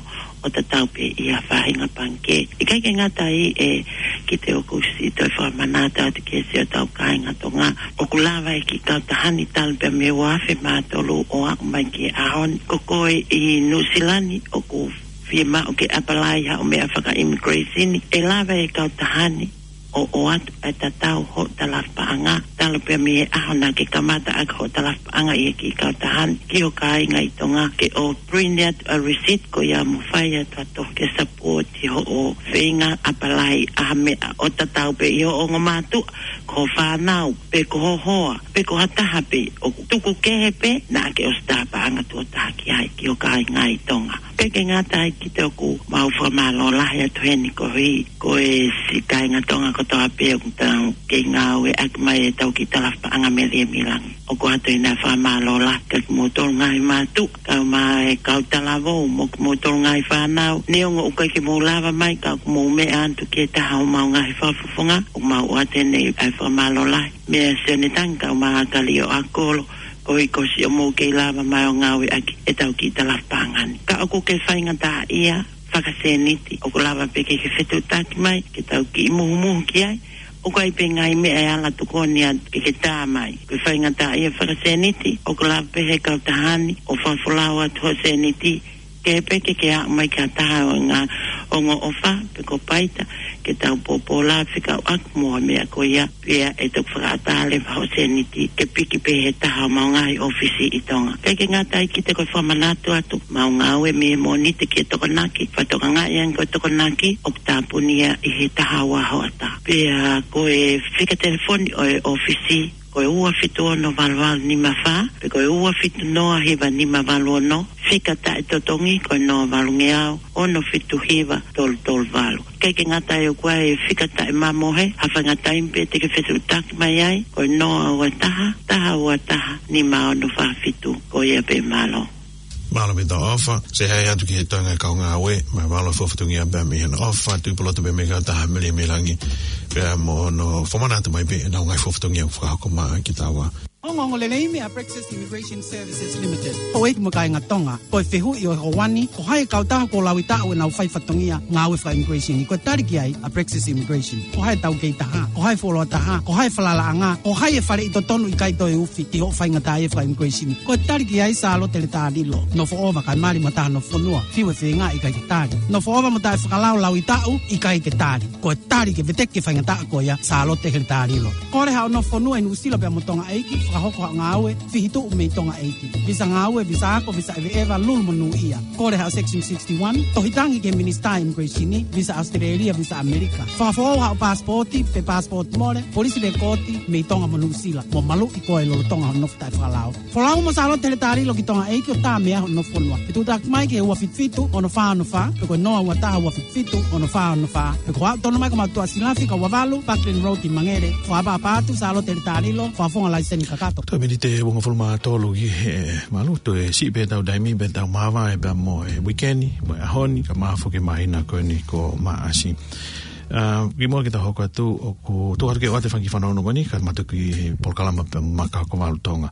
ʻo tatau pē ʻi ha faʻahinga pangikē. ʻIkai ke ngata ai, ʻe, kiate au ʻoku ou siʻi toe fakamanatu atu ki he siʻotau kāinga Tonga, ʻoku lava e kiʻi kautaha ni talu pē mei he ua afe mā tolu ʻo aʻu mai ki he ʻaho ni. Ko koe ʻi Nuʻusila ni ʻoku fiemaʻu ke apply haʻo meʻa faka-immigration, ʻe lava e kautaha ni ʻo ʻoatu e tatau hoʻo talafaʻanga, talu pē mei he ʻaho naʻa ke kamata ʻaki hoʻo talafaʻanga ʻi he kiʻi kautaha ni, ki ho kāinga ʻi Tonga, ke ʻo print atu ʻa e receipt ko ia mo fai atu ha tohi ke support hoʻo feinga apply ʻa ha meʻa ʻo tatau pē ʻi hoʻo ongo mātuʻa, ko ho fānau, pe ko ho hoa, pe ko ha taha pē ʻoku tuku kehe pē naʻa ke ʻosi tā paʻanga tuʻo taha ki ai, ki ho kāinga ʻi Tonga. ʻIkai ke ngata ai, kiate au ʻoku mau fakamālō lahi atu heni koeʻuhi ko e siʻi kāinga Tonga kotoa pē ʻoku tau kei ngāueʻaki mai ʻetau kiʻi talafaʻanga mei Liemilani. ʻOku ʻoatu ʻena fakamālō lahi kia kimoutolu ngaahi mātuʻa, kae ʻumaʻā e kau talavou mo kimoutolu ngaahi fānau. Neongo ʻoku ʻikai ke mou lava mai, ka ʻoku mou meʻa atu ki he taha homau ngaahi fakafofonga, ʻoku mau ʻoatu ʻeni ʻa e fakamālō lahi mei a Sione Tangi kae ʻumaʻā Kalio ʻAkolo, koeʻuhi ko siʻomou kei lava mai ʻo ngāueʻaki ʻetau kiʻi talafaʻanga ni. Ka ʻoku ke faingataʻaʻia fakasēniti, ʻoku lava pē ke ke fetuʻutaki mai ke tau kiʻi muhumuhu ki ai. ʻOku ʻi ai pē ngaahi meʻa ʻe ala tokoni atu ke ke tā mai. Ko e faingataʻaʻia fakasēniti, ʻoku lava pē he kautaha ni ʻo fakafolau atu hoʻo sēniti, kehe pē ke ke aʻu mai ki ha taha ʻo e ngaahi ongo ʻofa, pe ko Paita, ke tau pōpōlā fekauʻaki mo e meʻa ko ia, pea ʻe toki fakaʻatā leva hoʻo sēniti ke piki pē he taha homau ngaahi ʻōfisi ʻi Tonga. ʻIkai ke ngata ai, kiate au ʻoku ou fakamanatu atu, mau ngāue mei he Mōnite ki he Tokonaki, fakatokangaʻi ange ko e Tokonaki ʻoku tāpuni ia ʻi he taha ua hoʻatā. Pea ko e fika telefoni ʻo e ʻōfisi, ko e ua fitu ono valu valu nima fā, pe ko e ua fitu noa hiva nima valu ono, fika taʻetotongi ko e noa valungeau ono fitu hiva tolu tolu valu. ʻIkai ke ngata ai, ʻoku ʻi ai e fika taʻemamohe, ha faʻahinga taimi pē te ke fetuʻutaki mai ai, ko e noa ua taha, taha ua taha, nima ono fā fitu. Ko ia pē, mālō. Mālō Mita ʻOfa, Sehai atu ki he toenga e kau ngāue, mo e mālō e fatongia pea mei hono ʻofa, Tuʻipulotu pea mei he kautaha mei Liemilani, pea mo hono fakamanatu mai pē ʻenau ngaahi fatongia fakahoko mai kiate au. Ongoongo lelei mei a Praxis Immigration Services Limited. Houʻeiki mo e kāinga Tonga, ko e fehuʻi ʻo e houa ni, ko hai e kautaha kuo laui taʻu ʻenau fai fatongia ngāue faka-immigration? Ko e tali ki ai ʻa Praxis Immigration. Ko hai e taukei taha, ko hai e fuoloa taha, ko hai e falalaʻanga, ko hai e faleʻi totonu ʻikai toe ufi ʻi hoʻo faingataʻaʻia faka-immigration? Ko e tali ki ai Sālote Letalilo. Nofoʻova kae mali mo taha nofo fonua, fiu e feinga ʻikai ke tali. Nofoʻova mo taʻefakalao laui taʻu ʻikai ke tali. Ko e tali ke veteki e faingataʻa ko ia, Sālote Letalilo. Kole haʻo nofo fonua ʻi Nuʻusila pea mo Tonga ʻEiki. Ka hoko haʻo ngāue, fihituʻu mei Tonga ʻEiki. Visa ngāue, visa ako, visa ʻeveʻeva, lulu mo nūʻia. Kole haʻo Section sixty-one, tohi tangi ki he Minisitā Immigration, visa ʻAositelēlia, visa ʻAmelika. Fakafoʻou haʻo paasipooti, pe paasipooti mole, polisi lekooti, mei Tonga mo Nuʻusila. Mo maluʻi koe lolotonga hoʻo nofo taʻefakalao. Folau mo Sālote Heletā Lilo ki Tonga ʻEiki ʻo tā meʻa hoʻo nofo fonua. Fetuʻutaki mai ki he ua fitu fitu, ono fā ono fā, pe ko e noa ua taha ua fitu fitu, ono fā ono fā, pe ko e aʻu tonu mai ki he matua silafi ka ua valu, Buckland Road ʻi Mangere, fakaʻapaʻapa atu Sālote Heletā Lilo, fakafofonga laiseni kakato. Toe miniti ʻe uongofulu mā tolu ki he valu, toe siʻi pē ʻetau taimi pea tau māvae pea mo e uikeni, mo e ʻaho ni, kae ʻumaʻā foki e māhina ko eni ko Maʻasi. ʻA, kimuʻa ke tau hoko atu, ʻoku tuku atu ke ʻoatu e fanga kiʻi fanongo ko eni, kae ʻumaʻā e kiʻi polokalama pea mo Makakaukau Valu Tonga.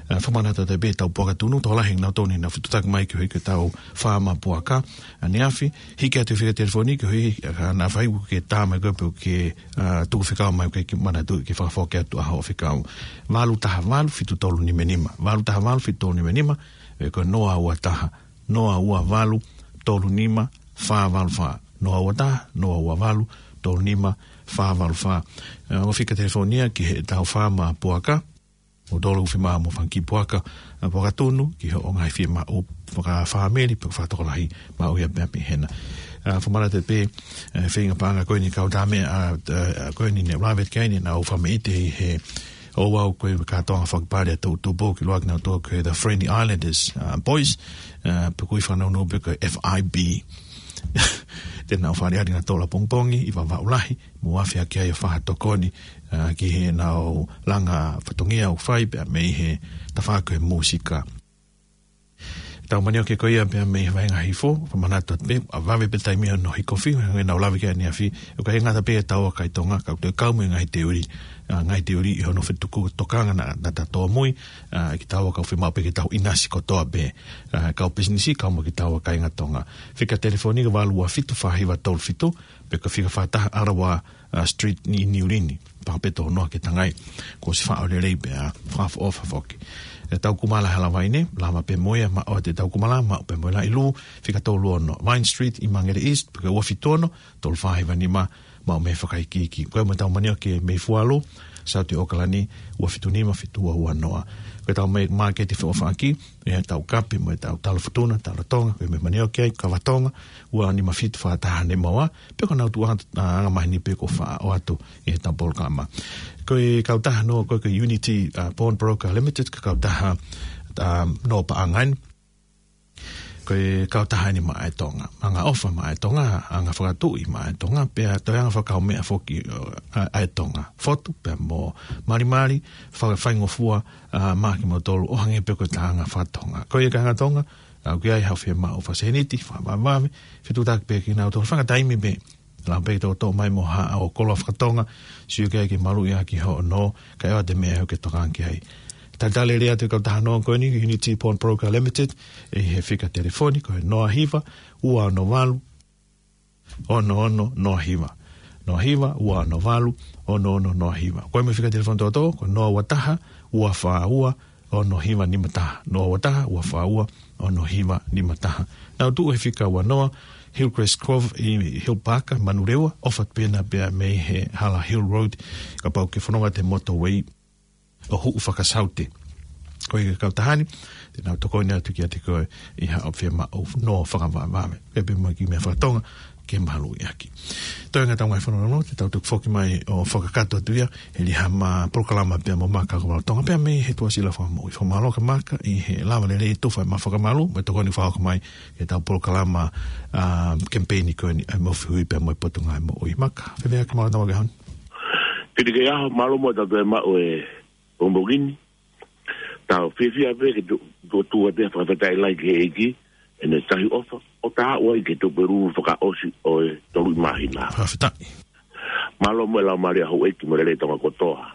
ʻA, fakamanatu atu pē ʻetau puaka tunu, tokolahi ʻenau tonu ʻenau fetuʻutaki mai ki he ʻaho ko ē ki heʻetau faama puaka, ʻaneafi, hiki atu e fika telefoni ki he ʻaho ko ē, ʻa, naʻa faifai ke tā mai koe pe ke, ʻa, tuku fekau mai ke, ke manatuʻi ke fakafoki atu ʻa hoʻo fekau. Valu taha valu fitu tolu nima nima. Valu taha valu fitu tolu nima nima, pe ko e noa ua taha, noa ua valu, tolu nima, fā valu fā. Noa ua taha, noa ua valu, tolu nima, fā valu fā. ʻA, ʻo fika telefoni ia ki heʻetau faama puaka, ʻo tolu fiemaʻu mo e fanga kiʻi puaka, ʻa, puaka tunu, ki hoʻo ngaahi fiemaʻu fakafāmili, pe fakatokolahi, maʻu ia pē mei hena. ʻA, fakamanatu pē, ʻa, feinga paʻanga ko eni kau tā meʻa, ʻa, ʻa, ko eni ne lave ki ai ne nau fakameʻite ʻi he ʻo au ko e kātoanga fakapale ʻa e toʻutupu ki loa ki nau tō ko e The Friendly Islanders, ʻa, Boys, ʻa, pe ko e fanongo pē ko e F I B. Te nau fale ari na tola pongipongi, ʻi Vavaʻu Lahi, mo afe ake ai ʻo fakatokoni, ʻa, ki heʻenau langa fatongia ʻoku fai pea mei he tafaʻaki ʻo e mūsika. Tau manioke ko ia pea mei he vaenga hifo, fakamanatu atu pē, ʻa, vave pē taimi ʻo e nohi kofi, hangē ko ʻenau lave ki ai ʻaneafi, ʻoku ʻikai ngata pē ʻetau ʻa kai Tonga, ka ʻoku toe kau mo e ngaahi teuli, ʻa, ngaahi teuli ʻi hono fetuku tokanga naʻa, naʻa ta tōmui, ʻa, kitaua kau fiemaʻu pē ke tau ʻinasi kotoa pē, ʻa, kau pisinisi, kau mo kitaua kāinga Tonga. Fika telefoni ko e valu ua fitu fā hiva tolu fitu, pe ko e fika fā taha ʻArawa, ʻa, Street ʻi Niu Lini, pea pē tō noa ke tangai, kuo ʻosi faʻo lelei pea, ʻa, fakaʻofoʻofa foki. ʻEtau kumala hala vai ne, lava pē mo ia, maʻu ʻa ʻetau kumala, maʻu pē mo e laʻi lū, fika tolu ono, Vine Street ʻi Mangere East, pe ko e ua fitu ono, tolu fā hiva nima, maʻu mei he fakaikiiki. Ko e mo ʻetau manioke mei Fualu, South ʻAokalani, ua fitu nima fitu ua ua noa. Ko ʻetau mei māketi feʻofaʻaki, ʻetau kape mo ʻetau talo futuna, talo Tonga, ko e mo e manioke ai, kava Tonga, ua nima fitu fā taha nima ua, pe ko ʻenau tuʻu anga, ʻa, angamaheni pē kuo faʻa ʻoatu ʻi heʻetau polokalama. Ko e kautaha noa ko ē ko e Unity, ʻa, Pawnbroker Limited, ko e kautaha, ʻa, noa paʻanga eni. Ko e kautaha eni maʻa e Tonga. Anga ʻofa maʻa e Tonga, anga fakatuʻi maʻa e Tonga, pea toe anga fakakaumeʻa foki, ʻa, ʻa e Tonga. Fotu, pea mo malimali, faka-, faingofua, ʻa, maʻa kimoutolu, ʻo hangē pē ko ʻeta anga faka-Tonga. Ko ia kāinga Tonga, ʻa, ʻoku ʻi ai haʻo fiemaʻu fakaseniti, fakavavevave, fetuʻutaki pē kinautolu, fanga taimi pē, lau pē ke tau toʻo mai mo haʻo koloa faka-Tonga, sio ki ai ke maluʻi ʻaki hoʻo nō, kae ʻoua te meʻa ʻoku ke tokanga ki ai. Talitali lelei atu e kautaha noa ko eni, Unity Pawnbroker Limited, ʻi he fika telefoni, ko e noa hiva, ua ono valu, ono ono noa hiva. Noa hiva, ua ono valu, ono ono noa hiva. Ko e mo e fika telefoni tōtō, ko e noa ua taha, ua fā ua, ono hiva nima taha. Noa ua taha, ua fā ua, ono hiva nima taha. Nau tuʻu he fika ua noa, Hillcrest Cove ʻi Hill Park, Manurewa, ʻofa pē na pea mei he hala Hill Road, kapau ʻoku ke fononga he motorway ʻo huʻu fakasaute. Ko e kautaha ni, te nau tokoni atu kiate koe ʻi haʻo fiemaʻu nō fakavavevave. Ke pē mo e kiʻi meʻa faka-Tonga, ke maluʻi ʻaki. Toe ngata ʻetau ngaahi fononga, te tau tuku foki mai ʻo fakakakato atu ia, he ʻi ai haʻama polokalama pea mo Makakaukau Valu Tonga pea mei he Tuʻasila Fakamoʻui. Fakamālō kia Maka ʻi he lava lelei tufa ʻema fakamalu, mo e tokoni fakahoko mai ki heʻetau polokalama, ʻa, kemipeini ko eni ʻa e Mofi Hui pea mo e Potungāue Moʻui. Maka, fēfē ʻa e kiʻi mālō ʻetau ʻaho ni? Piti ke aho, mālō mo ʻetau toe maʻu e pongipongi ni. Tau fiefia pē ke tu-, tu-, tuʻu atu e fakafetaʻi lahi ki he ʻEiki, ʻene tauhi ʻofa, ʻo tā ʻa e ʻEiki ke tuku e lulu fakaʻosi ʻo e tolu ʻi māhina. Fakafetaʻi. Mālō mo e laumālie ʻa houʻeiki mo e lelei Tonga kotoa.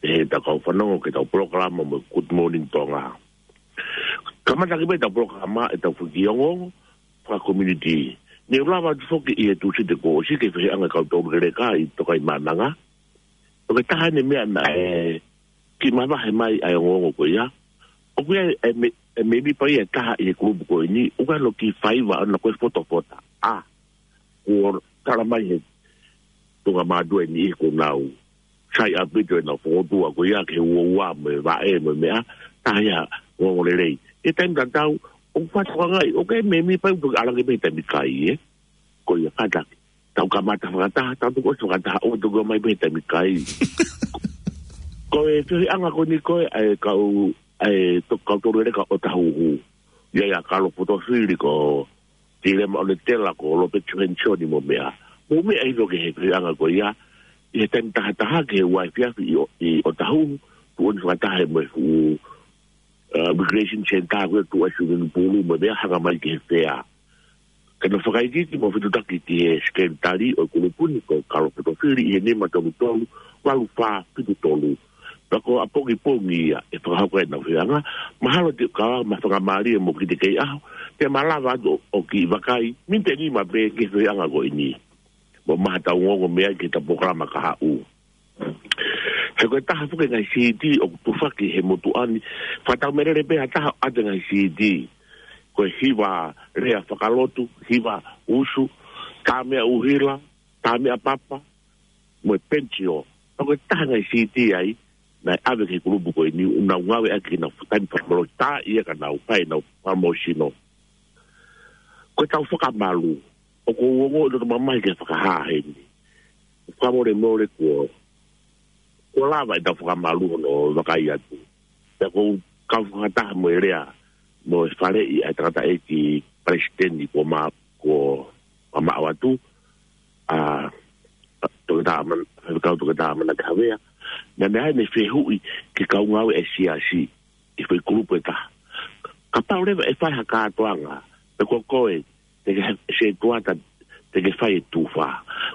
ʻI heʻetau kau fanongo ki heʻetau polokalama mo e Good Morning Tonga. Kamata ki ai pē ʻetau polokalama, ʻetau foʻi kiʻi ongoongo faka-community. Ne u lave atu foki ʻi he Tūsite kuo ʻosi ki he feʻauhi ʻa e kau tolu leleka ʻi Tokaimaʻananga. ʻOku ʻi ai e taha eni e meʻa naʻe kiʻi mavahe mai ai e ongoongo ko ia. ʻOku ʻi ai e me-, e mēmipa ia ʻe taha ʻi he kulupu ko eni, ʻoku ʻi ai hono kiʻi faiva ʻana ko e fotofota. ʻA, kuo tala mai he tuʻunga mātuʻa ʻe niʻihi kuo nau sai ʻaupito ʻenau fokotuʻu ko ia ki he uaua mo e vaʻe mo e meʻa, taha ia ʻoku ongo lelei. ʻI he taimi tatau, ʻoku fakatokangaʻi, ʻoku ʻi ai e mēmipa ʻoku toki ʻalu ange pē he taimi kai, ē? Ko ia kātaki. Tau kamata fakataha, tau toki ʻosi fakataha, ʻo toki ō mai pē he taimi kai. Ko e feohiʻanga ko eni ko ē, ʻa e kau, ʻa e toki kau tolu lelei ka ʻo Tahuhu. ʻI ai ʻa Kalo Potofili ko Tilema ʻOletela ko Lope Tuhensioni mo meʻa. Mo meʻa ʻi loto ki he feohiʻanga ko ia, ʻi he taimi tahataha ki he ua efiafi ʻi ʻo, ʻi ʻOtahuhu, tuʻu ʻo fakataha mo e fuʻu, uh, Recreation Centre ko e tuʻu ai swimming pool mo meʻa hanga mai ki he fea. Ka naʻe fakaikiiki mo fetutaki ki he sekelitali ʻo e kulupu ni ko Kalo Potofili ʻi he nima tolu tolu, valu fā fitu tolu. Pea ko ʻapongipongi ia ʻe fakahoko ai ʻenau feohiʻanga, mahalo te u kau ma fakamālie mo kiʻi teʻeki ai ʻaho, te ma lava atu ʻo kiʻi vakai, miniti ʻe nima pē ki he feohiʻanga ko eni. Mo mahalo te u ongoongo mai ki heʻeta polokalama ka haʻu. He ko e taha foki e ngaahi siiti ʻoku tufaki he motuʻa ni, fakatau meʻalele pē ha taha ʻo ʻoatu e ngaahi siiti. Ko e hiva lea fakalotu, hiva usu, tā meʻa ʻuhila, tā meʻa papa, mo e penitio. Pea ko e taha e ngaahi siiti ia naʻe ʻave ki he kulupu ko eni, ʻoku nau ngāueʻaki ʻenau taimi fakamālohi, tā ia ka nau fai ʻenau fakamālohisino. Ko ʻetau fakamalu, ʻoku ou ongoʻi loto mamahi ke fakahā heni. Fakamolemole kuo, kuo lava ʻetau fakamalu hono vakai atu. Pea ʻoku ou kau fakataha mo e lea, mo e faleʻi ʻa e tangataʻeiki palesiteni ko Ma, ko Ma Maʻo atu, ʻa, Toketā Man, Faifekau Toketā Manake Havea. Naʻa ne ʻai ʻene fehuʻi ki he kau ngāue ʻa e siasi, ʻi he foʻi kulupu ʻe taha. Kapau leva ʻe fai ha kātoanga, pe ko koe, te ke he-, se tuata, te ke fai e tufa.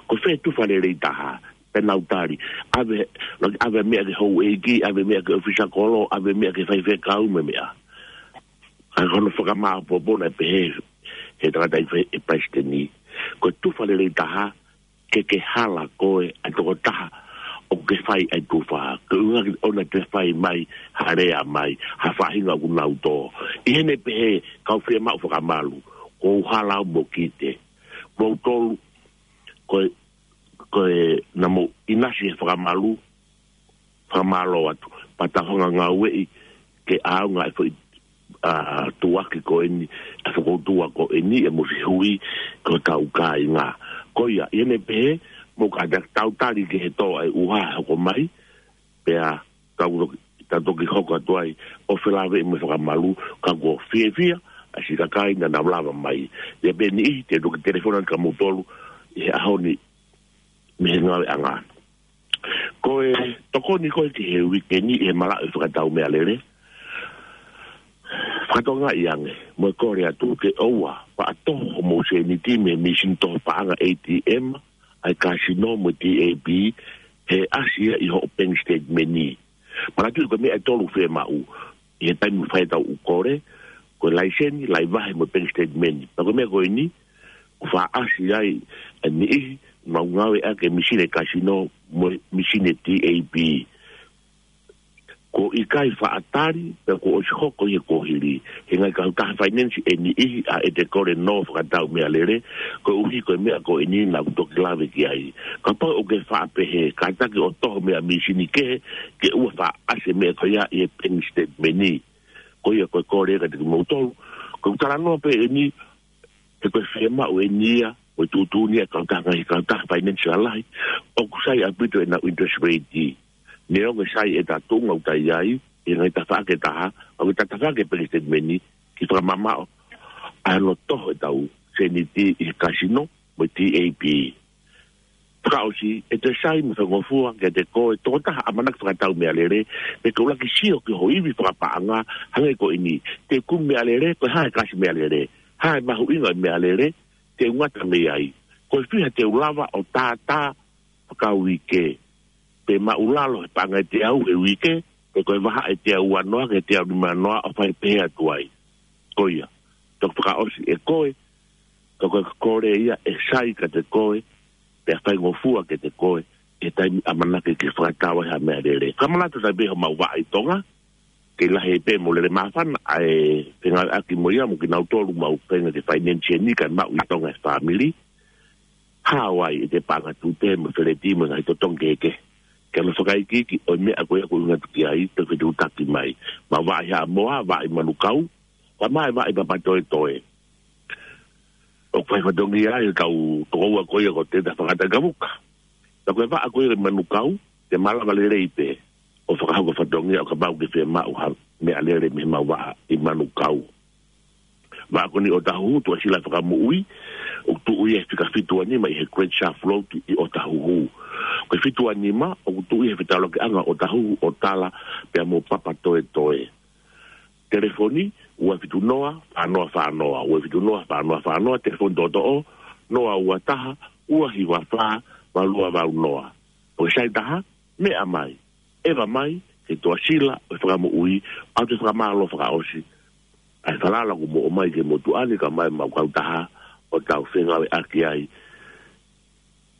Ko fē tufa lelei taha, pea nau tali. ʻAve, ʻave meʻa ki he houʻeiki, ʻave meʻa ki he ʻōfisa kolo, ʻave meʻa ki he faifekau mo e meʻa. Ka ko hono fakamāʻopoʻopo naʻe pehē he tangataʻeiki palesiteni. Ko e tufa lelei taha, ke ke hala koe ʻa e tokotaha ʻoku ke fai ai e tufa. Ko e ʻuhinga ke ʻoua te fai mai ha lea mai, ha faʻahinga ʻoku nau tō. ʻI heʻene pehē, kau fiemaʻu fakamalu, ʻoku ou hala au mo kite. Mo tolu, ko e, ko e naʻa mou ʻinasi he fakamalu, fakamālō atu. Pea tau hanga ngāueʻi ke ʻaonga e foʻi, ʻa, tuʻuaki ko eni, ʻa e fokoutua ko eni, ʻe mo siʻi hui, ko hotau kāinga. Ko ia, ʻi heʻene pehē, mou kātaki tau tali ki he tō ʻa e ʻuha hoko mai, pea tau toki, tau toki hoko atu ai, ʻo felāveʻi mo e fakamalu, ka ʻoku ou fiefia, ʻa siʻi kakai naʻa nau lava mai. ʻI ai pē niʻihi, te u toki telefoni atu kia moutolu, ʻi he ʻaho ni, mei he ngāueʻanga. Ko e tokoni ko ē ki he uike ni ʻi he malaʻe fakatau meʻalele. Fakatokangaʻi ange, mo e kole atu ke ʻoua, faʻa toho homou sēniti mei he mīsini toho paʻanga A T M, ʻa e kasino mo e T A B, he ʻasi ia ʻi hoʻo bank statement ni. Manatuʻi ko e meʻa ʻe tolu fiemaʻu, ʻi he taimi ʻoku fai ai ʻetau kole, ko e laiseni, laivahe mo e bank statement. Pea ko e meʻa ko eni, ʻoku faʻa ʻasi ai, ʻa e niʻihi, ʻoku nau ngāueʻaki e mīsini kasino mo e mīsini T A B. ʻOku ʻikai faʻa tali, pea kuo ʻosi hoko ʻi he kuohili. He ngaahi kautaha finance ʻe niʻihi ʻa ʻete kole nō fakatau meʻalele, koeʻuhi ko e meʻa ko eni naʻa ku toki lave ki ai. Kapau ʻoku ke faʻa pehē, kātaki ʻo toho meʻa mīsini kehe, ke ʻoua faʻa ʻasi e meʻa ko ia ʻi he bank statement ni. Ko ia ko e kole kiate kimoutolu, ko ʻeku talanoa pē eni, he ko e fiemaʻu eni ia, ko e tuʻutuʻuni ia ʻa e kautaha ngaahi kautaha finance lalahi, ʻoku sai ʻaupito ʻenau interest rate. Neongo e sai ʻeta tuʻunga ʻoku ta ʻi ai, ʻi he ngaahi tafaʻaki ʻe taha, ʻoku ta tafaʻaki e bank statement ni, ke fakamamaʻo, ʻa hono toho ʻetau sēniti ʻi he kasino, mo e T A B. Fakaʻosi, ʻe toe sai mo faingofua kiate koe, tokotaha ʻamanaki fakatau meʻalele, pe ke ʻuluaki sio ki ho ivi fakapaʻanga, hangē ko eni, te u kumi meʻalele, ko e hā e kasi meʻalele, hā e mahuʻinga ʻo e meʻalele, te u ngata mei ai. Ko e fiha te u lava ʻo tātā fakauike, pe maʻulalo he paʻanga ʻe teau he uike, pe ko e vahaʻa ʻe teau ua noa, ke teau nima noa, ʻo fai pehē atu ai. Ko ia, toki fakaʻosi ʻe koe, ka ko e kole ia ʻe sai kiate koe, pea faingofua kiate koe, ʻi he taimi ʻamanaki ke fakatau ai ha meʻalele. Ka manatu tai pē homau vaʻa ʻi Tonga, ke lahi pē mo lele māfana, ʻa e fengāueʻaki mo ia, mo kinautolu mau feinga ke finance ni kae maʻu ʻi Tonga e fāmili. Hawaii ʻete paʻanga tute mo feleti mo e ngaahi totongi kehekehe. Ke alofa fakaikiiki ʻo e meʻa ko ia ʻoku ʻuhinga atu ki ai, te ke tuʻutaki mai. Mau vaʻi Haʻamoa, vaʻi Manukau, pea mo e vaʻi Papatoetoe. ʻOku fai fatongia ai ʻetau tokoua ko ia ko Teta Fangata Kavuka. Pea ko e vaʻa ko ia ʻi Manukau, te malava lelei pē ʻo fakahoko fatongia ʻo kapau ʻoku ke fiemaʻu ha meʻalele mei heʻemau vaʻa ʻi Manukau. Vaʻa ko eni ʻOtahuhu, Tuʻasila Fakamoʻui, ʻoku tuʻu ia he fika fitu ua nima ʻi he Great Shaft Road ʻi ʻOtahuhu. Ko e fitu ua nima, ʻoku tuʻu ia he fetaulaki ʻanga ʻo ʻOtahuhu, ʻo Tala, pea mo Papatoetoe. Telefoni, ua fitu noa, fā noa fā noa, ua fitu noa, fā noa fā noa, telefoni toʻotoʻo, noa ua taha, ua hiva fā, valu ua valu noa. Ko e sai taha, meʻa mai, ʻeva mai, ki he Tuʻasila ʻo e Fakamoʻui, ʻoku te fakamālō fakaʻosi ʻa e falala kuo mou ʻomai ki he motuʻa ni, kae ʻumaʻā ʻemau kautaha, ʻo tau fengāueʻaki ai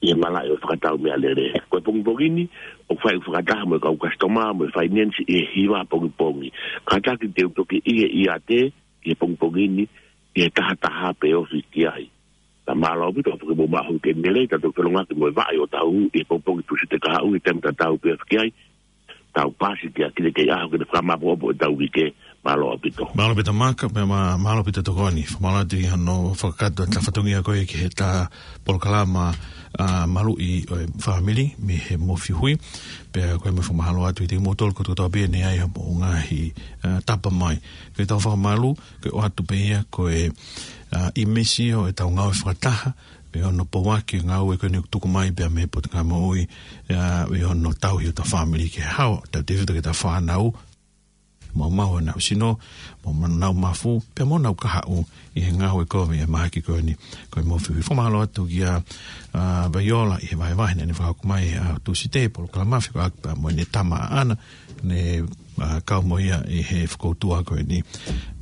ʻi he malaʻe ʻo e fakatau meʻalele. Ko e pongipongi ni, ʻoku fai ʻeku fakataha mo e kau customer, mo e finance ʻi he hiva pongipongi. Kātaki te u toki ʻi he ʻiate, ʻi he pongipongi ni, ʻi he taha taha pē ofi ki ai. Pea mālō ʻaupito, ʻoku ke mou maʻu ha uike lelei, tau toki felongaki mo e vaʻa ʻi ʻOtahuhu, ʻi he pongipongi Tūsite kahaʻu, ʻi he taimi tatau pē ofi ki ai. Tau pasi ki he kiʻi, kiʻi ʻaho ke ne fakamāopoopo ʻetau uike. Mālō ʻaupito. Mālō ʻaupito Maka, pea mā-, mālō ʻaupito tokoni. Fakamālō atu ʻi hono fakakakato ʻeta fatongia ko ē ki heʻeta polokalama, ʻa, maluʻi ʻo e fāmili mei he Mofihui. Pea ko e meʻa fakamālō atu kiate kimoutolu kotoa pē ne ʻi ai hoʻomou ngaahi, ʻa, tapa mai. Ko ʻetau fakamālō, ko e ʻoatu pē ia ko e, ʻa, ʻīmisi ʻo ʻetau ngāue fakataha, pea ʻi hono pouaki e ngāue ko eni ʻoku tuku mai pea mei he Potungāue Moʻui, ʻa, pea ʻi hono tauhi hotau fāmili ki he ʻaho, tautefito ki heʻetau fānau, maumau honau sino, mo honau mafu, pea mo honau kahaʻu, ʻi he ngāue kovi ʻa e mahaki ko eni, ko e Mofihui. Fakamālō atu kia, ʻa, Vaiola ʻi he vahevahe naʻá ne fakahoko mai he ʻaho Tūsite, polokalama fekauʻaki pea mo ʻene tama ʻaʻana, ne, ʻa, kau mo ia ʻi he fokoutua ko eni.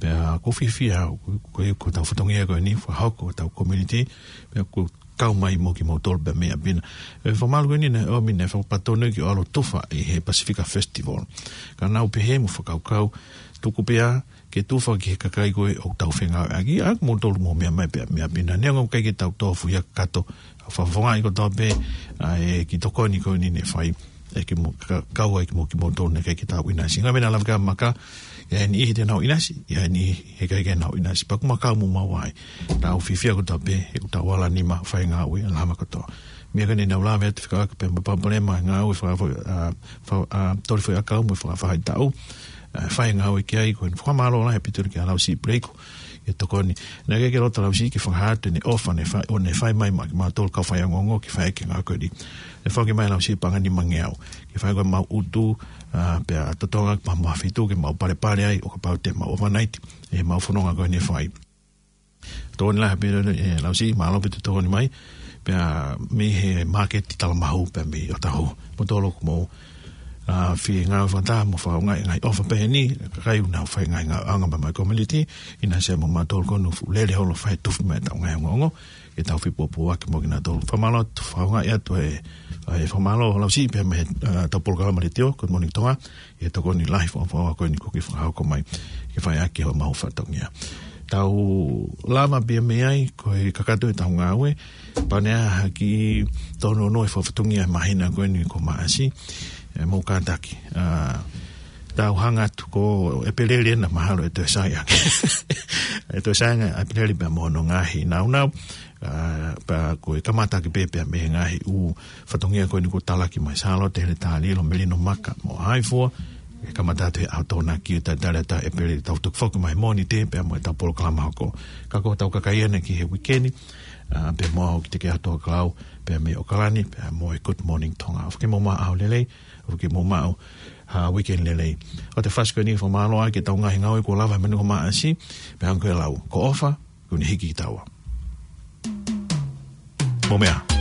Pea ʻoku ou fiefia au, ko, ko, ko ʻetau fatongia ko eni, fakahoko ʻetau community, pea ʻoku kau mai mo kimoutolu pē mei ʻapi na. ʻE fakamālō ko eni naʻe ʻomi, naʻe fakapatonu ke ʻalu ʻo tufa ʻi he Pasifika Festival. Ka naʻá ku pehē mo fakakaukau, tuku pē ā ke tufa ki he kakai ko ē ʻoku tau fengāueʻaki, ʻa kimoutolu mou meʻa mai pē mei ʻapi na. Neongo ʻoku ʻikai ke tau tofuhia kakato, ʻa e fakafofongaʻi kotoa pē, ʻa e kiʻi tokoni ko eni ne fai, ʻe kimo-, ka-, kau ai kimoutolu naʻe ʻikai ke tau ʻinasi. Ngaahi meʻa naʻe lave ki ai Maka, ʻi ai e niʻihi te nau ʻinasi, ʻi ai e niʻihi heʻikai ke nau ʻinasi. Pea ʻoku mau kau mo maua ai. Tau fiefia kotoa pē, he ʻoku tau ala nima fai ngāue, ʻa e lama kotoa. Meʻa ko eni naʻá ku lave atu fekauʻaki pea mo e palopalema ngāue faka-, ʻa, fa-, ʻa, toli foʻi ʻakau mo e fakafaʻahitaʻu. ʻA, fai ngāue ki ai ko eni fakamālō lahi ʻaupito kia Lausiʻi Puleiku, ʻi he tokoni. Naʻe ʻikai ke loto Lausiʻi ke fakahā atu ʻene ʻofa naʻe fai, ʻo ne fai mai maʻa kimautolu kau faiako ongoongo ke fai ʻaki e ngāue ko eni. ʻE fai mai Lausiʻi paʻanga ʻe nima ngeau. Ke fai ko ē ʻemau ʻutu, ʻa, pea totongi pea mo ha feituʻu ke mau palepale ai, ʻo kapau te mau overnight, ʻi heʻemau fononga ko eni ʻe fai. Tokoni lahi ʻaupito, ʻe, Lausiʻi, mālō ʻaupito tokoni mai, pea mei he māketi Talamahu, pea mei ʻOtahuhu. Kimoutolu ʻoku mou, ʻa, fie ngāue fakataha mo fakaʻaongaʻi e ngaahi ʻofa pehē ni, kakai ʻoku nau fai e ngaahi ngāueʻanga pea mo e community, ʻinasi mo mautolu ko eni ʻoku fuʻu lele holo ʻo fai e tufa mai ʻetau ngaahi ongoongo, ke tau fepōpōaki mo kinautolu. Fakamālō atu, fakaʻaongaʻi atu e, ʻa e fakamālō Lausiʻi pea mei he, ʻa, ʻetau polokalama letiō, Good Morning Tonga, ʻi he tokoni lahi fakaʻofoʻofa ko eni kuo ke fakahoko mai, ke fai ʻaki homau fatongia. Tau lava pē mei ai, ko e kakato ʻetau ngāue, pea ne ʻi ai ha kiʻi tōnounou e fakafatongia he māhina ko eni ko Maʻasi, ʻe mou kātaki. ʻA, tau hanga atu ko ʻEpeleli ena mahalo ʻe toe sai ange. ʻE toe sai ange ʻa ʻEpeleli pea mo hono ngaahi nāunau. ʻA, pea ko e kamata ʻaki pē pea mei he ngaahi ʻū fatongia ko eni kuo talaki mai, Sālote Heletaliʻilo, Melino Maka mo Haifua. ʻE kamata atu he ʻaho Tokonaki, ʻo talitali atu ʻa ʻEpeleli, tau toki foki mai Mōnite pea mo ʻetau polokalama hoko. Ka ko hotau kakai ena ki he uike ni, ʻa, pea mo au ki he ʻaho Tokelau, pea mei ʻAokalani, pea mo e Good Morning Tonga. ʻOfa ke mou maʻu ʻaho lelei, ʻofa ke mou maʻu ha uike lelei. ʻOua te fasi ko eni, fakamālō ʻaki ʻetau ngaahi ngāue kuo lava he māhina ko Maʻasi, pea hangē ko e lau, ko e ʻofa, kuo ne hiki kitaua. Mou meʻa.